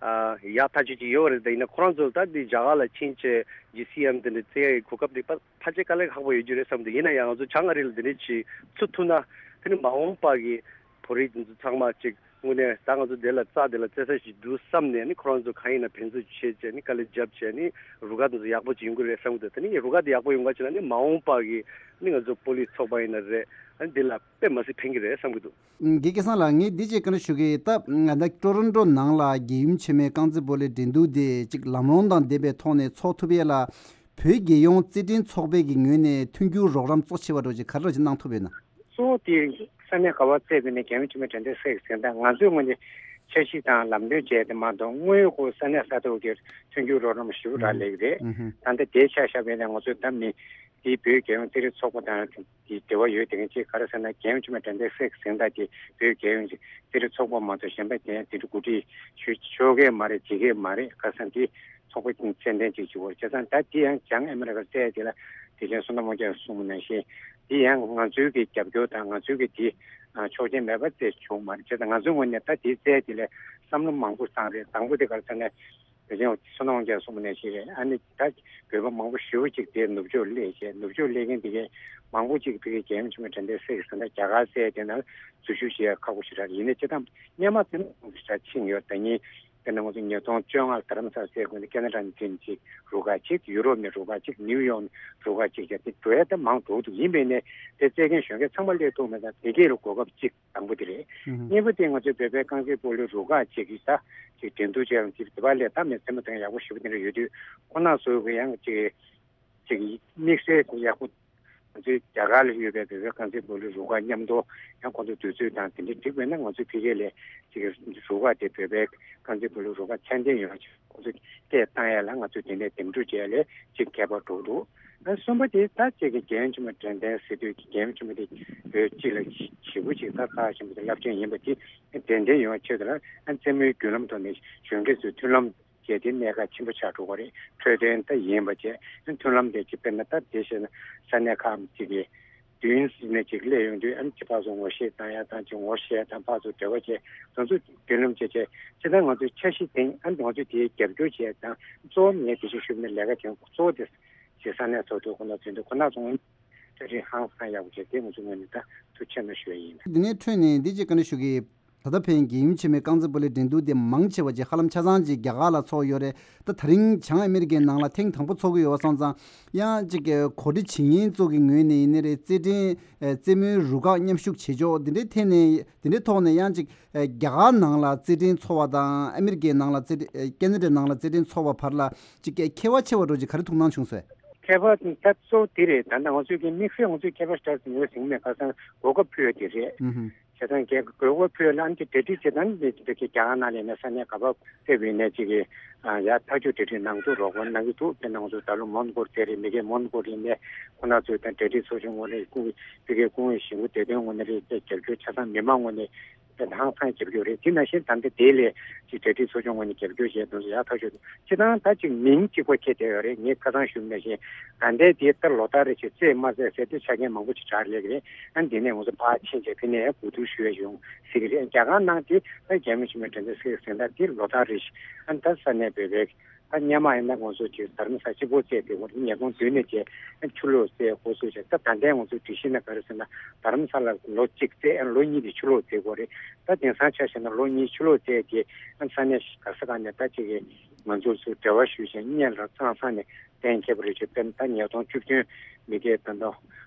ཨ་ཡག་ཐག་ཆོད་ཅིག་ཡོད་རེད། ད་ཡིན་ན་ཁོ་རང་ཚོ་ད་འདི་རྒྱ་གར་ལ་ཕྱིན་བྱས་ཇི་སི་ཨེམ་དེ་འདྲ་རྩེ་ཡག་གི་གོ་སྐབས་དེ་ཕ་ཕལ་ཆེར་དཀའ་ལས་ཁག་པོ་ཡོད་རྒྱུ་རེད་བསམ་འདུག་ཡིན་ན་ཡང་ང་ཚོ་བྱང་ཨ་རི་ལ་འདི་འདྲ་ཅིག་ཚུད་ཐུབ་ན་དེ་ནི་མ་འོངས་པ་གི་བོད་རིགས་འདི་ཚོ་ཚང་མ་ཅིག་དངོས་གནས་ད་ང་ཚོ་འདི་ལ་རྩེ་འདི་ལ་རྩེ་ས་ཞིག་འདུག་བསམ་ནས་ནི་ཁོ་རང་ཚོ་གང་ཡིན་ན་ཕན་ཚུན་བྱས་བྱས་ནི་དཀའ་ལས་བརྒྱབ་བྱས་ནི་རུ་ཁག་འདི་ཚོ་ཡག་པོ་ཅིག་ཡོང་གི་རེད་བསམ་གི་འདུག་དེ་ནི་རུ་ཁག་འདི་ཡག་པོ་ཡོང་ག་བྱས་ན་ནི་མ་འོངས་པ་གི་ནི་ང་ཚོ་སྤོ་ལོའི་ཚོགས་པ་ཡིན་ན་རེད། ཨ་ནི་འདི་ལ་དཔེ་མ་སྲིད་ཕན་གི་རེད་བསམ་གི་འདུག་དགེ་སྐལ་བཟང་ལགས། ངས་འདི་ཅིག་བཀའ་འདྲི་ཞུ་གི། ད་ད་ལྟ་ཊོ་རོན་ཊོ་ནང་ལ་རྒྱལ་ཡུམ་ཆེན་མོའི་རྐང་རྩེད་སྤོ་ལོའི་འགྲན་བསྡུར་དེ་ཅིག་ལམ་ལྷོང་དང་ལྡན་པའི་ཐོག་ནས་ཚོགས་ཐུབ་ཡས་ལ་བོད་རྒྱལ་ཡོངས་རྩེད་འགྲན་ཚོགས་པའི་གི་ངོས་ནས་མཐུན་འགྱུར་རོགས་རམ་གཙོ་ཆེ་བ་འདྲ་ཅིག་ག་རེ་ཅིག་གནང་ཐུབ་ཡོད་ན། གཙོ་བོ་དེ་ས་གནས་ག་པར་རྩེད་པ་ཡིན་ནའི་རྒྱལ་ཡོངས་ཆེན་མོའི་འགྲན་བསྡུར་རྩེད་ཀྱི་ཟིན་ད་ང་ཚོའི་ངོས་ནས་འཆར་གཞི་དང་ལམ་སྟོན་བྱས་ཏེ་མ་གཏོགས་དངོས་ཡོད་ཁོ་ས་གནས་ས་ཐོག་གི་མཐུན་འགྱུར་རོགས་རམ་ཞེ་པོ་རག་ལས་ཀྱི་རེད། ཨུ་ཧུམ། ད་ལྟ་དེའི་ཆ་བཞག་པ་ཡིན་ན་ང་ཚོ་ད་མི་དེའི་བོད་རྒྱལ་ཡོངས་རྩེད་རིགས་ཚོགས་པ་དང་དེའི་འབྲེལ་བ་ཡོད་དེ་འདྲ་ཅིག་ག་རེ་ཟེར་ན་རྒྱལ་ཡོངས་ཆེན་མོའི་འགྲན་བསྡུར་རྩེད་ཀྱི་ཟིན་ད་དེ་བོད་རྒྱལ་ཡོངས་རྩེད་རིགས་ཚོགས་པ་མ་གཏོགས་གཞན་པ་དེ་དེ་འདྲ་གོ་སྒྲིག་ཞུ་ཆོག་གི་མ་རེད། བྱེད་ཀྱི་མ་རེད། ག་ས་དེ་ཚོགས་པ་ཀྱི་མཚན་ལྡན་ཅིག་བྱེད་དགོས་རེད། བྱས་ཙང་ད་དེ་ཡང་བྱང་ཨ་མི་རི་ཀར་རྩེད་དེ་ལ་དེ་བཞིན་བསོད་ནམས་དབང་རྒྱལ་གསུངས་པ་ནང་བཞིན་དེ་ཡང་ང་ཚོའི་གི་རྒྱབ་སྐྱོར་དང་ང་ཚོའི་གི་དེ་ཆོག་མཆན་མེད་པར་རྩེད་བྱུང་མ་རེད། བྱས་ཙང་ང་ཚོའི་ངོས་ནས་ད་དེ་རྩེད་དེ་ལ་བསམ་བློ་མང་པོ་བཏང་རེད། དང་པོ་དེ་ག་རེ་ཟེར་ན་དེ་བཞིན་བསོད་ནམས་དབང་རྒྱལ་གསུངས་པ་ནང་བཞིན་རེད། ཨ་ནི་ད་བོད་པ་མང་པོ་ཞེ་པོ་ཅིག་དེ་ནུབ་ཕྱོགས་སླེབས་བྱས་ནུབ་ཕྱོགས་སླེབས་མཁན་དེ་གས་མང་པོ་ཅིག་ཕ་གིའི་རྒྱལ་ཡོངས་ཆེན་མོའི་འགྲན་བསྡུར་རྩེད་ཀྱི་ཟིན་ད་རྒྱ་གར་རྩེད་དེ་ནང་འཛུལ་ཞུགས་བྱེད་ཡ་ཁག་པོ་ཞེ་དྲག་རེད། ཡིན་ནའི་སྤྱིར་བཏང་སྔོན་མ་དེ་ནང་ཞེ་དྲག་ཕྱིན་ཡོད། ད་ནི་དཔེར་ན་ང་ཚོ་ཉིས་སྟོང་བཅོ་ལྔ་ལ་རྡ་རམ་ས་ལ་རྩེད་དགོས་ནས་ཁེ་ན་ཌ་ནས་ཕེབས་ནས་ཅིག་རུ་ཁག་ཅིག་ཡུ་རོབ་ནས་རུ་ཁག་ཅིག་ནིའུ་ཡོག་ནས་རུ་ཁག་ཅིག་བྱས་ཏེ་འགྲོ་ཡ་ད་མང་འགྲོ་འདུག་ཡིན་པས་ནས་དེ་རྩེད་མཁན་གཞོན་སྐྱེས་ཚང་མ་སླེབས་ཐུབ་མེད་ཙང་དེ་གས་ལ་གོ་སྐབས་གཅིག་དང་པོ་དེ་རེད། ཨུ་ཧུ། གཉིས་པ་དེ་ང་ཚོའི་བོད་པའི་རྐང་རྩེད་སྤོ་ལོའི་རུ་ཁག་ཅིག་གིས་ད་ཅིག་འགྲན་བསྡུར་བྱས་ཡོང་དུས་དེ་བ་ལས་ད་མི་རྩེད་མོ་དང་ཡག་པོ་ཞེ་པོ་དེ་འདྲ་ཡོད་དུས་ཁོ་ན་ཚོ་གི་ཡང་ཅིག་ཅིག་དམིགས་བསལ་ཡག་པོ། ང་ཚོའི་རྒྱ་གར་ལ་ཡོད་པའི་བོད་པའི་རྐང་རྩེད་སྤོ་ལོའི་རུ་ཁག་མཉམ་དུ་ཡང་ཁོང་ཚོ་དུས་ཚོད་དང་དེ་འདྲ་འགྲིག་པས་ན་ང་ཚོའི་ཕ་གི་ལ་ཅིག་རུ་ཁག་དེ་བོད་པའི་རྐང་རྩེད་སྤོ་ལོའི་རུ་ཁག་ཚད་ལྡན་ཡོང་ཆེད་ཁོང་ཚོ་སྐད་བཏང་ཡ་ལ་ང་ཚོས་དེ་འདྲའི་འདེམས་སྒྲུག་བྱས་ལས་ཅིག་ཁྱད་པར་འགྲོ་འདུག་ཨ་གསུམ་པ་དེ་ད་ཅིག་གི་རྒྱལ་ཡོངས་ཆེན་མོ་དྲན་རྟེན་ཟེར་དུས་ཀྱི་རྒྱལ་ཡོངས་ཆེན་མོ་དེ་བོད་སྤྱི་ལ་ཞེ་པོ་ཅིག་ད་རྩ་ཆེན་པོ་དེ་རླབས་ཆེན་ཡིན་པ་དེ་དྲན་རྟེན་ཡོང་བའི་ཆེད་དུ་ལ་ཨ་རྩེད་མོའི་བརྒྱུད་ལམ་ཐོག་ནས་གཞོན་སྐྱེས་ཚོའི་མཐུན་ལམ་བྱས་ཏེ་གནད་འགག་ཆེན་པོ་ཆགས་འགྲོ་གི་རེད། འཕྲོད་བསྟེན་ད་ཡིན་པ་བྱས་མཐུན་ལམ་དེ་ཅིག་དཔེར་ན་ད་དེ་བྱས་ན་ས་གནས་ཁག་ཅིག་གི་བདུན་ཟིན་ནས་ཅིག་སླེབས་ཡོང་དུས་ཨ་ནི་ཅིག་ཕར་ཚུར་ངོ་ཤེས་བཏང་ཡ་དང་ཅིག་ངོ་ཤེས་དང་ཕར་ཚུར་འབྲེལ་བ་བྱས་དེ་ཚོ་བདུན་ལམ་བྱས་བྱས་ཅི་ལྟར་ང་ཚོའི་འཆར་གཞི་དེ་ཨ་ནི་ང་ཚོས་དེའི་རྒྱབ་སྐྱོར་བྱས་དང་གཙོ་བོ་ངས་དེ་བཞིན་ཞུས་པ་ནི་ལས་ཀ་དེ་གཙོ་བོ་དེ་ཞེ་ས་གནས་ཚོགས་འདུ་ཁོ་ན་ཚོགས་འདུ་ཁོ་ན་ཚོགས་གྲ་སྒྲིག་ཧང་སང་ཡག་པོ་བྱས་དེ་ང་ཚོའི་ངོས་ནས་ད་ཐུགས་ཆེ་གནང་ཞུ་ཡ་ཡིན། འདི་ནས་འཕྲོས་ནས་འདི་ཅིག་བཀའ་འདྲི་ཞུ་གི། ད་ལྟ་ཕན་རྒྱལ་ཡུམ་ཆེན་མོའི་རྐང་རྩེད་སྤོ་ལོའི་འགྲན་བསྡུར་དེ་མང་ཆེ་བ་ཅིག་ཧ་ལམ་ཆ་ཚང་ཅིག་རྒྱ་གར་ལ་ཚོགས་ཡོད་རེད། ད་ད་རིང་བྱང་ཨ་མི་རི་ཀའི་ནང་ལ་ཐེངས་དང་པོ་ཚོགས་ཀྱི་ཡོད་པ་སོང་ཙང་ཡང་ཅིག་གོ་སྒྲིག་བྱེད་མཁན་ཚོ་གི་ངོས་ནས་ཡིན་ནའི་རེད། རྩེད་འགྲན་རྩེད་མོའི་རུ་ཁག་མཉམ་ཞུགས་བྱེད་ཕྱོགས་འདི་འདྲའི་ཐད་ནས་འདི་འདྲའི་ཐོག་ནས་ཡང་ཅིག་རྒྱ་གར་ནང་ལ་རྩེད་འགྲན་ཚོགས་པ་དང་ཨ་མི་རི་ཀའི་ནང་ལ་རྩེད་འགྲན་ཁེ་ན་ཌའི་ནང་ལ་རྩེད་འགྲན་ཚོགས་པ་བར་ལ་ཅིག་ཁྱད་པར་ཆེ་བ་འདྲ་ཅིག་ག་རེ་ཐུགས་སྣང་བྱུང་སོང་། ཁྱད་པར་ད་གཙོ་བོ་དེ་རེད། ད་ལྟ་ང་ཚོས་ཀྱི་དམིགས་བསལ་ང་ཚོས་ཁྱད་པར་ཞེ་དྲག་ཡོད་ཟིན་མེད། ཁ་སང་གོ་སྐབས་ཕུལ་བ་དེ་རེད། ཨུ་ཧུ། བྱས་ཙང་རྒྱལ་གོ་སྐབས་ཕུལ་བ་ལ་ཨ་ནི་དེ་གྲ་སྒྲིག་བྱེད་སྟངས་འདི་འདི་གི་རྒྱ་གར་ནང་ལ་ཡིན་ན་ས་གནས་ག་པར་ཕེབས་ཡིན་ནའི་ཅིག་གི་ ཡར་ཐག་གཅོད་གྲ་སྒྲིག་གནང་ཚུལ་རོགས་པ་གནང་གི་འདུག་དེ་གནང་ཚུལ་ད་ལོ་མོན་གྷོ་རེད། མི་སྒེར་མོན་གྷོ་རེད་ནས་ཁོ་ན་ཚོས་ད་གྲ་སྒྲིག་ཚོགས་ཆུང་ངོས་ནས་སྐུ་ཕ་གིའི་སྐུ་ངོ་གཞིས་འགོ་བདེ་དོན་ངོས་ནས་རེད། དེ་རྒྱབ་སྐྱོར་ཆ་ཚང་མི་མང་ངོས་ནས་དེ་ཧང་སང་རྒྱབ་སྐྱོར་རེད། དེ་ནང་བཞིན་ད་ལྟ་དེ་ལས་ཅིག་གྲ་སྒྲིག་ཚོགས་ཆུང་ངོས་ནས་རྒྱབ་སྐྱོར་བྱས་དོན་ཚོ་ཡག་ཐག་ཆོད་འདུག་སྤྱི་བཏང་ད་ཅིག་མིང་གཅིག་པ་ཁྱེར་བསྡད་ཡོད་རེད། ངས་ཁ་སང་ཞུས་ནང་བཞིན་ད་ལྟའི་དེ་ལྟར་ལོ་ལྟར་རེ་བཞིན་རྩེད་མ་རྩེད་ཟེར་དུས་ཆ་རྐྱེན་མང་པོ་ཅིག་དྲག་སླེབས་ཀྱི་རེད། ཨ་ནི་དེ་ནས་ང་ཚོ་ཕར་ཕྱིན་བྱས་དེ་ནས་གོ་བསྡུར་ཞུ་ཡ་ཡོང་སྲིད་ཀྱི་རེད། རྒྱ་གར་ནང་དེ་ད་རྒྱལ་མོ་ཆེན་མོའི་དྲན་རྟེན་ཟེར་ཟེར་ད་དེ་ལོ་ལྟར་རེ་བཞིན་ཨ་ནི་ད་ས་གནས་བོད་པའི་ད་སྔོན་མ་ཡིན་ན་ང་ཚོ་ཅིག་དྷ་རམ་ས་ལ་གཅིག་པོ་རྩེད་དེ་འོ་ཉིས་སྟོང་བདུན་ནས་བྱས་ཆུ་ལོག་རྩེད་འགོ་ཚུགས་བྱས། ད་ད་ལྟའི་ང་ཚོའི་སྒྲིག་གཞི་ནང་ག་རེ་ཟེར་ན་དྷ་རམ་ས་ལ་ལོ་གཅིག་རྩེད། ལོ་གཉིས་དེ་ཆུ་ལོག་རྩེད་དགོས་རེད། ད་དེང་སང་ཆ་བཞག་ན་ལོ་གཉིས་ཆུ་ལོག་རྩེད་དེ་ས་གནས་ག་ས་ག་ནས་ད་ཅིག་གི་ང་ཚོ་ཚོས་འབྲེལ་བ་ཞུས་བྱས་སྔོན་ལ་ཙང་ཙང་ནས་གཏན་འཁེལ་བ་རེད། ཅེས་དཔེར་ན་ད་ཉིས་སྟོང་བཅུ་བདུན་མི་སྒེར་ད་ལྟ་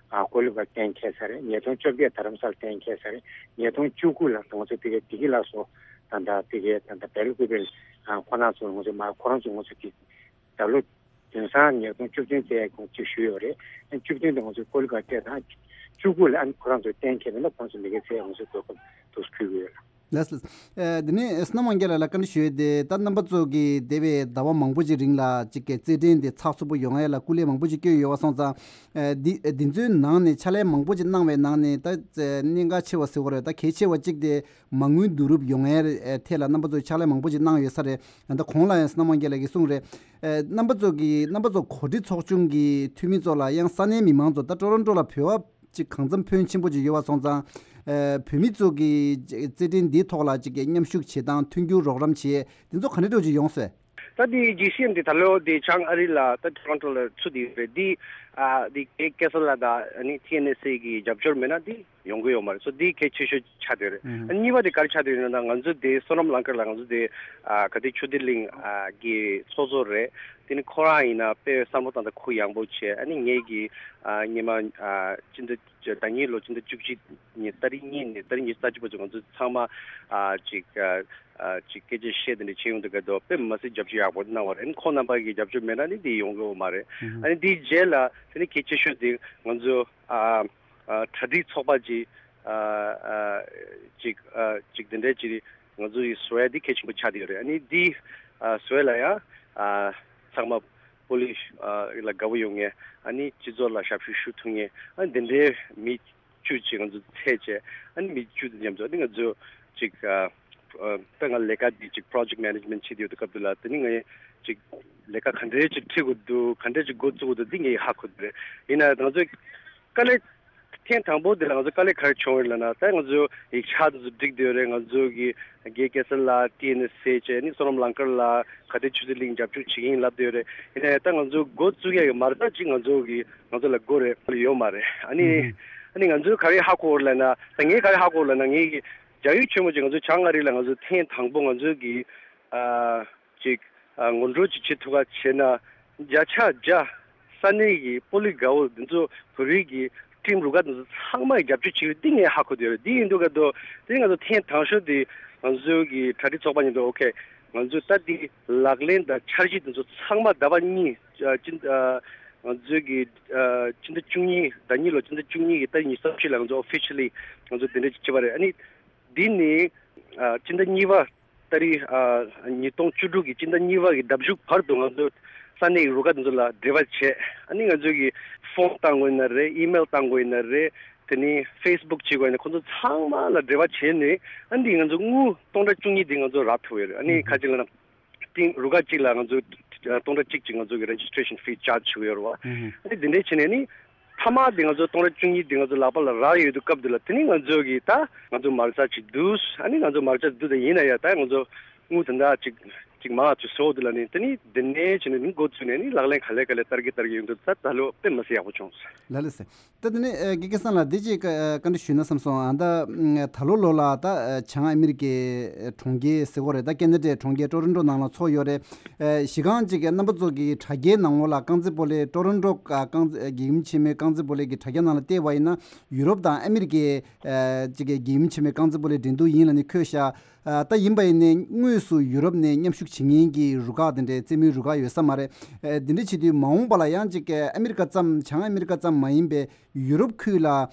ཀོ་ལི་གྷལ་གཏན་འཁེལ་ཚར་རེད། ཉིས་སྟོང་བཅོ་བརྒྱད་དྷ་རམ་ས་ལ་གཏན་འཁེལ་ཚར་རེད། ཉིས་སྟོང་བཅུ་དགུ་ལ་ང་ཚོ་དེ་གའི་བདེ་སྐྱིད་ལགས་སོ་ད་ལྟ་དེ་གའི་ད་ལྟ་བེལ་ཀུ་པེལ་ཁོ་ན་ཚོ་ང་ཚོ་མ་ཁོ་རང་ཚོ་ང་ཚོ་དེ་ད་ལོ་དེང་སང་ཉིས་སྟོང་བཅུ་བདུན་ཙམ་ཅིག་ཞུས་ཡོད་རེད། བཅུ་བདུན་དུ་ང་ཚོ་ཀོ་ལི་གྷལ་སྤྲད་དང་བཅུ་དགུ་ལ་ཨ་ནི་ཁོ་རང་ཚོ་གཏན་འཁེལ་བ་ན་ཁོ་རང་ཚོ་མི་སྒེར་ཚད་ང་ཚོ་དགོས་སྐབས་དུ་ཕུལ་གྱི་ཡོད། ལགས་སོ། ཨ་དེ་ནས་བསོད་ནམས་དབང་རྒྱལ་ལགས་ལ་བཀའ་འདྲི་ཞུ་ཡས་དེ་ད་རྣམ་པ་ཚོ་གིས་འདས་པའི་ཟླ་བ་མང་པོ་ཅིག་རིང་ལ་ཅིག་གི་རྩེད་འགྲན་དེ་ཚགས་ཚུད་པོ་ཡོང་ཡས་ལ་སྐུ་ལས་མང་པོ་ཅིག་བསྐྱོན་ཡོད་པ་སོང་ཙང་། ཨ་འདི་འདི་ཚོའི་ནང་ནས་ཕྱག་ལས་མང་པོ་ཅིག་གནང་བའི་ནང་ནས་ད་གནད་འགག་ཆེ་བ་ཟེར་བ་རེད། ད་གལ་ཆེ་བ་གཅིག་དེ་མ་དངུལ་བསྡུ་རུབ་ཡོང་ཡས་ཐད་ལ་རྣམ་པ་ཚོས་ཕྱག་ལས་མང་པོ་ཅིག་གནང་ཡོད་ས་རེད། ད་གོང་ལ་ཡང་བསོད་ནམས་དབང་རྒྱལ་ལགས་ཀྱིས་གསུངས་རེད། ཨ་རྣམ་པ་ཚོ་གིས་རྣམ་པ་ཚོ་གོ་སྒྲིག་ཚོགས་ཆུང་གི་འཐུས་མི་ཚོ་ལ་ཡང་ས་གནས་མི་མང་ཚོ་ད་ཀྲོ་རོན་ཀྲོ་ལ་བོད་པ་ཅིག་གང་འཚམ་ཕོན་ཆེན་པོ་ཅིག་ཡོད་པ་སོང་ཙང་། ཨ་བོད་མི་ཚོ་གི་རྩེད་འགྲན་འདིའི་ཐོག་ལ་ཅིག་གི་མཉམ་ཞུགས་བྱེད་སྟངས་མཐུན་འགྱུར་རོགས་རམ་བྱེད་དེ་ཚོ་ག་འདྲ་འདྲ་ཅིག་ཡོང་སོང་། ད་འདི་རྒྱས་བཤད་འདི་ད་ལོ་འདི་བྱང་ཨ་རི་ལ་ད་ཊོ་རོན་ཊོ་ལ་ཚུད་དེ་ཡོད་རེད། འདི་ཨ་འདི་ཀེ་ཀེ་སར་ལ་ད་ཨ་ནི་ཊི་ཨེན་ཨེས་ཨེ་གི་རྒྱབ་སྐྱོར་མེད་ན་འདི་ཡོང་གི་ཡོད་མ་རེད། སོ་འདི་གལ་ཆེ་ཤོས་ཆགས་བསྡད་རེད། ཨ་གཉིས་པ་དེ་ག་རེ་ཆགས་བསྡད་ཡོད་ན་ད་ང་ཚོ་དེ་བསོད་ནམས་གླིང་དཀར་ལ་ང་ཚོ་དེ་ཨ་ག་དེ་ཆུ་བདེ་གླིང་ཨ་གི་ཚོགས་གཙོ་རེད། དེ་ནི་ཁོ་རང་ཡིན་ན་དཔེ་བསམ་བློ་བཏང་ད་ཁོ་ཡངས་པོ་བྱས། ཨ་ནི་ངེད་ཀྱི་ཨ་སྔོན་མ་ཨ་སྤྱི་ཟླ་ཟླ་ཉིན་ལོ་སྤྱི་ཟླ་བཅུ་གཅིག་ཉིན་ཏ་རིག་གཉིས་ནས་ཏ་རིག་ཉི་ཤུ་རྩ་གཅིག་བར་དུ་ང་ཚོ་ཚང་མ་ཨ་ཅིག་ཨ་ཅིག་སྐད་ཆ་བཤད་དེ་འདྲ་བྱེད་ཡོང་དུས་སྐབས་དུ་དཔེ་མི་སྲིད་རྒྱབ་སྐྱོར་ཡག་པོ་གནང་བ་རེད། ཁོང་རྣམ་པ་གི་རྒྱབ་སྐྱོར་མེད་ན་ནི་འདི་ཡོང་གི་ཡོད་མ་རེད། ཨ་ནི་འདིའི་རྗེས་ལ་དེ་ནི་གལ་ཆེ་ཤོས་དེ་ང་ཚོ་ཨ་ཨ་གྲ་སྒྲིག་ཚོགས་པ་ཅིག་ཨ་ཨ་ཅིག་ཨ་ཅིག་དེ་འདྲ་ཅིག་ང་ཚོ་ཡི་བཟོ་ཡ་འདི་གལ་ཆེན་པོ་ཆགས་བསྡད་ཡོད་རེད། ཨ་ནི་འདི་ཨ་བཟོ་ཡ་ལ་ཡང་ཨ་ཚང་མ་པོ་ལི་ཨ་ལ་དགའ་པོ་ཡོང་ངེས། ཨ་ནི་སྤྱི་ཚོགས་ལ་ཞབས་ཞུ་ཞུ་ཐུབ་ངེས། ཨ་ནི་འདི་འདྲའི་མི་བཅུ་ཅིག་ང་ཚོ་ཚད་བྱས། ཨ་ནི་མི་བཅུ་དང་མཉམ་དུ་ཨ་ནི་ང་ཚོ་ཅིག་ཨ་ཨ་ད་ང་ལས་ཀ་འདི་ཅིག་པོ་རོ་ཇེག་མེ་ནེ་ཇི་མེན་ཊི་བྱེད་ཡོད་དུས་སྐབས་དུ་ལ་དེ་ནི་ངས་ཅིག་ལས་ཀ་ག་འདྲའི་ཅིག་ཁྲིད་དགོས་འདུག་ག་འདྲའི་ཅིག་འགོ་བཙུགས་དགོས་འདུག་འདི་ངས་ཧ་གོ་གི་རེད། ཡིན་ན་ང་ཚོ་དཀའ་ལས་ཐེངས་དང་པོ་འདི་ལ་ང་ཚོ་དཀའ་ལས་ག་རེ་བྱུང་བ་རེད་ལབ་ན། ད་ང་ཚོ་ཡིག་ཆ་དེ་ཚོ་བསྒྲིགས་བསྡད་ཡོད་རེད། ང་ཚོ་གི་རྒན་སྐལ་བཟང་ལགས་ཊི་ཨེན་ཨེས་ཨེ་བྱས་ནི་བསོད་ནམས་གླིང་དཀར་ལགས་ག་དེ་ཆུ་ཚོད་གླིང་རྒྱབ་སྐྱོར་བྱེད་ཀྱི་ཡིན་ལབ་བསྡད་ཡོད་རེད། ཡིན་ནའི་ད་ང་ཚོ་འགོ་བཙུགས་ཡ་གི་མ་རྩ་ཅིག་ང་ཚོ་གི་ང་ཚོ་ལ་དགོས་རེད་ཡོད་མ་རེད། ཨ་ནི་ཨ་ནི་ང་ཚོས་ག་རེ་ཧ་གོ་བ་རེད་ལབ་ན། ད་ངས་ག་རེ་ཧ་གོ་བ་ལབ་ན་ངས་གི་རྒྱ་ཡུལ་ཆེན་མོ་ཅིག་ང་ཚོ་བྱང་ཨ་རི་ལ་ང་ཚོ་ཐེངས་དང་པོ་ང་ཚོ་གི་ཨ། ཅིག་ཨ་ངོ་སྤྲོད་ཅིག་བྱེད་ཐུབ་པ་བྱས་ན། བརྒྱ་ཆ་བརྒྱ་ས་གནས་ཀྱི་པོ་ལི་དགའ་བོ་འདི་ཚོ་བོད་རིགས་ཀྱི་ཁྲིམས་རུ་ཁག་འདི་ཚོ་ཚང་མ་རྒྱབ་སྐྱོར་བྱེད་ཀྱི་ཡོད། འདི་ངས་ཧ་གོ་བསྡད་ཡོད་རེད། འདི་ཡིན་དུས་ག་དོ་དེ་ང་ཚོ་ཐེངས་དང་ཤོས་དེ་ང་ཚོའི་གི་གྲ་སྒྲིག་ཚོགས་པ་ཉིད་དུ་ཨོ་ཁེ་ང་ཚོས་ད་འདི་ལག་ལེན་དང་འཆར་གཞི་འདི་ཚོ་ཚང་མ་ཟླ་བ་གཉིས་ཨ་ཅིན་ཨ་ང་ཚོའི་གི་ཨ་ཕྱི་ཟླ་བཅུ་གཉིས་ཟླ་གཉིས་ལོ་ཕྱི་ཟླ་བཅུ་གཉིས་ཀྱི་ཏ་རིག་ཉི་ཤུ་རྩ་བཞི་ལ་ང་ཚོ་ཨོ་ཕི་ཤལ་ལི་ང་ཚོ་དེ་འདྲ་ཅིག་བྱེད་པ་རེད། ཨ་ནི་འདི་ནི་ཨ་སྤྱི་ཟླ་གཉིས་པ་ཏ་རིག་ཨ་ཉིས་སྟོང་བཅུ་དྲུག་གི་སྤྱི་ཟླ་གཉིས་པ་གི་ཟླ་མཇུག་བར་དུ་ང་ཚོ་ས་གནས་ཀྱི་རུ་ཁག་དེ་ཚོ་ལ་འབྲེལ་བ་བྱས། ཨ་ནི་ང་ཚོ་གི་ཕོན་བཏང་དགོས་ཡིན་ན་རེད། ཨི་མེལ་བཏང་དགོས་ཡིན་ན་རེད། དེ་ནི་ཕེ་སི་བུག་བྱེད་དགོས་ཡིན་ན་ཁོང་ཚོ་ཚང་མ་ལ་འབྲེལ་བ་བྱས་ནས་ཨ་འདི་ང་ཚོ་དངུལ་སྟོང་ཕྲག་བཅུ་གཉིས་འདི་ང་ཚོ་རག་ཐུབ་ཡོད་རེད། ཨ་ནི་ཁ་ཅིག་ལ་ན་ཏིང་རུ་ཁག་གཅིག་ལ་ང་ཚོ་སྟོང་ཕྲག་གཅིག་ཅིག་ང་ཚོ་གི་རེ་ཇི་སི་ཊི་རེ་ཤན་ཕི་ཆར་ཇི་བྱེད་ཀྱི་ཡོད་རེད་བ། ཨ་ནི་འདི་འདྲའི་བྱས་ནས་ནི། མཐའ་མ་དེ་ང་ཚོ་སྟོང་ཕྲག་བཅུ་གཉིས་དེ་ང་ཚོ་ལག་པ་ལ་རག་ཡོད་དུས་སྐབས་དེ་ལ་དེ་ནི་ང་ཚོ་གི་ད་ང་ཚོ་མ་རྩ་ཅིག་འདུག་ཨ་ནི་ང་ཚོ་མ་རྩ་འདུག་དེ་ཡིན་ན་ཡང་ད་ང་ཚོ་དངུལ་དེ་འདྲ་ཅིག་ཅིག་མང་ཅིག་བཟོ་དེ་ལ་ནི་དེ་ནི་དེ་ནས་བྱས་ནས་ནི་འགོ་བཙུགས་ནས་ནི་ལག་ལེན་ག་ལེ་ག་ལེ་བསྟར་གི་བསྟར་གི་ཡོང་དུས་ད་ད་ལོ་དཔེ་མི་སྲིད་ཡག་པོ་བྱུང་སོང་། ལགས་ལགས་སེ། ད་དེ་ནས་ཨ་དགེ་རྒན་བསོད་ནམས་ལགས་འདི་ཅིག་ཨ་བཀའ་འདྲི་ཞུས་ན་བསམ་སོང་། ཨ་ད་ད་ལོ་ལོ་ལ་ད་ཨ་བྱང་ཨ་མི་རི་ཀའི་གྲོང་ཁྱེར་ཟེར་གོ་རེད། ད་ཁེ་ན་ཌའི་གྲོང་ཁྱེར་ཊོ་རོན་ཊོ་ནང་ལ་ཚོགས་ཡོད་རེད། ཨ་གཞི་རྐང་ཅིག་གི་རྣམ་པ་ཚོ་གི་དྲ་རྒྱའི་ནང་ལོགས་ལ་རྐང་རྩེད་སྤོ་ལོའི་ཊོ་རོན་ཊོ་ཨ་རྐང་རྩེད་ཨ་དགེ་རྒན་ཆེན་མོའི་རྐང་རྩེད་སྤོ་ལོའི་གི་དྲ་རྒྱ་ནང་ལ་བལྟས་པ་ཡིན་ན་ཡུ་རོབ་དང་ཨ་མི་རི་ཀའི་ཨ་ཅིག་གི་དགེ་རྒན་ཆེན་མོའི་རྐང་རྩེད་སྤོ་ལོའི་འགྲན་བསྡུར་ཡིན་ལབ་ནས་འཁོད་ཤག་ཨ་ད་ཡིན་པ་ཡིན་ནའི་དངོས་སུ་ཡུ་རོབ་ནས་མཉམ་ཞུགས་བྱེད་མཁན་གྱི་རུ་ཁག་དེ་འདྲའི་རྩེད་མོའི་རུ་ཁག་ཡོད་ས་མ་རེད། ཨ་དེ་འདྲ་བྱེད་དུས་མ་འོངས་པ་ལ་ཡང་ཅིག་གི་ཨ་མི་རི་ཀ་ཙམ་བྱང་ཨ་མི་རི་ཀ་ཙམ་མ་ཡིན་པའི་ཡུ་རོབ་ཁུལ་ལ་ཨ་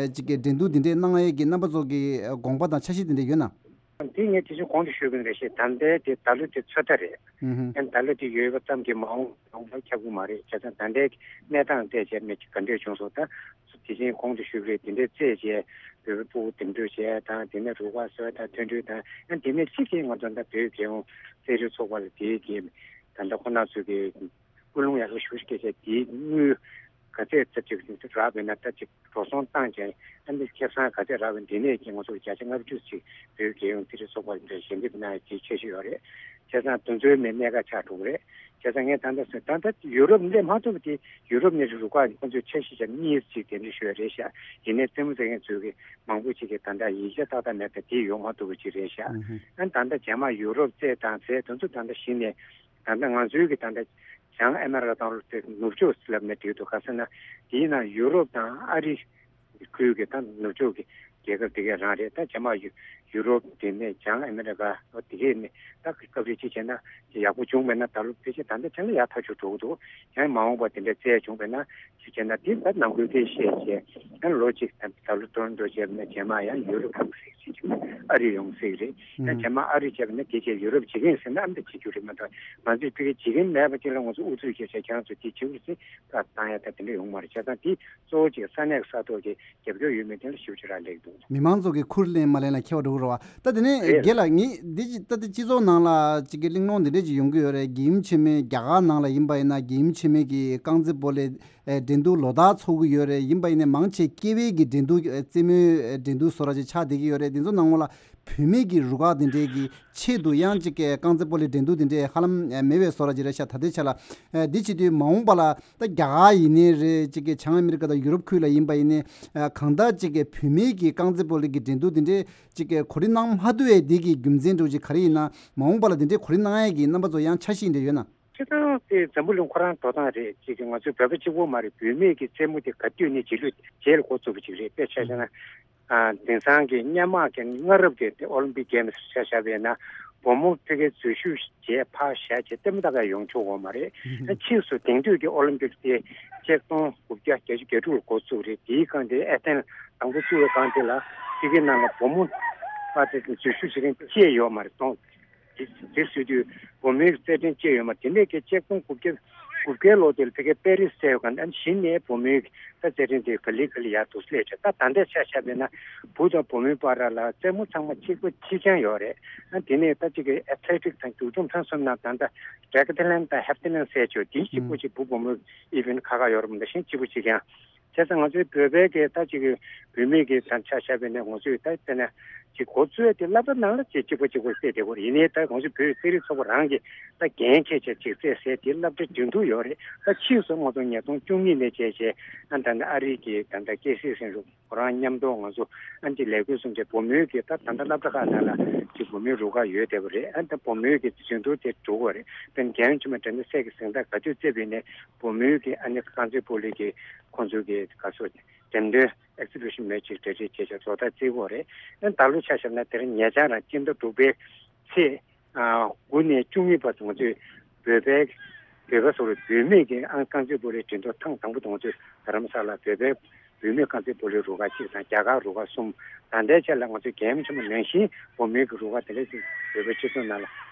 ཅིག་གི་འགྲན་བསྡུར་འདི་འདྲའི་གནང་ཡས་ཀྱི་རྣམ་པ་ཚོ་གི་དགོངས་པ་དང་འཆར་གཞི་འདི་འདྲ་ཡོད་ན། དེ་ངས་དེ་བཞིན་གོང་དུ་ཞུས་པ་ནང་བཞིན་ད་ལྟའི་དེ་ད་ལོ་དེ་ཚོད་ལྟ་རེད། ཨུ་ཧུ། ཡང་ད་ལོ་དེ་ཡོད་པ་ཙམ་གྱིས་མ་འོངས་ཡོང་བ་ཁྱབ་ཀྱི་མ་རེད། བྱས་ཙང་ད་ལྟའི་གནས་སྟངས་བལྟས་བྱས་མི་ག་འདྲས་བྱུང་སོང་། ད་དེ་བཞིན་གོང་དུ་ཞུས་པ་རེད། དེ་འདྲའི་རྩད་བཅད་བོད་པའི་ཕྲུ་གུ་འདེམས་སྒྲུག་བྱས་དང་། དེ་ནས་རུ་ཁག་གསོ་དང་མཐུན་སྒྲིལ་དང་། ཡང་དེ་ནས་གཅིག་གིས་ང་ཚོ་ད་བོད་རྒྱལ་ཡོངས་རྩེད་རིགས་ཚོགས་པ་ལ་དེའི་གི་ད་ལྟ་ཁོ་ན་ཚོས་གི་སྐུལ་སློང་ཡག་པོ་ཞེ་པོ་ཅིག་བྱས་བྱས། དེའི་དངུལ་ག་ཚད་ཙམ་ཅིག་རག་པ་ཡིན་ན་ད་ཅིག་འགྲོ་སོང་བཏང་བྱས། ཨ་ནི་ཁེ་བཟང་ག་ཚད་རག་པ་ཡིན་ན་དེ་ནས་ཀྱི་ང་ཚོར་བརྒྱ་ཆ་ལྔ་བཅུ་ཅིག་བོད་རྒྱལ་ཡོངས་རྩེད་རིགས་ཚོགས་པ་ལ་ཞལ་འདེབས་གནང་ཡག་གི་འཆར་གཞི་ཡོད་རེད། བྱས་ཙང་དེ་ཚོའི་མི་གནད་འགག་ཆགས་འགྲོ་གི་རེད། བྱས་ཙང་ངས་ད་ལྟ་ཟེར། ད་ལྟ་ཡུ་རོབ་སླེབས་མ་ཐུབ་པ་དེ། ཡུ་རོབ་ནས་རུ་ཁག་ཁོ་ཚོས་འཆར་གཞི་བྱས་གཉིས་ཅིག་གདན་འདྲེན་ཞུས་པ་རེད་ཤག་ཡིན་ནའི་རྩེད་མོ་རྩེ་མཁན་ཚོས་གི་མང་པོ་ཅིག་གིས་ད་ལྟ་ཡིག་ཆ་ཏག་ཏག་མེད་པ་དེ་ཡོང་མ་ཐུབ་པ་ཅིག་རེད་ཤག་ཨ་ནི་ད་ལྟ་རྗེས་མ་ཡུ་རོབ་རྩེད་དང་ཟས་དེ་ཚོ་ད་ལྟ་གཞི་ནས། ད་ལྟ་ང་ཚོའི་གི་ད་ལྟ་བྱང་ཨ་མེ་རི་ཁ་དང་ལ་དེ་ནུབ་ཕྱོགས་ལབ་ན་འགྲིག་འདུག་ག་ཟེར་ན། དེའི་ནང་ཡུ་རོབ་དང་ཨ་རི་ཁུལ་གྱི་ད་ནུབ་ཕྱོགས་ཀྱི་རྒྱལ་ཁབ་དེ་ག་རང་རེད། ད་རྗེས་མ་ཡུ་ཡུ་རོབ་དེ་ནས་བྱང་ཨ་མེ་རི་ཁ་དེ་གས་ནས་ད་སྐབས་རེ་ཅིག་བྱས་ན་ཡག་པོ་བྱུང་མེད་ན། ད་ལོ་ཕལ་ཆེར་ད་ལྟ་ཆ་ལ་ཡག་ཐག་ཆོད་འགྲོ་གི་འདུག་ཡང་མ་འོངས་པ་དེ་འདྲ་རྩེད་བྱུང་བས་ན། ཅིག་བྱས་ན་དེ་ད་ནང་ཁུལ་གྱིས་བཤད་བྱས། ཡང་ལོ་གཅིག་ད་ད་ལོ་ཏོ་རོན་ཏོ་བྱས་པ་ན་རྗེས་མ་ཡང་ཡུ་རོབ་ཁག་ཟེར་གྱི་ཅིག་ཨ་རི་ཡོང་སྲིད་རེད། ད་རྗེས་མ་ཨ་རི་བྱས་པ་ན་དེ་རྗེས་ཡུ་རོབ་བྱེད་ཀྱི་ཡིན་ཟེར་ན་ཨ་འདི་བྱེད་རྒྱུ་རེད་མ་གཏོགས། ང་ཚོས་ཕ་གི་བྱེད་ཀྱི་མེད་པ་ཅིག་ལ་ང་ཚོས་ཨུ་ཚུགས་བྱས་བྱས་ཁྱེད་རང་ཚོས་དེ་བྱེད་དགོས་ཟེར་ད་བཏང་ཡ་ད་དེ་འདྲ་ཡོང་མ་རེད། བྱས་ཙང་དེ་གཙོ་བོ་གཅིག་ས་གནས་ས་ཐོག་གི་རྒྱབ་སྐྱོར་ཡོད་མེད་དེ་ལ་ཞིབ་ཅིག་རག་ལས་འདུག་མི་མང་ཚོ་གི་ཁུར་ལེན་མ་ལེན་ལ་ཁྱད་པར་འགྲོ་གི་རེད་བ། ད་དེ་ནས་རེད། རྒན་ལགས། ངས་འདི་ཅི་ད་ལྟ་སྤྱི་ཚོགས་ནང་ལ་ཅིག་གི་གླེང་སློང་འདི་འདྲས་ཅིག་ཡོང་གི་ཡོད་རེད། རྒྱལ་ཡུམ་ཆེན་མོའི་རྒྱ་གར་ནང་ལ་ཡིན་པ་ཡིན་ན་རྒྱལ་ཡུམ་ཆེན་མོའི་གི་རྐང་རྩེད་སྤོ་ལོའི་ཨེ་འགྲན་བསྡུར་ལོ་ལྟར་ཚོགས་ཀྱི་ཡོད་རེད། ཡིན་པ་ཡིན་ནའི་མང་ཆེ་སྐྱེ་བའི་གི་འགྲན་བསྡུར་ཨེ་རྩེད་མོའི་ཨེ་འགྲན་བསྡུར་བཟོ་འདྲ་ཅིག་ཆགས་བསྡད་ཀྱི་ཡོད་རེད། འདི་ཚོ་ནང་ལོགས་ལ་བུད་མེད་ཀྱི་རུ་ཁག་འདི་འདྲའི་གི་ཆེད་དུ་ཡང་ཅིག་གི་རྐང་རྩེད་སྤོ་ལོའི་འགྲན་བསྡུར་འདི་འདྲའི་ཧ་ལམ་ཨེ་མེད་པའི་བཟོ་འདྲ་ཅིག་རེད་ཤག་ད་ལྟའི་ཆ་ལ། ཨེ་འདི་བྱེད་དུས་མ་འོངས་པ་ལ་ད་རྒྱ་གར་ཡིན་ནའི་རེད། ཅིག་གི་བྱང་ཨ་མི་རི་ཀ་དང་ཡུ་རོབ་ཁུལ་ལ་ཡིན་པ་ཡིན་ནའི་ཨེ་གང་ལྟར་ཅིག་གི་བུད་མེད་ཀྱི་རྐང་རྩེད་སྤོ་ལོ་གི་འགྲན་བསྡུར་འདི་འདྲའི་ཅིག་གི་གོ་སྒྲིག་གནང་མ་ཐུབ་པའི་འདི་གི་རྒྱུ་མཚན་འདྲ་བོ་ཅིག་ག་རེ་ཡིན་ན། མ་འོངས་པ་ལ་འདི་འདྲའི་གོ་སྒྲིག་གནང་ཡས་ཀྱི་རྣམ་པ་ཚོ་ཡང་འཆར་གཞི་འདྲ་ཡོད་ན། སྤྱིར་བཏང་དེ་འཛམ་བུ་གླིང་ཁོ་རང་འགྲོ་སྟངས་རེད། ཅིག་གི་ང་ཚོའི་བོད་པ་གཅིག་པོ་མ་རེད། བུད་མེད་ཀྱི་རྩེད་མོ་དེ་ག་དུས་ནས་རྗེས་ལུས་རྗེས་ལ་འགོ་བཙུགས་པ་ཅིག་རེད། དཔེ་ཆ་བཞག་ན། ཨ་དེང་སང་གི་སྔོན་མ་གི་སྔ་རབས་ཀྱི་དེ་ཨོ་ལིམ་པིག་གེམ་སི་ཆ་བཞག་པ་ཡིན་ན། བུ་མོ་ཕ་གིའི་འཛུལ་ཞུགས་བྱས་ཕར་བཞག་བྱས་ལྟད་མོ་ལྟ་ག་ཡོང་ཆོག་གོ་མ་རེད། ཨ་ཕྱིས་སུ་དེང་དུས་ཀྱི་ཨོ་ལིམ་པིག་དེ་ཆིག་སྟོང་དགུ་བརྒྱ་བརྒྱད་ཅུ་གྱ་དྲུག་ལ་འགོ་བཙུགས་རེད། དེའི་སྒང་དེ་ཨེ་ཐན་དང་པོ་བཙུགས་པའི་སྒང་དེ་ལ་ཕ་གི་ནང་ལ་བུ་མོ་ཕར་དེ་འཛུལ་ཞུགས་བྱེད་མཁན་ཅིག་ཡོད་མ་རེད། སྟོང་དེ་དེ་བཟོས་དུས་བུ་མོའི་རྩེད་འགྲན་ཅིག་ཡོད་མ་རེད། དེ་ནས་ཀྱི་ཆིག་སྟོང་དགུ་བརྒྱ་དགུ་བརྒྱའི་ལོ་དེ་ལ་ཕ་གིའི་པེ་རིས་ཟེར་བའི་སྒང་དེ་གཞི་ནས་བུ་མོའི་ད་རྩེད་འགྲན་དེ་ག་ལེ་ག་ལེ་ཡར་འདུག་སླེབས་བྱས། ད་ད་ལྟའི་ཆ་བཞག་པ་ཡིན་ན་བུ་དང་བུ་མོའི་བར་ལ་རྩེད་མོ་ཚང་མ་གཅིག་པ་གཅིག་རྐྱང་ཡོད་རེད། ཨ་དེ་ནས་ད་ཅིག་གི་ཨེ་ཐི་ལེ་ཊིག་དང་རྒྱུག་རྡུང་ཐེངས་གསུམ་ནང་ད་ལྟ་ཌེ་ཀ་ཐི་ལན་དང་ཧེབ་ཐི་ལན་ཟེར་ཆོག་དེ་གཅིག་པོ་ཅིག་བུ་བུ་མོའི་ཨི་ཝེན་ཊི་ཁག་ཁག་ཡོད་རེད་མ་གཏོགས་གཞན་གཅིག་པོ་གཅིག་རྐྱང་། བྱས་ཙང་ང་ཚོའི་བོད་པའི་གི་ད་ཅིག་གི་བུད་མེད་ཀྱི་ད་ཆ་བཞག་པ་ཡིན་ན་ང་ཚོས་ད་དཔེར་ན་ཅིག་འགོ་བཙུགས་ཏེ་སློབ་གྲྭ་ནང་ལ་ཅིག་གཅིག་པ་གཅིག་པ་རྩེད་བསྡད་ཀྱི་ཡོད་རེད། ཡིན་ནའི་ད་ང་ཚོ་བོད་རྩེད་རིགས་ཚོགས་པ་རང་གིས་ད་འགན་འཁྱེར་བྱས་ཅིག་རྩེད་ཟེར་དེ་སློབ་གྲྭ་འགྲན་བསྡུར་ཡོད་རེད། ད་ཕྱིས་སུ་ང་ཚོ་ཉིས་སྟོང་བཅུ་གཉིས་ནས་བྱས་བྱས་ཨ་ད་ནི་ཨ་རི་གི་ད་ད་ཀེ་སི་སེང་རུ་ཁོ་རང་མཉམ་དུ་ང་ཚོ་ཨ་ནི་ལས་འགུལ་གསུམ་བྱས། བུ་མོའི་གི་ད་ད་ལྟ་སློབ་གྲྭ་ཁག་ནང་ལ་ཅིག་བུ་མོའི་རུ་ཁག་ཡོད་བསྡད་པ་རེད། ཨ་ད་བུ་མོའི་གི་འགྲན་བསྡུར་དེ་འགྲོ་གི་ཡོད་རེད། ད་རྒན་ཆུང་མ་དྲན་ན་སད་ཀྱི་གཟེངས་རྟགས་ག་དུས་རྩེད་པ་ཡིན་ནའི་བུ་མོའི་གི་ཨ་ནི་རྐང་རྩེད་སྤོ་ལོའི་གི་ཁོང་ཚོའི་གི་ག་ཚོད་འགྲེམས་སྟོན་ཨེག་སི་བི་ཤན་མེད་ཅིག་གྲ་སྒྲིག་བྱས་བྱས་བཟོ་ལྟ་རྩེད་གོ་རེད། ཨ་ད་ལོ་ཆ་བཞག་ན་དེ་རིང་ཉེ་ཆར་རང་སྤྱི་ཟླ་དྲུག་པའི་ཚེས་ཨ་དགུ་ནས་བཅུ་གཉིས་བར་དུ་ང་ཚོས་བོད་པའི་བོད་པ་སོགས་ལ་བུད་མེད་ཀྱི་ཨང་རྐང་རྩེད་སྤོ་ལོའི་འགྲན་བསྡུར་ཐེངས་དང་པོ་དུ་ང་ཚོས་རྡ་རམ་ས་ལ་བོད་པའི་བུད་མེད་རྐང་རྩེད་སྤོ་ལོའི་རུ་ཁག་གཅིག་དང་རྒྱ་གར་རུ་ཁག་གསུམ། ད་ལྟའི་ཆ་ལ་ང་ཚོའི་རྒན་ཆུང་མ་ནང་བཞིན་བུད་མེད་ཀྱི་རུ་ཁག་དེ་འདྲ་ཞིག་བོད་པའི་སྤྱི་ཚོགས་ནང་ལ་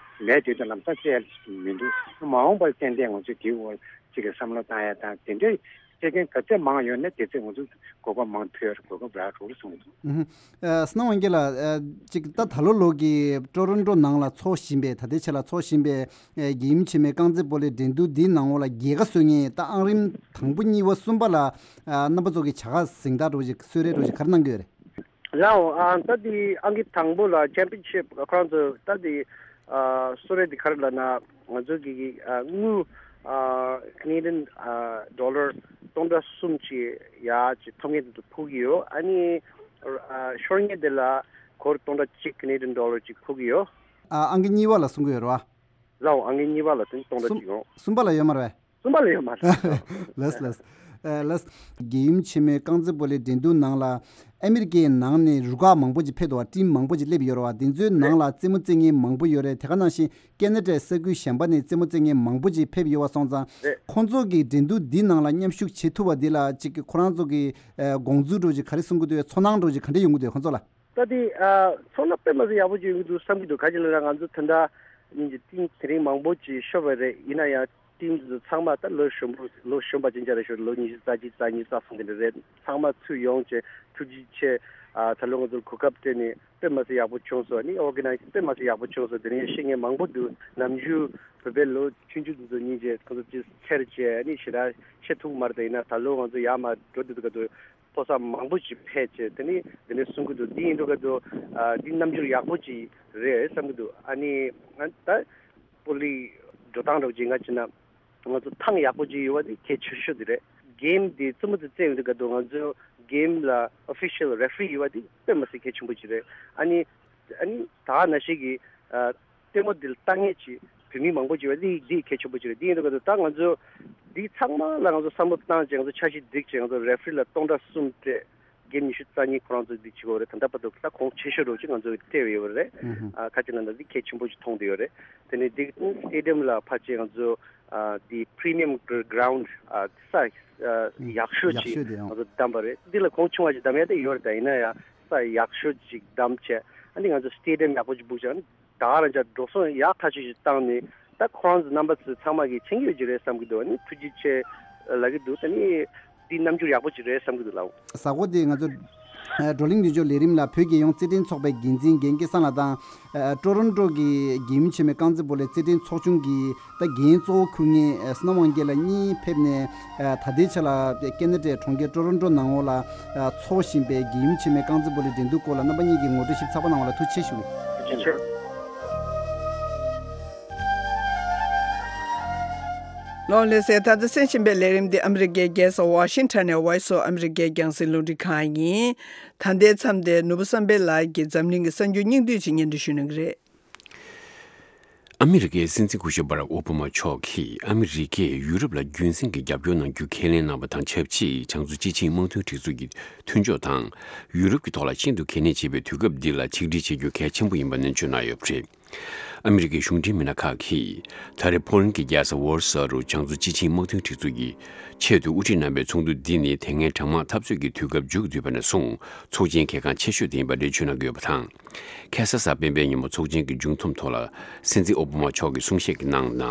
མེད་དུས་དུ་ལམ་སང་རྩེད་མི་འདུག་མ་འོངས་པར་ཏན་ཏན་ང་ཚོས་དེའི་འོག་གཅིག་གི་བསམ་བློ་བཏང་ཡ་དང་། དེ་འདྲའི་རྩེད་མཁན་ག་ཚད་མང་ཡོད་ན་དེ་ཚད་ང་ཚོ་གོ་སྐབས་མང་ཐོན་ཡ་གོ་སྐབས་རག་འགྲོ་གི་གསུངས་འདུག་ཨུ་ཧུ། ཨ་སྣང་བ་རྒྱལ་ལགས། ཨ་ཅིག་ད་ད་ལོ་ལོ་གི་ཀྲོ་རོན་ཀྲོ་ནང་ལ་འཚོགས་བཞིན་པའི་ད་ལྟའི་ཆ་ལ་འཚོགས་བཞིན་པའི་ཨ་རྒྱལ་ཡུམ་ཆེན་མོའི་རྐང་རྩེད་སྤོ་ལོའི་འགྲན་བསྡུར་འདིའི་ནང་འོག་ལ་རྒྱལ་ཁ་གསོ་མཁན་ད་ཨང་རིམ་དང་པོ་གཉིས་པ་གསུམ་པ་ལ་ཨ་རྣམ་པ་ཚོ་གི་བྱ་དགའ་གཟེངས་རྟགས་འདྲ་བོ་ཞིག་གསོལ་རས་འདྲ་བོ་ཞིག་ག་རེ་གནང་གི་ཡོད་རེད། ལའོ། ཨ་ད་དེ་ཨང་ཀི་དང་པོ་ལ་ཆེམ་པི་ཡན་ཤིབ་ཁོ་རང་ཚོ་ད་དེ་ཨ་གསོལ་རས་དེ་ག་རེ་ལབ་ན་ང་ཚོ་གི་ཨ་དངུལ་ཨ་ཀེ་ནེ་ཌི་ཡན་ཨ་ཌོ་ལར་སྟོང་ཕྲག་གསུམ་ཅིག་ཡ་ཅིག་ཐོབ་མཁན་དེ་ཚོ་ཕུལ་གྱི་ཡོད། ཨ་ནི་ཨ་ཤོར་མཁན་དེ་ལ་སྒོར་སྟོང་ཕྲག་གཅིག་ཀེ་ནེ་ཌི་ཡན་ཌོ་ལར་ཅིག་ཕུལ་གྱི་ཡོད། ཨ་ཨང་ཀི་གཉིས་པ་ལ་གསུང་གི་ཡོད་རེད་བ། ལའོ། ཨང་ཀི་གཉིས་པ་ལ་དེ་སྟོང་ཕྲག་གཅིག་ཡོད། གསུམ་པ་ལ་ཡོད་མ་རེད་པས། གསུམ་པ་ལ་ཡོད་མ་རེད། ལགས་ལགས། ཨ་ལགས། རྒྱལ་ཡུམ་ཆེན་མོའི་རྐང་རྩེད་སྤོ་ལོའི་འགྲན་བསྡུར་ནང་ལ་ཨ་མི་རི་ཀའི་ནང་ནས་རུ་ཁག་མང་པོ་ཅིག་ཕེབས་འདུག་བ། ཊིམ་མང་པོ་ཅིག་སླེབས་ཡོད་རེད་བ། དེ་ཚོའི་ནང་ལ་རྩེད་མོ་རྩེད་མཁན་མང་པོ་ཡོད་རེད། དེ་ག་ནང་བཞིན་ཀེ་ན་ཌའི་ས་ཁུལ་གཞན་པ་ནས་རྩེད་མོ་རྩེད་མཁན་མང་པོ་ཅིག་ཕེབས་ཡོད་པ་སོང་ཙང་། རེད། ཁོང་ཚོ་གི་འགྲན་བསྡུར་འདི་ནང་ལ་མཉམ་ཞུགས་བྱེད་ཐུབ་པ་འདི་ལ་ཅིག་ཁོ་རང་ཚོ་གི་ཨ་དགོངས་ཚུལ་འདྲ་བོ་ཅིག་ག་རེ་གསུང་གི་འདུག་ཚོར་སྣང་འདྲ་བོ་ཅིག་ག་འདྲ་ཡོང་གི་འདུག་ཁོང་ཚོ་ལ། ད་དེ་ཨ་ཚོང་ལ་དཔེ་མ་སྲིད་ཡག་པོ་ཅིག་ཡོང་གི་འདུག་བསམ་གྱི་འདུག་ག་ཅི་ལབ་ན་ང་ཚོ་ད་ལྟ་ཉིན་གྱི་ཊིམ་དེ་རིང་མང་པོ་ཅིག་ཤོར་བ་རེད། ཡིན་ན་ཡང་ཊིམ་དེ་ཚོ་ཚང་མ་ད་ལོ་གཞོན་པོ་ལོ་གཞོན་པ་ཅན་ཅག་རེད་ཤག་ལོ་ཉི་ཤུ་རྩ་གཅིག་རྩ་གཉིས་རྩ་གསུམ་དེ་འདྲ་རེད། ཚང་མ་ཚུར་ཡོང་བྱས་ཐུགས་རྗེ་ཆེ། ཨ་ད་ལོ་ང་ཚོར་གོ་སྐབས་སྤྲད་ནས་དཔེ་མ་སྲིད་ཡག་པོ་བྱུང་སོང་། ཨ་ནི་ཨོར་ག་ནའི་ཛི་དཔེ་མ་སྲིད་ཡག་པོ་བྱུང་སོང་། དེ་རིང་ཤེས་མཁན་མང་པོ་འདུག་ནམ་རྒྱུན་བོད་པའི་ལོ་ཆུང་ཆུང་དེ་ཚོ་ཉིན་བྱས་ཁོང་ཚོ་ཅིག་འཚེར་བྱས་ཨ་ནི་ཞེ་དྲག་བཤད་ཐུབ་མ་རེད། ད་ཡིན་ན་ད་ལོ་ང་ཚོ་ཡར་མར་འགྲོ་དུས་ཀ་ཏུ་ཕོ་གསར་མང་པོ་ཞིག་ཕེབས་བྱས་དེ་ནི་དེ་ནས་གསུང་གི་འདུག་འདི་ཡིན་འགྲོ་ག་དུ་ཨ་འདི་རྣམ་འགྱུར་ཡག་པོ་ཅིག་རེད་བསམ་གི་འདུག་ཨ་ནི་ང་ད་པོ་ལི་འགྲོ་སྟངས་འདྲ་བོ་ཅིག་ང་བྱས་ན་ང་ཚོ་ཐང་ཡག་པོ་ཅིག་ཡོད་པ་དེ་གལ་ཆེ་ཤོས་དེ་རེད། གེམ་དེ་རྩེད་མོ་དེ་རྩེ་ཡོང་དུས་ག་དུ་ང་ཚོ་གེམ་ལ་ཨོ་ཕི་ཤལ་རེ་ཕ་རི་ཡོད་པ་དེ་དཔེ་མ་སྲིད་གལ་ཆེན་པོ་ཅིག་རེད། ཨ་ནི་ཨ་ནི་ད་ནང་བཞིན་གྱི་ཨ། ལྟད་མོ་འདི་ལ་ལྟ་མཁན་གྱི་བོད་མི་མང་པོ་ཅིག་ཡོད་པ་འདི་འདི་གལ་ཆེན་པོ་ཅིག་རེད། འདི་ཡིན་དུས་ཀ་ད་ང་ཚོ་འདི་ཚང་མ་ལ་ང་ཚོ་བསམ་བློ་བཏང་བྱས་ང་ཚོ་འཆར་གཞི་སྒྲིག་བྱས་ང་ཚོ་རེ་ཕ་རི་ལ་སྟོང་ཕྲག་གསུམ་སྤྲད། གེམ་ཉི་ཤུ་རྩ་གཉིས་ཁོ་རང་ཚོ་འདི་བྱེད་དགོས་རེད། ད་ལྟ་བར་དུ་ད་གོང་ཆེ་ཤོས་རོགས་ཅིག་ང་ཚོ་སྤྲད་ཡོད་རེད། ཨ་ཁ་ཅིག་ལ་ན་འདི་གལ་ཆེན་པོ་ཅིག་མཐོང་བསྡད་ཡོད་རེད། དེ་ནས་འདི་སི་ཊེ་ཌི་ཡམ་ལ་ཕར་ཕྱིན་ང་ཚོ་ཨ་འདི་པི་རི་མི་ཡམ་གི་རའུན་ཌི་ཨ་ས་ཨ་ཡག་ཤོས་ཡག་ཅིག་ཤོས་དེ་ཡང་ང་ཚོ་བདམས་པ་རེད། འདི་ལ་གོང་ཆུང་བ་ཅིག་བདམས་ཡ་དེ་ཡོད་རེད། ད་ཡིན་ན་ཡང་ས་ཡག་ཤོས་ཅིག་བདམས་བྱས་ཨ་ནི་ང་ཚོ་སི་ཊེ་ཌི་ཡམ་ཡག་པོ་ཅིག་སྦུག་བྱས་ཨ་ནི། ད་ག་རང་ཅག་འགྲོ་སོང་ཡག་ཐག་ཆོད་ཅིག་བཏང་ནས་ད་ཁོ་རང་ཚོ་རྣམ་པ་ཚོ་ཚང་མ་གིས་མཁྱེན་གྱི་ཡོད་ཀྱི་རེད་བསམ་གྱི་འདུག་ཨ་ནི་ཐུགས་རྗེ་ཆེ་ལབ་ཀྱི་འདུག་ད་ནི་འདི་རྣམ་འགྱུར་ཡག་པོ་ཅིག་རེད་བསམ་གྱི་འདུག་ལགས། གཟའ་འཁོར་དེ་ང་ཚོ་བགྲོ་གླེང་མདུན་ལྕོག་ལས་རིམ་ལ་བོད་རྒྱལ་ཡོངས་རྩེད་འགྲན་ཚོགས་པའི་འགན་འཛིན་རྒན་སྐལ་བཟང་ལགས་དང་། ཊོ་རོན་ཊོ་གི་རྒྱལ་ཡུམ་ཆེན་མོའི་རྐང་རྩེད་སྤོ་ལོའི་རྩེད་འགྲན་ཚོགས་ཆུང་གི་ད་འགན་གཙོ་བོ་འཁུར་མཁན་བསོད་ནམས་དབང་རྒྱལ་ལགས་གཉིས་ཕེབས་ནས། ད་ལྟའི་ཆ་ལ་ཀེ་ན་ཌའི་གྲོང་ཁྱེར་ཊོ་རོན་ཊོ་ནང་ལོགས་ལ་འཚོགས་བཞིན་པའི་རྒྱལ་ཡུམ་ཆེན་མོའི་རྐང་རྩེད་སྤོ་ལོའི་འགྲན་བསྡུར་སྐོར་ལ་རྣམ་པ་གཉིས་ཀྱིས་ངོ་སྤྲོད་ཞིབ་ཚགས་པོ་གནང་བ་ལ་ཐུགས་རྗེ་ཆེ་ཞུ་གི་ཡིན། ལོ་ལེ་སའི་ད་ལྟ་གསན་བཞིན་པའི་ལས་རིམ་འདི་ཨ་མི་རི་ཀའི་རྒྱལ་ས་ཝ་ཤིང་ཊོན་ནས་Voice of America་རྒྱང་སྲིང་རླུང་འཕྲིན་ཁང་ཡིན། ད་ལྟའི་མཚམས་དེ་ནོར་བུ་བསམ་འཕེལ་ལགས་ཀྱིས་འཛམ་གླིང་གི་གསར་འགྱུར་སྙིང་བསྡུས་ཅིག་སྙན་སྒྲོན་ཞུ་གནང་གི་རེད། ཨ་མི་རི་ཀའི་སྲིད་འཛིན་སྐུ་ཞབས་Barack Obama་མཆོག་གིས་ཨ་མི་རི་ཀས་ཡུ་རོབ་ལ་རྒྱུན་སྲིང་གི་རྒྱབ་སྐྱོར་གནང་རྒྱུ་ཁས་ལེན་གནང་བ་དང་ཆབས་ཅིག་བྱང་མཚོ་སྤྱི་ཆིངས་དམག་དོན་སྒྲིག་འཛུགས་ཀྱི་མཐུན་ཕྱོགས་དང་ཡུ་རོབ་ཀྱི་ཐོག་ལ་ཤིན་ཏུ་གལ་གནད་ཆེ་བའི་དུས་སྐབས་འདི་ལ་ཆིག་སྒྲིལ་བྱེད་རྒྱུ་གལ་ཆེན་པོ་ཡིན་པ་ནན་བརྗོད་གནང་ཡོད་པ་རེད། ཨ་མི་རི་ཀའི་གཞུང་འབྲེལ་མི་སྣ་ཁག་གིས་ད་རེས་ཕོ་ལན་གྱི་རྒྱལ་ས་ཝོར་སོ་རུ་བྱང་མཚོ་སྤྱི་ཆིངས་དམག་དོན་སྒྲིག་འཛུགས་ཀྱི་ཆེད་དུ་དབུ་ཁྲིད་གནང་བའི་ཚོགས་འདུ་འདི་ནི་དེ་སྔའི་གྲང་དམག་འཐབ་རྩོད་ཀྱི་དུས་སྐབས་མཇུག་བསྡུས་པ་ནས་བཟུང་ཚོགས་ཆེན་གལ་འགངས་ཆེ་ཤོས་དེ་ཡིན་པ་འགྲེལ་བརྗོད་གནང་གི་ཡོད་པ་དང་། ཁ་སང་གཟའ་སྤེན་པའི་ཉིན་མོ་ཚོགས་ཆེན་གྱི་མཇུག་སྡོམ་ཐོག་ལ་སྲིད་འཛིན་ཨོ་བྷ་མ་མཆོག་གིས་གསུང་བཤད་ཀྱི་ནང་ན།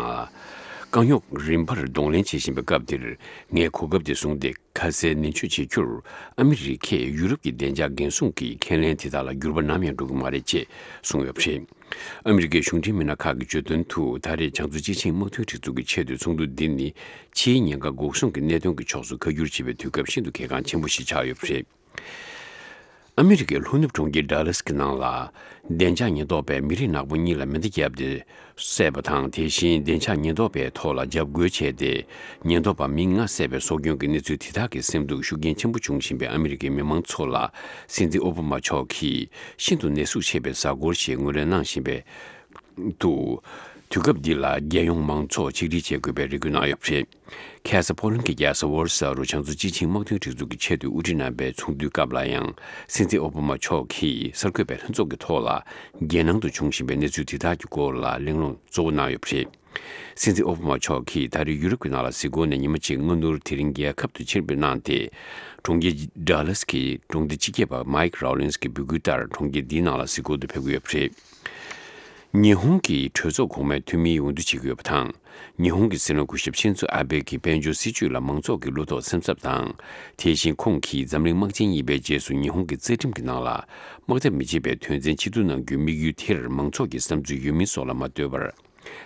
རྐང་རྙོག་རིམ་པར་གདོང་ལེན་བྱེད་བཞིན་པའི་སྐབས་འདིར་ངས་གོ་སྐབས་འདི་བཟུང་སྟེ་ཁ་གསལ་ནན་བརྗོད་བྱེད་རྒྱུར་ཨ་མི་རི་ཀས་ཡུ་རོབ་ཀྱི་བདེ་འཇགས་འགན་སྲུང་གི་ཁས་ལེན་དེ་དག་ལ་འགྱུར་བ་ནམ་ཡང་འགྲོ་གི་མ་རེད་ཅེས་གསུངས་ཡོད་པ་རེད། ཨ་མི་རི་ཀའི་གཞུང་འབྲེལ་མི་སྣ་ཁག་གིས་བརྗོད་དོན་དུ་ད་རེས་བྱང་མཚོ་སྤྱི་ཆིངས་དམག་དོན་སྒྲིག་འཛུགས་ཀྱི་ཆེད་དུ་ཚོགས་འདུ་འདི་ནི་ཕྱིའི་ཉེན་ཁ་འགོག་སྲུང་གི་གནད་དོན་གྱི་ཕྱོགས་སུ་ཁ་བསྒྱུར་བྱེད་པའི་དུས་སྐབས་ཤིན་ཏུ་གལ་འགངས་ཆེན་པོ་ཞིག་ཆགས་ཡོད་པ་རེད། ཨ་མི་རི་ཀའི་ལྷོ་ནུབ་གྲོང་ཁྱེར་ཌ་ལཱས་ཀྱི་ནང་ལ་བདེ་འཇགས་ཉེན་རྟོག་པས་མི་རིགས་ནག་པོ་གཉིས་ལ་མེ་མདའ་བརྒྱབ་སྟེ་བསད་པ་དང་། དེ་བཞིན་བདེ་འཇགས་ཉེན་རྟོག་པའི་ཐོག་ལ་འཇབ་རྒོལ་བྱས་ཏེ་ཉེན་རྟོག་པ་མི་ལྔ་བསད་པའི་སྲོག་སྐྱོན་གྱི་གནས་ཚུལ་དེ་དག་གིས་སེམས་སྡུག་ཤུགས་རྐྱེན་ཆེན་པོ་བྱུང་བཞིན་པའི་ཨ་མི་རི་ཀའི་མི་མང་ཚོ་ལ་སྲིད་འཛིན་ཨོ་བྷ་མ་མཆོག་གིས་ཤིན་ཏུ་ནད་ཟུག་ཆེ་བའི་གཟའ་འཁོར་ཞེས་ངོས་ལེན་གནང་བཞིན་པའི་འདུག་དུས་སྐབས་འདི་ལ་རྒྱལ་ཡོངས་མང་ཚོགས་ཆིག་སྒྲིལ་བྱེད་དགོས་པའི་རེ་སྐུལ་གནང་ཡོད་པ་རེད། ཁ་སང་ཕོ་ལན་གྱི་རྒྱལ་ས་ཝོར་སོ་རུ་བྱང་མཚོ་སྤྱི་ཆིངས་དམག་དོན་སྒྲིག་འཛུགས་ཀྱི་ཆེད་དུ་དབུ་ཁྲིད་གནང་བའི་ཚོགས་འདུའི་སྐབས་ལ་ཡང་སྲིད་འཛིན་ཨོ་བྷ་མ་མཆོག་གིས་གསར་འགོད་པའི་ལྷན་ཚོགས་ཀྱི་ཐོག་ལ་རྒྱལ་ནང་དུ་བྱུང་བཞིན་པའི་གནས་ཚུལ་དེ་དག་གི་སྐོར་ལ་གླེང་སློང་གཙོ་བོ་གནང་ཡོད་པ་རེད། སྲིད་འཛིན་ཨོ་བྷ་མ་མཆོག་གིས་ད་རེས་ཡུ་རོབ་ཀྱི་ནང་ལ་གཟིགས་སྐོར་ནས་ཉི་མ་གཅིག་སྔ་སྣུར་དེ་རིང་རྒྱལ་ཁབ་ཏུ་ཕྱིར་འབུད་གནང་སྟེ། གྲོང་ཁྱེར་ཌ་ལཱས་ཀྱི་གྲོང་སྡེ་སྤྱི་ཁྱབ་པ་མའིག་རོ་ལིན་སི་གི་འབོད་སྐུལ་ལྟར་གྲོང་ཁྱེར་འདིའི་ནང་ལ་གཟིགས་སྐོར་དུ་ཕེབས་ཀྱི་ཡོད་པ་རེད། ཉི་ཧོང་གི་གྲོས་ཚོགས་གོང་མའི་འཐུས་མིའི་འོས་བསྡུ་བྱེད་ཀྱི་ཡོད་པ་དང་། ཉི་ཧོང་གི་སྲིད་བློན་སྐུ་ཞབས་ཤིན་ཛོ་ཨ་བྷེ་གིས་དཔལ་འབྱོར་སྲིད་ཇུས་ལ་མང་ཚོགས་ཀྱི་བློ་དོགས་སེམས་འཚབ་དང་། དེ་བཞིན་ཁོང་གིས་འཛམ་གླིང་དམག་ཆེན་གཉིས་པའི་རྗེས་སུ་ཉི་ཧོང་གི་རྩ་ཁྲིམས་ཀྱི་ནང་ལ་དམག་འཐབ་མི་བྱེད་པའི་དོན་ཚན་ཆིག་སྟོང་ནང་བསྒྱུར་དམིགས་ཡུལ་དེར་མང་ཚོགས་ཀྱི་བསམ་ཚུལ་ཡོད་མིན་སོགས་ལ་མ་ལྟོས་པར།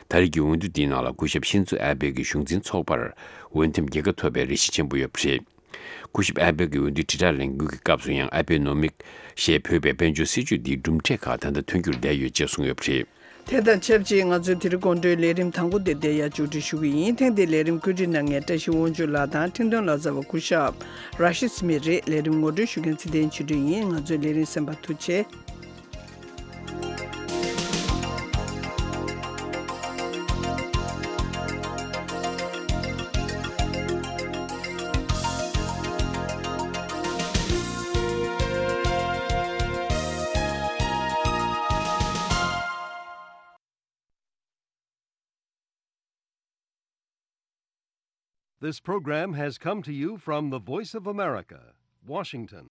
ད་རེས་ཀྱི་འོས་བསྡུ་འདིའི་ནང་ལ་སྐུ་ཞབས་ཤིན་ཛོ་ཨ་བྷེ་གི་གཞུང་འཛིན་ཚོགས་པར་འོས་འདེམས་རྒྱལ་ཁ་ཐོབ་པའི་རེ་ཞིག་ཆེན་པོ་ཡོད་པ་རེད། སྐུ་ཞབས་ཨ་བྷེ་གི་འོས་བསྡུའི་དྲིལ་བསྒྲགས་ལས་འགུལ་གྱི་སྐབས་སུ་ཡང་ཨ་བྷེ་ནོ་མིག་ཞེས་འབོད་པའི་དཔལ་འབྱོར་སྲིད་ཇུས་འདིའི་གྲུབ་འབྲས་ཁག་ད་ལྟ་ཐོན་རྒྱུར་བསྡད་ཡོད་ཅེས་གསུངས་ཡོད་པ་རེད། དེ་དང་ཆབས་ཅིག་ང་ཚོའི་དེ་རིང་དགོང་དྲོའི་ལས་རིམ་དང་པོ་དེ་འདིར་ཡང་མཇུག་སྒྲིལ་ཞུ་གི་ཡིན། ཐེངས་འདིའི་ལས་རིམ་བཀོད་སྒྲིག་གནང་མཁན་བཀྲ་ཤིས་དབང་ཕྱུག་ལགས་དང་འཕྲིན་གཏོང་ལག་རྩལ་བ་སྐུ་ཞབས་ར་ཤིད་སྨིད་རེད། ལས་རིམ་ངོ་སྤྲོད་ཞུ་མཁན་ཚེ་བརྟན་ཆོས་སྒྲོན་ཡིན། ང་ཚོའི་ལས་རིམ་གསན་པར་ཐུགས་རྗེ་ཆེ། This program has come to you from the Voice of America, Washington.